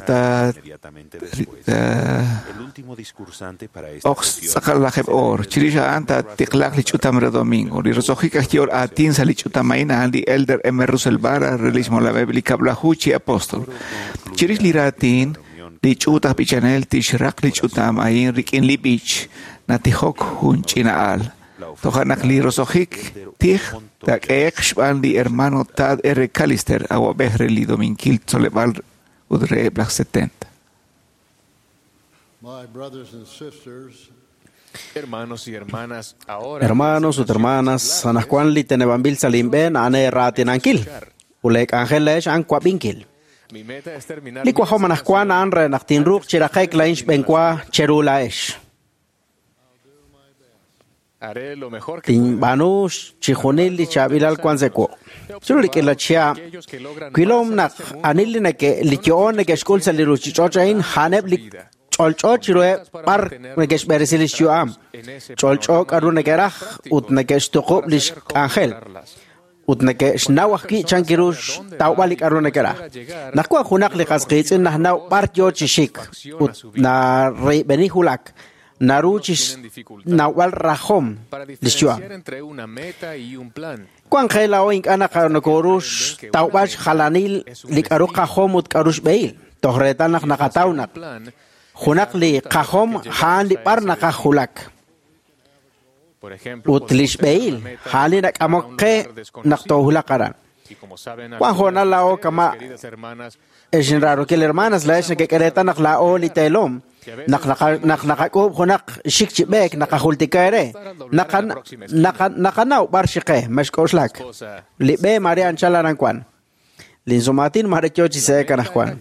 oq tz'aqal lajeb' oor. Chirix a'an taatiqlaq li ch'utam re domingo. Li roso'jik aj yehol aatin sa' li ch'utam a'in a'an li Elder M. Russell Ballard re lix molameb' li kab'laju chi apóstol. Chirix li raatin, li ch'uut aj b'ichanel tixraq li ch'utam a'in rik'in li b'ich natijok jun ch'ina'al. Toja' naq li roso'jik tij taak'ehe'q xb'aan li hermano Tad R. Callister, awab'ej re li Dominkil Tzoleb'aal ut reheb' laj 70. Hermanos ut hermanas, anajwan li teneb'anb'il sa' linb'een a'an raatinankil ut leek'anjel leex a'an wab'inkil. Li wajom anajwan a'an re naq tinruuq chi raqe'k la'in xb'eenwa cheru laa'ex. Tinb'aanu chixjunil li chaab'ilal wan sa' wuq'. Chiru rik'in la chihab', wilom naq anil li yo'on neke'xk'ul sa' li ruuchich'och' a'in a'aneb' li ch'olch'o chiruheb' b'ar neke'xb'eresi lix yu'am, ch'olch'o k'aru neke'raj ut neke'xtuqub' lix k'anjel. Ut neke'xnaw ajwi' chan kiru xtawb'al li k'aru neke'raj. Naq wan junaq li qas qiitz'in najnaw b'ar yoo chi xik ut nareib'eni wulak, naru chi xnawb'al rajom lix yu'am. Wan qe laa'o ink'a' nokoru xtawb'al xjalanil li k'aru qajom ut k'aru xb'ehil. Toj reetal naq naqataw naq junaq li qajom a'an li b'ar naqaj wulak. Ut li xb'ehil a'an li nak'amok qe naq toowulaq aran. Wan hoonal laa'o kama' ex inraarokil hermanas laa'ex nekek'e reetal naq laa'o li teelom naq naqak'uub' junaq xik chi b'eek naqajultika eere naqanaw b'ar xiqe mexk'oxlak li b'e mare anchal aran wan linsumaatin mare yoo chi se'ek anajwan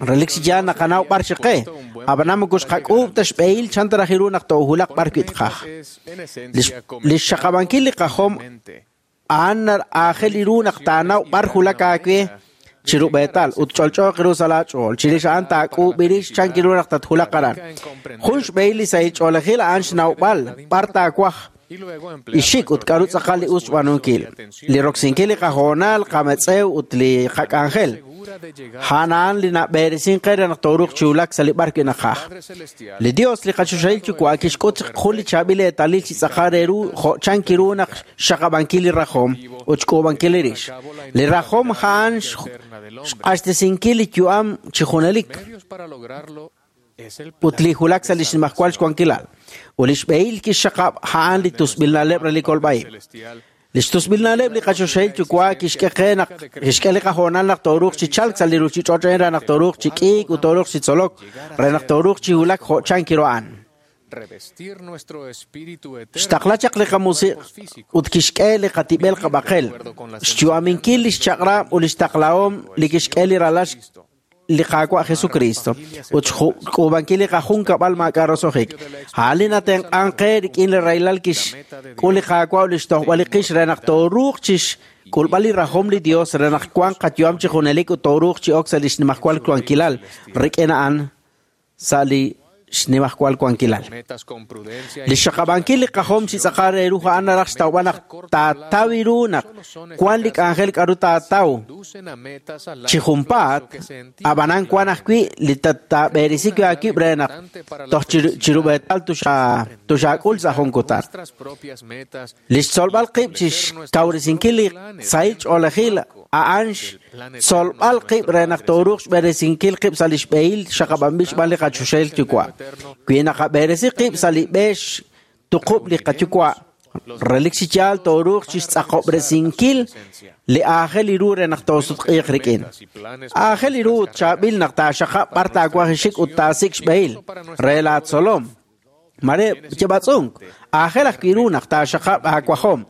relik chi yaal naqanaw b'ar xiqe ab'anan moko xqak'uub' ta xb'ehil chan ta raj ru naq toowulaq b'ar wi' tqaj li xxaqab'ankil li qajom a'an aajel ru naq taanaw b'ar wulak aawe chiru b'eetal ut ch'olch'ooq ru sa' laach'ool. Chirix a'an taak'uub'irix chan kiru naq tatwulaq aran. Jun xb'ehil li sahil ch'oolejil a'an xnawb'al b'ar taawaj ixik ut k'aru tz'aqal li us xb'aanunkil. Li roksinkil li qahoonal, qametz'ew ut li qak'anjel. A'an a'an li nab'eresin qe re naq tooruuq chi wulak sa' li b'ar wi' naqaj. Li Dios li qachoxahil Yuwa' kixk'ut jun li chaab'il eetalil chi tz'aqal re ru jo' chan kiru naq xxaqab'ankil li rajom ut xk'uub'ankil li rix. Li rajom a'an xq'axtesinkil li yu'am chi junelik ut li wulak sa' li xnimajwal xwankilal. Ut li xb'ehil kixxaqab' a'an li tusb'il na'leb' re li kolb'a'ib'. Li xtusb'il na'leb' li qachoxahil Yuwa' kixk'e qe naq kixk'e li qahoonal naq tooruuq chi chalk sa' li ruuchich'och' re naq tooruuq chi k'iik ut tooruuq chi tzolok re naq tooruuq chi wulak jo' chan kiru a'an. Xtaqla chaq li qamusiq ut kixk'e li qatib'el qab'aqel. Xyu'aminkil li xchaq'rab' ut li xtaqlahom li kixk'e li ralal li Qaawa' Jesucristo ut xk'uub'ankil li qajunkab'al maak'a' roso'jik. A'an li natenq'ank qe rik'in li rahilal kixk'ul li Qaawa' ut li xtojb'al li qix re naq tooruuq chixk'ulb'al li rajom li Dios re naq wanq qayu'am chi junelik ut tooruuq chi ok sa' li xnimajwal wankilal rik'in a'an sa' li xnimajwal wankilal. Li xxaqab'ankil li qajom chi tz'aqal re ru a'an naraj xtawb'al naq taataw ru naq wan li k'anjel k'aru taataw chi junpaat, ab'anan wan ajwi' li taab'eresi wi' aawib' re naq toj chirub'eetal tuxaak'ul sa' jun kutan. Li xtzolb'al qib' chi xkawresinkil li sahil ch'oolejil a'an xtzolb'al qib' re naq tooruuq xb'eresinkil qib' sa' li xb'ehil xaqab'anb'il xb'aan li qachoxahil Yuwa'. Wi naqab'eresi qib' sa' li b'e xtuqub' li qayuwa', relik chi yaal tooruuq chi xtz'aqob'resinkil li aajel ru re naq toosutq'iiq rik'in. Aajel ru ut chaab'il naq taaxaqab' b'ar taawaj xik ut taasik' xb'ehil re laatzolom. Mare yab'atz'unk, aajel ajwi' ru naq taaxaqab' aawajom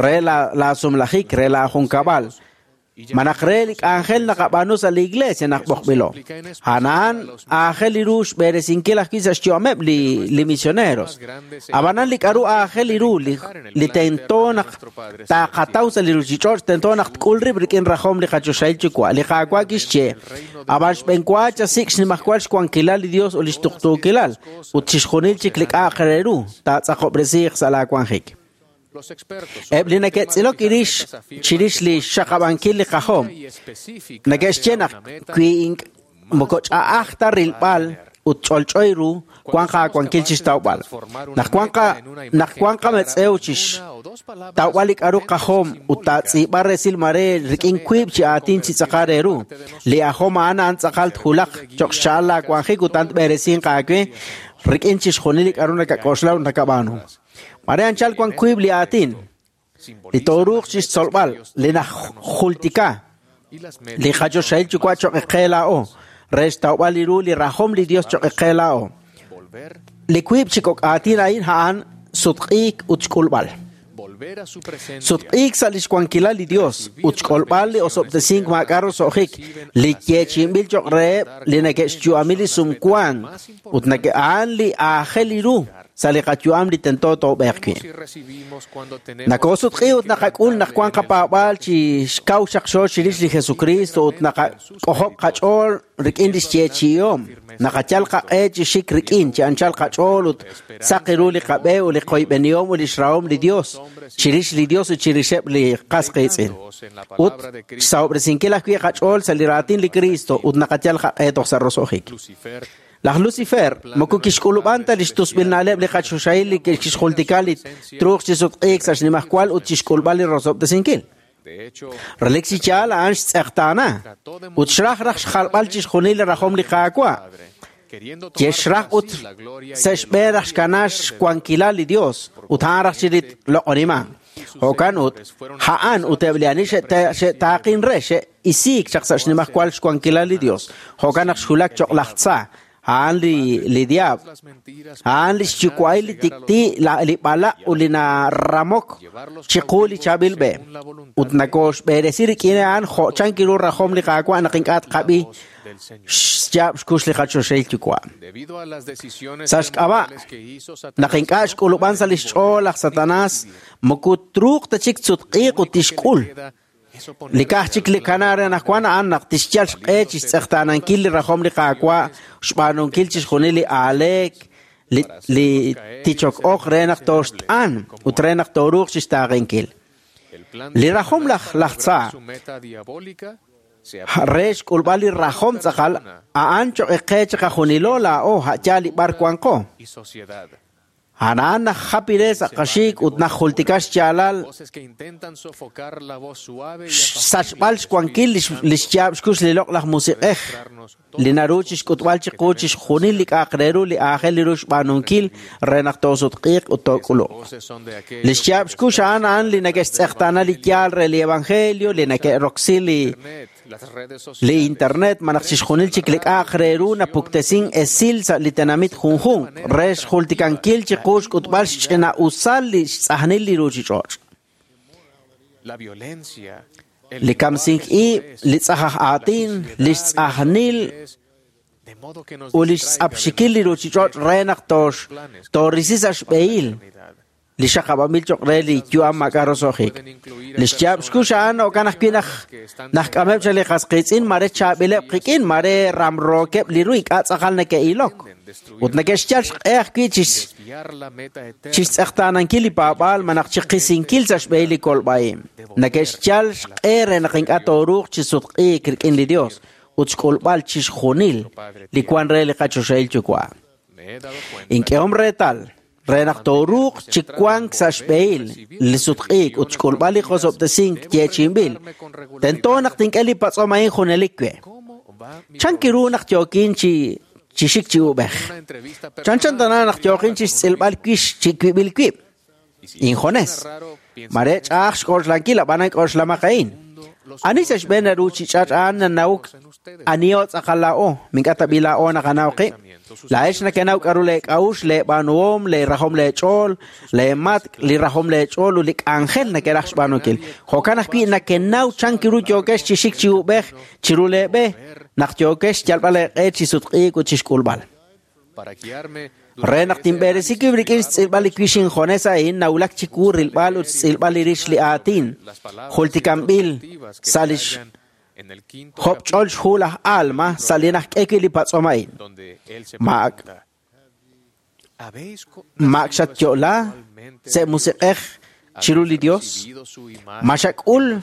re laasumlajik re laajunkab'al. Malaj re li k'anjel naqab'aanu sa' li iglesia naq b'oqb'ilo. A'an aajel ru xb'eresinkil ajwi' sa' xyu'ameb' li misioneros. Ab'anan li k'aru aajel ru li tento naq taaqataw sa' li ruuchich'och' tento naq tk'ul rib' rik'in rajom li qachoxahil Yuwa'. Li Qaawa' kixye, ab'an xb'enwa chasik' xnimajwal xwankilal li Dios ut li xtuqtuukilal ut chixjunil chik li k'a'aq re ru taatz'aqob'resiiq sa' laawanjik. Eb' li neke'tz'ilok irix chirix li xxaqab'ankil li qajom neke'xye naq wi moko ch'a'aj ta rilb'al ut ch'olch'oy ru wanq aawankil chixtawb'al. Naq wanq qametz'ew chixtawb'al li k'aru qajom ut taatz'iib'a resil mare rik'in wiib' chi aatin chi tz'aqal re ru. Li ajom a'an a'an tz'aqal tjulaq cho'q xcha'al laawanjik ut a'an tb'eresinq aawe rik'in chixjunil li k'aru nakak'oxla ut nakab'aanu. Mare anchal wan wiib' li aatin li tooruuq chixtzolb'al li najultika li qachoxahil Yuwa' cho'q qe laa'o re xtawb'al li ru li rajom li Dios cho'q qe laa'o. Li wiib' chi kok' aatin a'in a'an sutq'iik ut xk'ulb'al. Sutq'iik sa' li xwankilal li Dios ut xk'olb'al li osob'tesink maak'a' roso'jik li yeechi'inb'il cho'q reheb' li neke'xyu'ami li sumwank ut a'an li aajel ru sa' li qayu'am li tento toob'eeq wi'. Nakoosutq'i ut naqak'ul naq wank qapaab'aal chi xkaw xaqxo chirix li Jesucristo ut naqak'ojob' qach'ool rik'in li xyeechi'ihom. Naqayal qaq'e chi xik rik'in chi anchal qach'ool ut saq ru li qab'e ut li qoyb'enihom ut li xrahom li Dios chirix li Dios ut chirixeb' li qas qiitz'in. Ut xsahob'resinkil ajwi' qach'ool sa' li raatin li Cristo ut naqayal qaq'e toj sa' roso'jik. Laj Lucifer moko kixk'ulub'an ta li xtusb'il na'leb' li qachoxahil li kixjultika li truuq chi sutq'iik sa' xnimajwal ut chixk'ulb'al li rosob'tesinkil. Relik chi yaal a'an xtz'eqtaana ut xraj raj xjalb'al chixjunil li rajom li Qaawa'. Yexraj ut sa' xb'een raj xkana xwankilal li Dios ut a'an raj chirit loq'oniman. Jo'kan ut a'an ut eb' li ani xe'taaqin re xe'isiik chaq sa' xnimajwal xwankilal li Dios. Jo'kan naq xwulak cho'q laj tza, a'an li diablo, a'an li xyuwa'il li tik'ti' li b'alaq' ut li naramok chiqu li chaab'il b'e. Ut nakooxb'eresi rik'in a'an jo' chan kiru rajom li Qaawa' naq ink'a' tqab'i xyaab' xkux li qachoxahil Yuwa'. Sa' xk'ab'a' naq ink'a' xk'ulub'an sa' li xch'ool laj Satanás moko truuq ta chik tsutq'iiq ut tixk'ul. Li ka'aj chik li kana re anaqwan a'an naq tixyal xq'e chi xtz'eqtaanankil li rajom li Qaawa' xb'aanunkil chixjunil li aaleek li tichok-ok re naq tooxt'an ut re naq tooruuq chixtaaqenkil. Li rajom laj tza re xk'ulb'al li rajom tz'aqal a'an cho'q qe chiqajunilo laa'o a'yaal li b'ar wanqo. A'an najapire sa' qaxik ut najultika xyaalal xsachb'al xwankil li xyaab' xkux li loq'laj musiq'ej li naru chixk'utb'al chiqu chixjunil li k'a'aq re ru li aajel ru xb'aanunkil re naq toosutq'iiq ut took'uluq. Li xyaab' xkux a'an a'an li neke'xtz'eqtaana li yaal re li evangelio li neke'roksi li Li internet malaj chixjunil chik li k'a'aq re ru napuktesin esil sa' li tenamit junjunq re xjultikankil chiqu xk'utb'al xch'ina'usal li xtz'ajnil li ruuchich'och'. Li kamsink ib', li tz'aj aj aatin, li xtz'ajnil ut li xtz'apxikil li ruuchich'och' re naq toorisi sa' xb'ehil li xaqab'anb'il cho'q re li yu'am maak'a' roso'jik. Li xyaab' xkux a'an jo'kan ajwi' naj k'ameb' chaq li qas qiitz'in mare chaab'ileb' qik'in, mare ramrookeb' li ru ink'a' tz'aqal neke'ilok. Ut neke'xyal xq'e ajwi' chixtz'eqtaanankil li paab'aal malaj chiqisinkil sa' xb'ehil li kolb'a'ib'. Neke'xyal xq'e re naq ink'a' tooruuq chi sutq'iik rik'in li Dios ut xk'ulb'al chixjunil li wan re li qachoxahil Yuwa'. Ink'ehom reetal re naq tooruuq chi wank sa' xb'ehil li sutq'iik ut xk'ulb'al li qosob'tesink yeechi'inb'il, tento naq tink'e li patz'om a'in junelik we. Chan kiru naq yookin chi xik chi ub'ej? Chanchan tana naq yookin chi xtz'ilb'al wix chi wib'il wib'. Injones. Mare ch'a'aj xk'oxlankil ab'anan k'oxlamaq a'in. Ani sa' xb'een li ruuchich'och' a'an nanawuk aniho tz'aqal laa'o, mink'a' tab'i laa'o naqanaw qib'. Laa'ex nekenaw k'aru leek'a'uxl, leeb'aanuhom, leerajom leech'ool, leematk', li rajom leech'ool ut li k'anjel nekeraj xb'aanunkil. Jo'kan ajwi' nekenaw chan ru yookex chi xik chi ub'ej chiru leeb'e naq yookex xyalb'al eeq'e chi sutq'iik ut chi xk'ulb'al. Re naq tinb'eresi wib' rik'in xtz'ilb'al li wix injones a'in nawulak chiwu rilb'al ut xtz'ilb'al li rix li aatin jultikanb'il sa' li job'ch'ol xhu laj Alma sa' li najk'e wi' li patz'om a'in. Maak xatyo'la sa' musiq'ej chiru li Dios? Ma xak'ul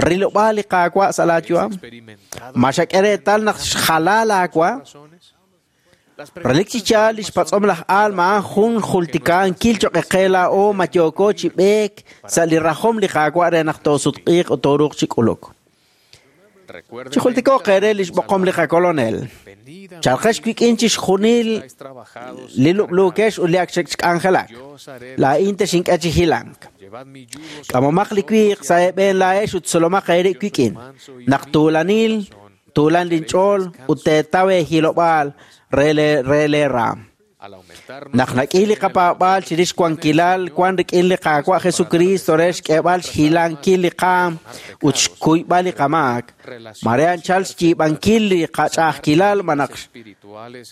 rilob'aal li Qaawa' sa' laayu'am? Ma xak'e reetal naq xjala laawa'? Relik chi yaal li xpatz'om laj Alma a'an jun jultikankil cho'q qe laa'o ma yooko chi b'eek sa' li rajom li Qaawa' re naq toosutq'iiq ut tooruuq chi k'uluk. Chijultiko'q eere li xb'oqom li qakolonel. Chalqex wik'in chixjunil li lub'luukex ut li ak xk'anjelak. Laa'in texink'e chi hilank. K'amomaq li wiiq sa' eeb'een laa'ex ut tzolomaq eerib' wik'in. Naq tuulanil, tuulan linch'ool ut teetaw eehilob'aal re leeraam. Naq nak'i li qapaab'aal chirix wankilal wan rik'in li Qaawa' Jesucristo re xk'eeb'al xhilankil li qaam ut xkuyb'al li qamaak, mare anchal xyiib'ankil li qach'a'ajkilal malaj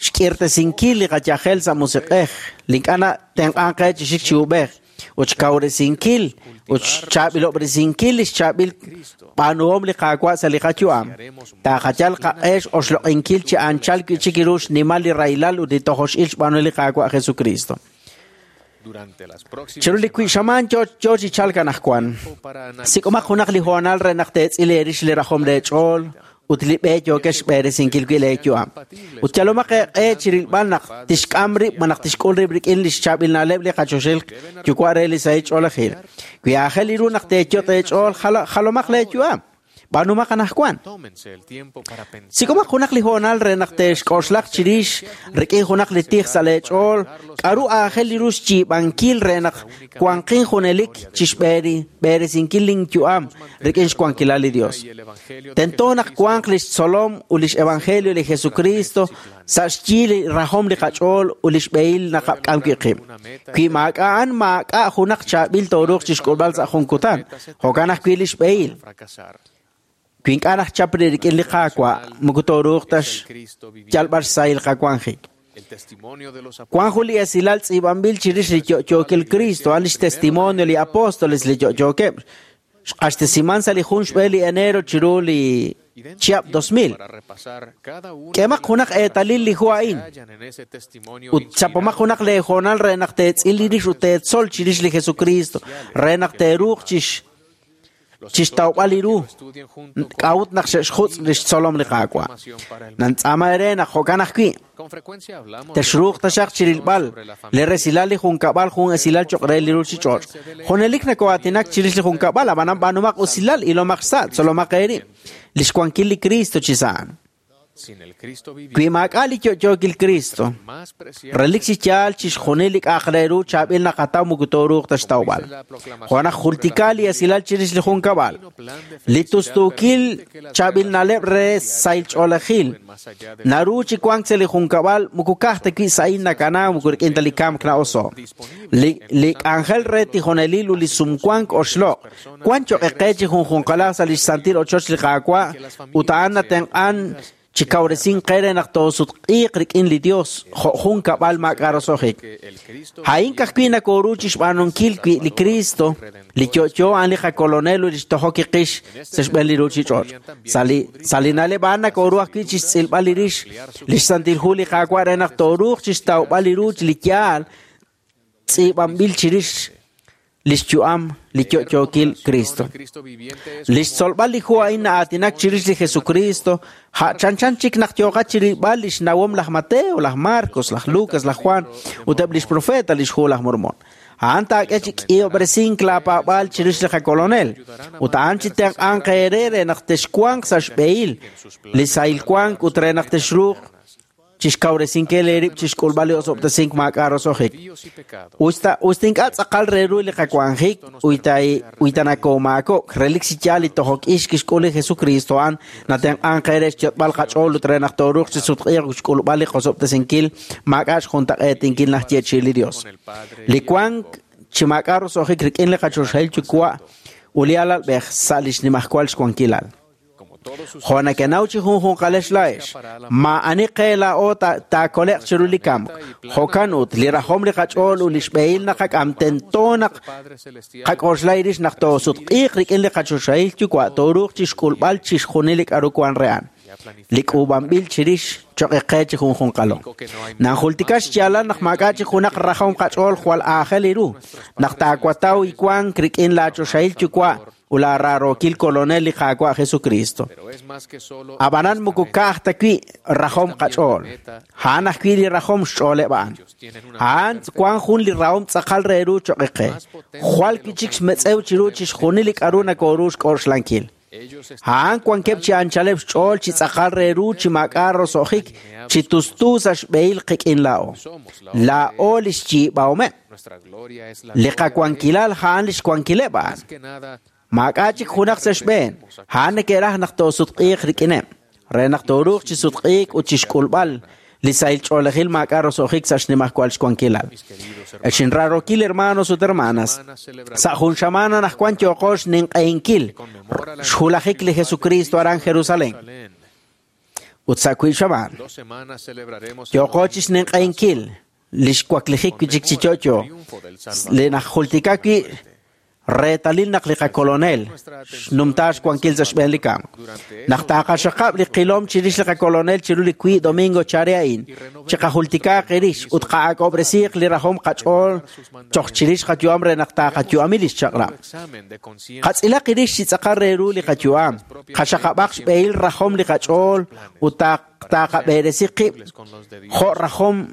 xk'irtesinkil li qayajel sa' musiq'ej li ink'a' natenq'ank qe chi xik chi ub'ej ut xkawresinkil ut xchaab'ilob'resinkil li xchaab'il b'aanuhom li Qaawa' sa' li qayu'am. Taaqayal qaq'e x'oxloq'inkil chi anchal wi'chik ru xnimal li rahilal ut li tojox'il xb'aanu li Qaawa' Jesucristo. Chiru li wi'xamaan yo chi chalk anaqwan. Sik'omaq junaq li hoonal re naq teetz'il eerix li rajom leech'ool ut li b'e yookex xb'eresinkil wi' leeyu'am. Ut yalomaq eeq'e chi rilb'al naq tixk'am rib' malaj tixk'ul rib' rik'in li xchaab'il na'leb' li qachoxil Yuwa' re li sahil ch'oolejil. Wi aajel ru naq teeyot' eech'ool, jalomaq leeyu'am. B'aanumaq anaqwan. Sik'omaq junaq li hoonal re naq te'xk'oxlaq chirix rik'in junaq li tij sa' leech'ool k'aru aajel ru xyiib'ankil re naq wanqin junelik chi xb'eresinkil linyu'am rik'in xwankilal li Dios. Tento naq wanq li xtzolom ut li xevangelio li Jesucristo sa' xyi li rajom li qach'ool ut li xb'ehil naqak'am wi' qib'. Wi maak'a'an maak'a' junaq chaab'il tooruuq chi xk'ulb'al sa' jun kutan, jo'kan ajwi' li xb'ehil. Wi ink'a' najchap rik'in li Qaawa', moko tooruuq ta xyalb'al xsahil qawanjik. Wan jun li esilal tz'iib'anb'il chirix li yo'yookil Cristo, a'an li xtestimonio li apóstoles li yo'yookeb'. Xq'axtesiman sa' li 1 xb'e li enero chiru li chihab' 2000. K'emaq junaq eetalil li hu a'in ut chapomaq junaq leehoonal re naq teetz'il li rix ut teetzol chirix li Jesucristo, re naq teeruuq chixtawb'al li ru k'a'ut naq xe'xjutz' li xtzolom li Qaawa'. Nantz'aama eere naq jo'kan ajwi' texruuq taxaq chirilb'al li resilal li junkab'al jun esilal cho'q re li ruuchich'och'. Junelik nako'aatinak chirix li junkab'al, ab'anan b'aanumaq usilal ilomaq xsa', tzolomaq eerib' li xwankil li Cristo chi sa'an. Wi maak'a' li yo'yookil Cristo, relik chi yaal chixjunil li k'a'aq re ru chaab'il naqataw moko tooruuq ta xtawb'al. Jo' naq jultika li esilal chirix li junkab'al, li tustuukil chaab'il na'leb' re sahil ch'oolejil naru chi wank sa' li junkab'al moko ka'aj ta wi' sa'in nakana moko rik'in ta li kamk na'oso'. Li k'anjel re tijonelil ut li sumwank oxloq' wan choq' qe chi junjunqalaj sa' li xsantil ochoch li Qaawa' ut a'an natenq'an chi kawresin qe re naq toosutq'iiq rik'in li Dios jo' jun kab'al maak'a' roso'jik. A'in ka'ajwi' nakooru chi xb'aanunkil wi' li Cristo, li yo'yo a'an li qakolonel ut li xtojok qix sa' xb'een li ruuchich'och'. Sa' li na'leb' a'an nakooru ajwi' chi xtz'ilb'al li rix li xsantil hu li Qaawa' re naq tooruuq chi xtawb'al li ru li yaal tz'iib'anb'il chirix li xyu'am li yo'yookil Cristo. Li xtzolb'al li hu a'in na'aatinak chirix li Jesucristo, ja chanchan chik naq yooqat chirilb'al li xnawom laj Mateo, laj Marcos, laj Lucas, laj Juan ut eb' li xprofeta li xhu laj Mormon. A'an taak'e chi k'ihob'resink laapaab'aal chirix li qakolonel ut a'an chi tenq'anq eere re naq texwanq sa' xb'ehil li sahil wank ut re naq texruuq chixkawresinkil eerib' chixk'ulb'al li osob'tesink maak'a' roso'jik. Usta ink'a' tz'aqal re ru li qawanjik uyta nakoomaakok, relik chi yaal li tojok ix kixk'ul li Jesucristo a'an natenq'anq qe re xyot'b'al qach'ool ut re naq tooruuq chi sutq'iiq ut xk'ulb'al li qosob'tesinkil maak'a' xjuntaq'eetinkil naxyeechi'i li Dios. Li wank chi maak'a' roso'jik rik'in li qachoxahil yuwa' ut li alalb'ej sa' li xnimajwal xwankilal. Jo' nakenaw chi junjunqalex laa'ex, maa'ani qe laa'o taakole'q chiru li kamk. Jo'kan ut, li rajom li qach'ool ut li xb'ehil naqak'am tento naq qak'oxla rix naq toosutq'iiq rik'in li qachoxahil yuwa' tooruuq chi xk'ulb'al chixjunil li k'aru wan re a'an. Li k'uub'anb'il chirix choq' qe chi junjunqalo. Nanjultika xyaalal naq maak'a' chi junaq rajom qach'ool jwal aajel ru, naq taawataw iwank rik'in laachoxahil yuwa' ut laararookil kolonel li Qaawa' Jesucristo. Ab'anan moko ka'aj ta wi' rajom qach'ool, a'an ajwi' li rajom xch'ooleb' a'an. A'an wan jun li rahom tz'aqal re ru choq' qe, jwal wi' chik xmetz'ew chiru chixjunil li k'aru nakooru xk'oxlankil. A'an wankeb' chi anchaleb' xch'ool chi tz'aqal re ru chi maak'a' roso'jik chi tustu sa' xb'ehil qik'in laa'o. Laa'o li xyiib'ahomeb'. Li qawankilal a'an li xwankileb' a'an. Maak'a' chik junaq sa' xb'een, a'an neke'raj naq toosutq'iiq rik'ineb', re naq tooruuq chi sutq'iik ut chi xk'ulb'al li sahil ch'oolejil maak'a' roso'jik sa' xnimajwal xwankilal. Ex inrarookil hermanos ut hermanas, sa' jun xamana naq wan yooqo xninq'ehinkil xhulajik li Jesucristo aran Jerusalén. Ut sa' wiib' xamaan, yooqo chi xninq'ehinkil li xwaklijik wi' chik chi yo'yo, li najultika wi' reetalil naq li qakolonel xnumta xwankil sa' xb'een li kamk. Naq taaqaxaqab' li qilom chirix li qakolonel chiru li wiib' domingo chare a'in, chiqajultikaaq rix ut qa'ak'ob'resiiq li rajom qach'ool choq chirix qayu'am re naq taaqayu'ami li xchaq'rab'. Qatz'ilaq rix chi tz'aqal re ru li qayu'am, qaxaqab'aq xb'ehil rajom li qach'ool ut taaqab'eresi qib' jo' rajom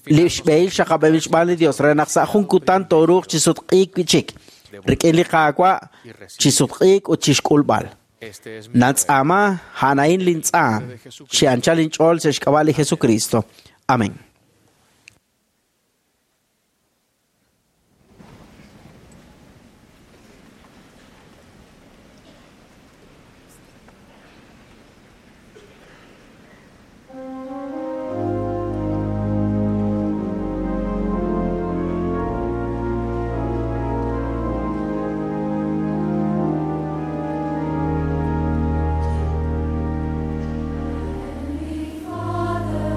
li xb'ehil xaqab'eb'il xb'aan li Dios re naq sa' jun kutan tooruuq chi sutq'iik wi' chik rik'in li Qaawa' chi sutq'iik ut chi xk'ulb'al. Natz'aama a'an lintz'aam chi anchal inch'ool sa' xk'ab'a' li Jesucristo. Amén. Father,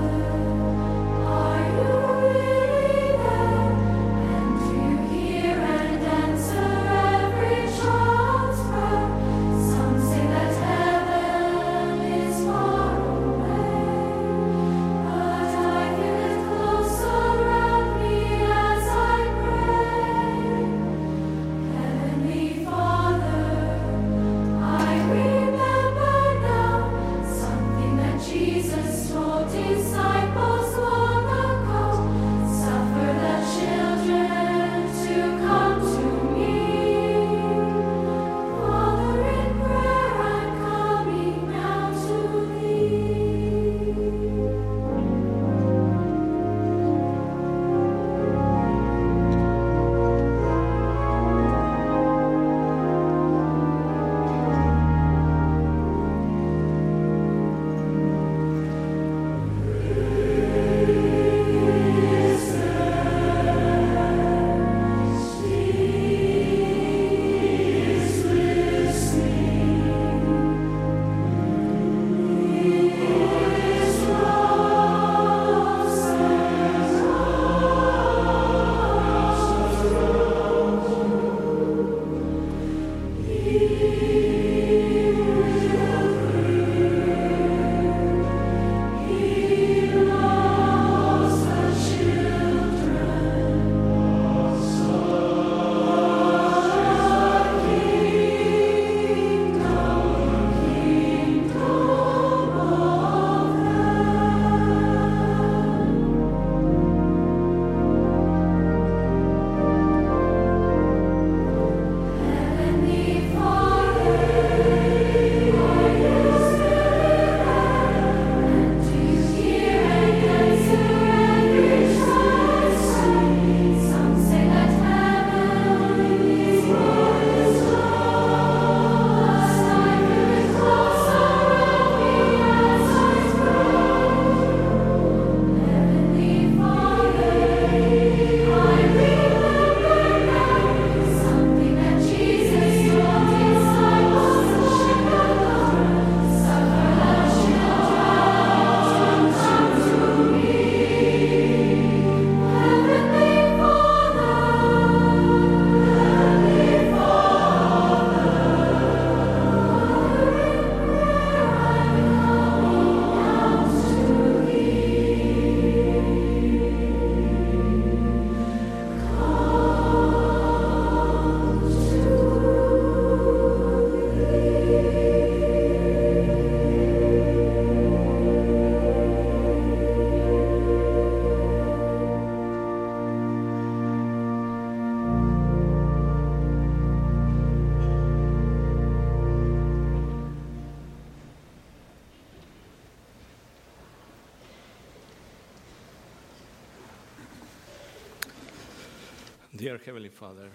Dear Heavenly Father,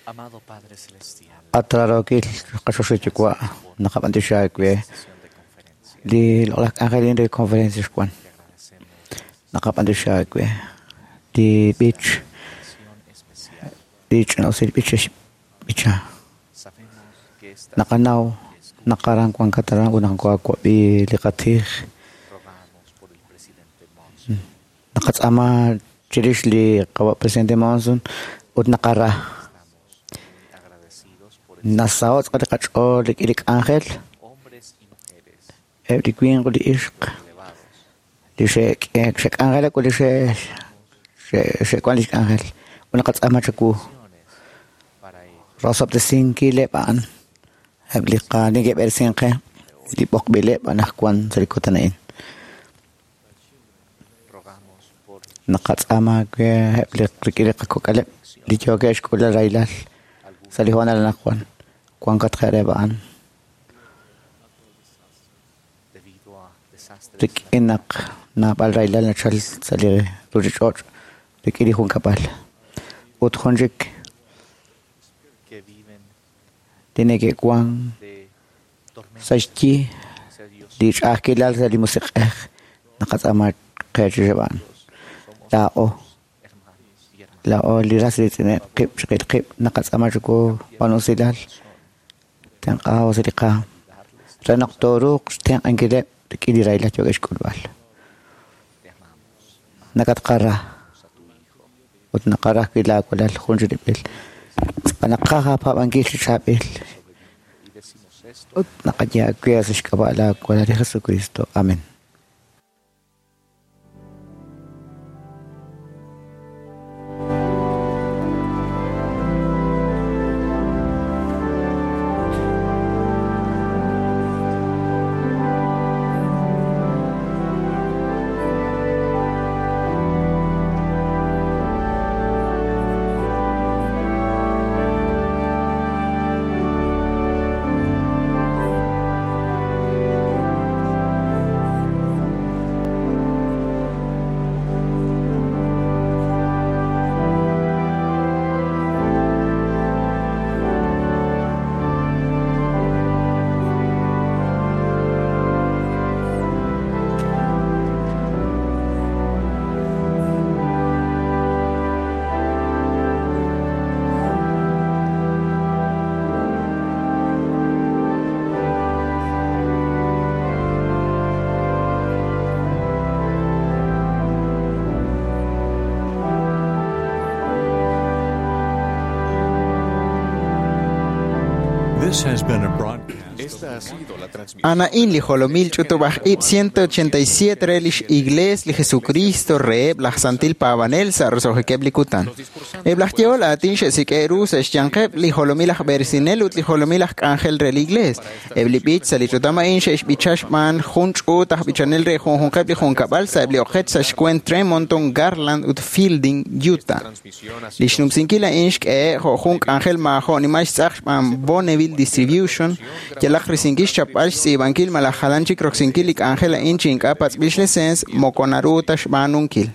Amado Padre Celestial, At rarookil qaxoxil yuwa' naqab'antioxi aawe li loq'laj k'anjelin re conferencia xwan naqab'antioxi aawe li b'ich li ch'ina'usil b'ich b'icha sabemos que estás naqanaw naqaran wankat aran ut naqawab'i li qatij rogamos por el presidente Monson naqatz'aama chirix li qawa' presidente Monson ut naqara agradecidos por nasaho' tz'aqal li qach'ool rik'in li k'anjel hombres y mujeres eb' li winq ut li ixq elevados li xe'k'anjelak ut li xe'wan li xk'anjel ut naqatz'aama chawu para ellos rosob'tesinkileb' a'an eb' li neke'b'eresin qe li b'oqb'ileb' anaqwan sa' li kutan a'in rogamos por naqatz'aama aawe eb' li rik'in li qakok'aleb' li yookeb' xk'ulal rahilal sa' li hoonal anaqwan wankat qe a'an debido a desastres rik'in naq naab'al rahilal nachal sa' li ruchich'och' rik'in li junkab'al ut jun chik que viven li neke'wan de tormentas sa' xyi sea Dios li ch'a'ajkilal sa' li musiq'ej naqatz'aama qe chirix a'an laa'o hermanos y hermanas laa'o li ras riitz'ineb' qib' chiqil qib' naqatz'aama chiwu wan usilal tenq'aw sa' li qaam re naq tooruuq xtenq'ankileb' rik'in li rahilal yookeb' xk'ulb'al te amamos nakatqara a tu hijo ut naqara ajwi' laawalal jun chirib'il naqaj aapab'ankil chi chaab'il y decimos esto ut naqaye aawe sa' xk'ab'a' laawalal li Jesucristo amén. This has been a broadcast. Esta ha sido la transmisión. Anaín li jolomil ch'utub'aj ib' 187 re lix Iglees li Jesucristo reheb' laj Santil Paab'anel sa' roso'jikeb' li kutan. Eb' laj yehol aatin xe'sik'e ru sa' xyanqeb' li jolomil aj b'eresinel ut li jolomil aj k'anjel re li Iglees. Eb' li b'ich sa' li ch'utam a'in xe'xb'icha xb'aan jun ch'uut aj b'ichanel re junjunqeb' li junkab'al sa' eb' li oqech sa' xkwent Tremonton, Garland ut Fielding, Utah. Transmisión ha Li sido xnumsinkil a'in xk'ehe' jo' jun k'anjel maajo' nimal xtz'aq xb'aan Bonneville Distribution yalaq risinkil xchapb'al xtz'iib'ankil malaj jalan chik roksinkil li k'anjel a'in chi ink'a' patz'b'il xliceens moko naru ta xb'aanunkil.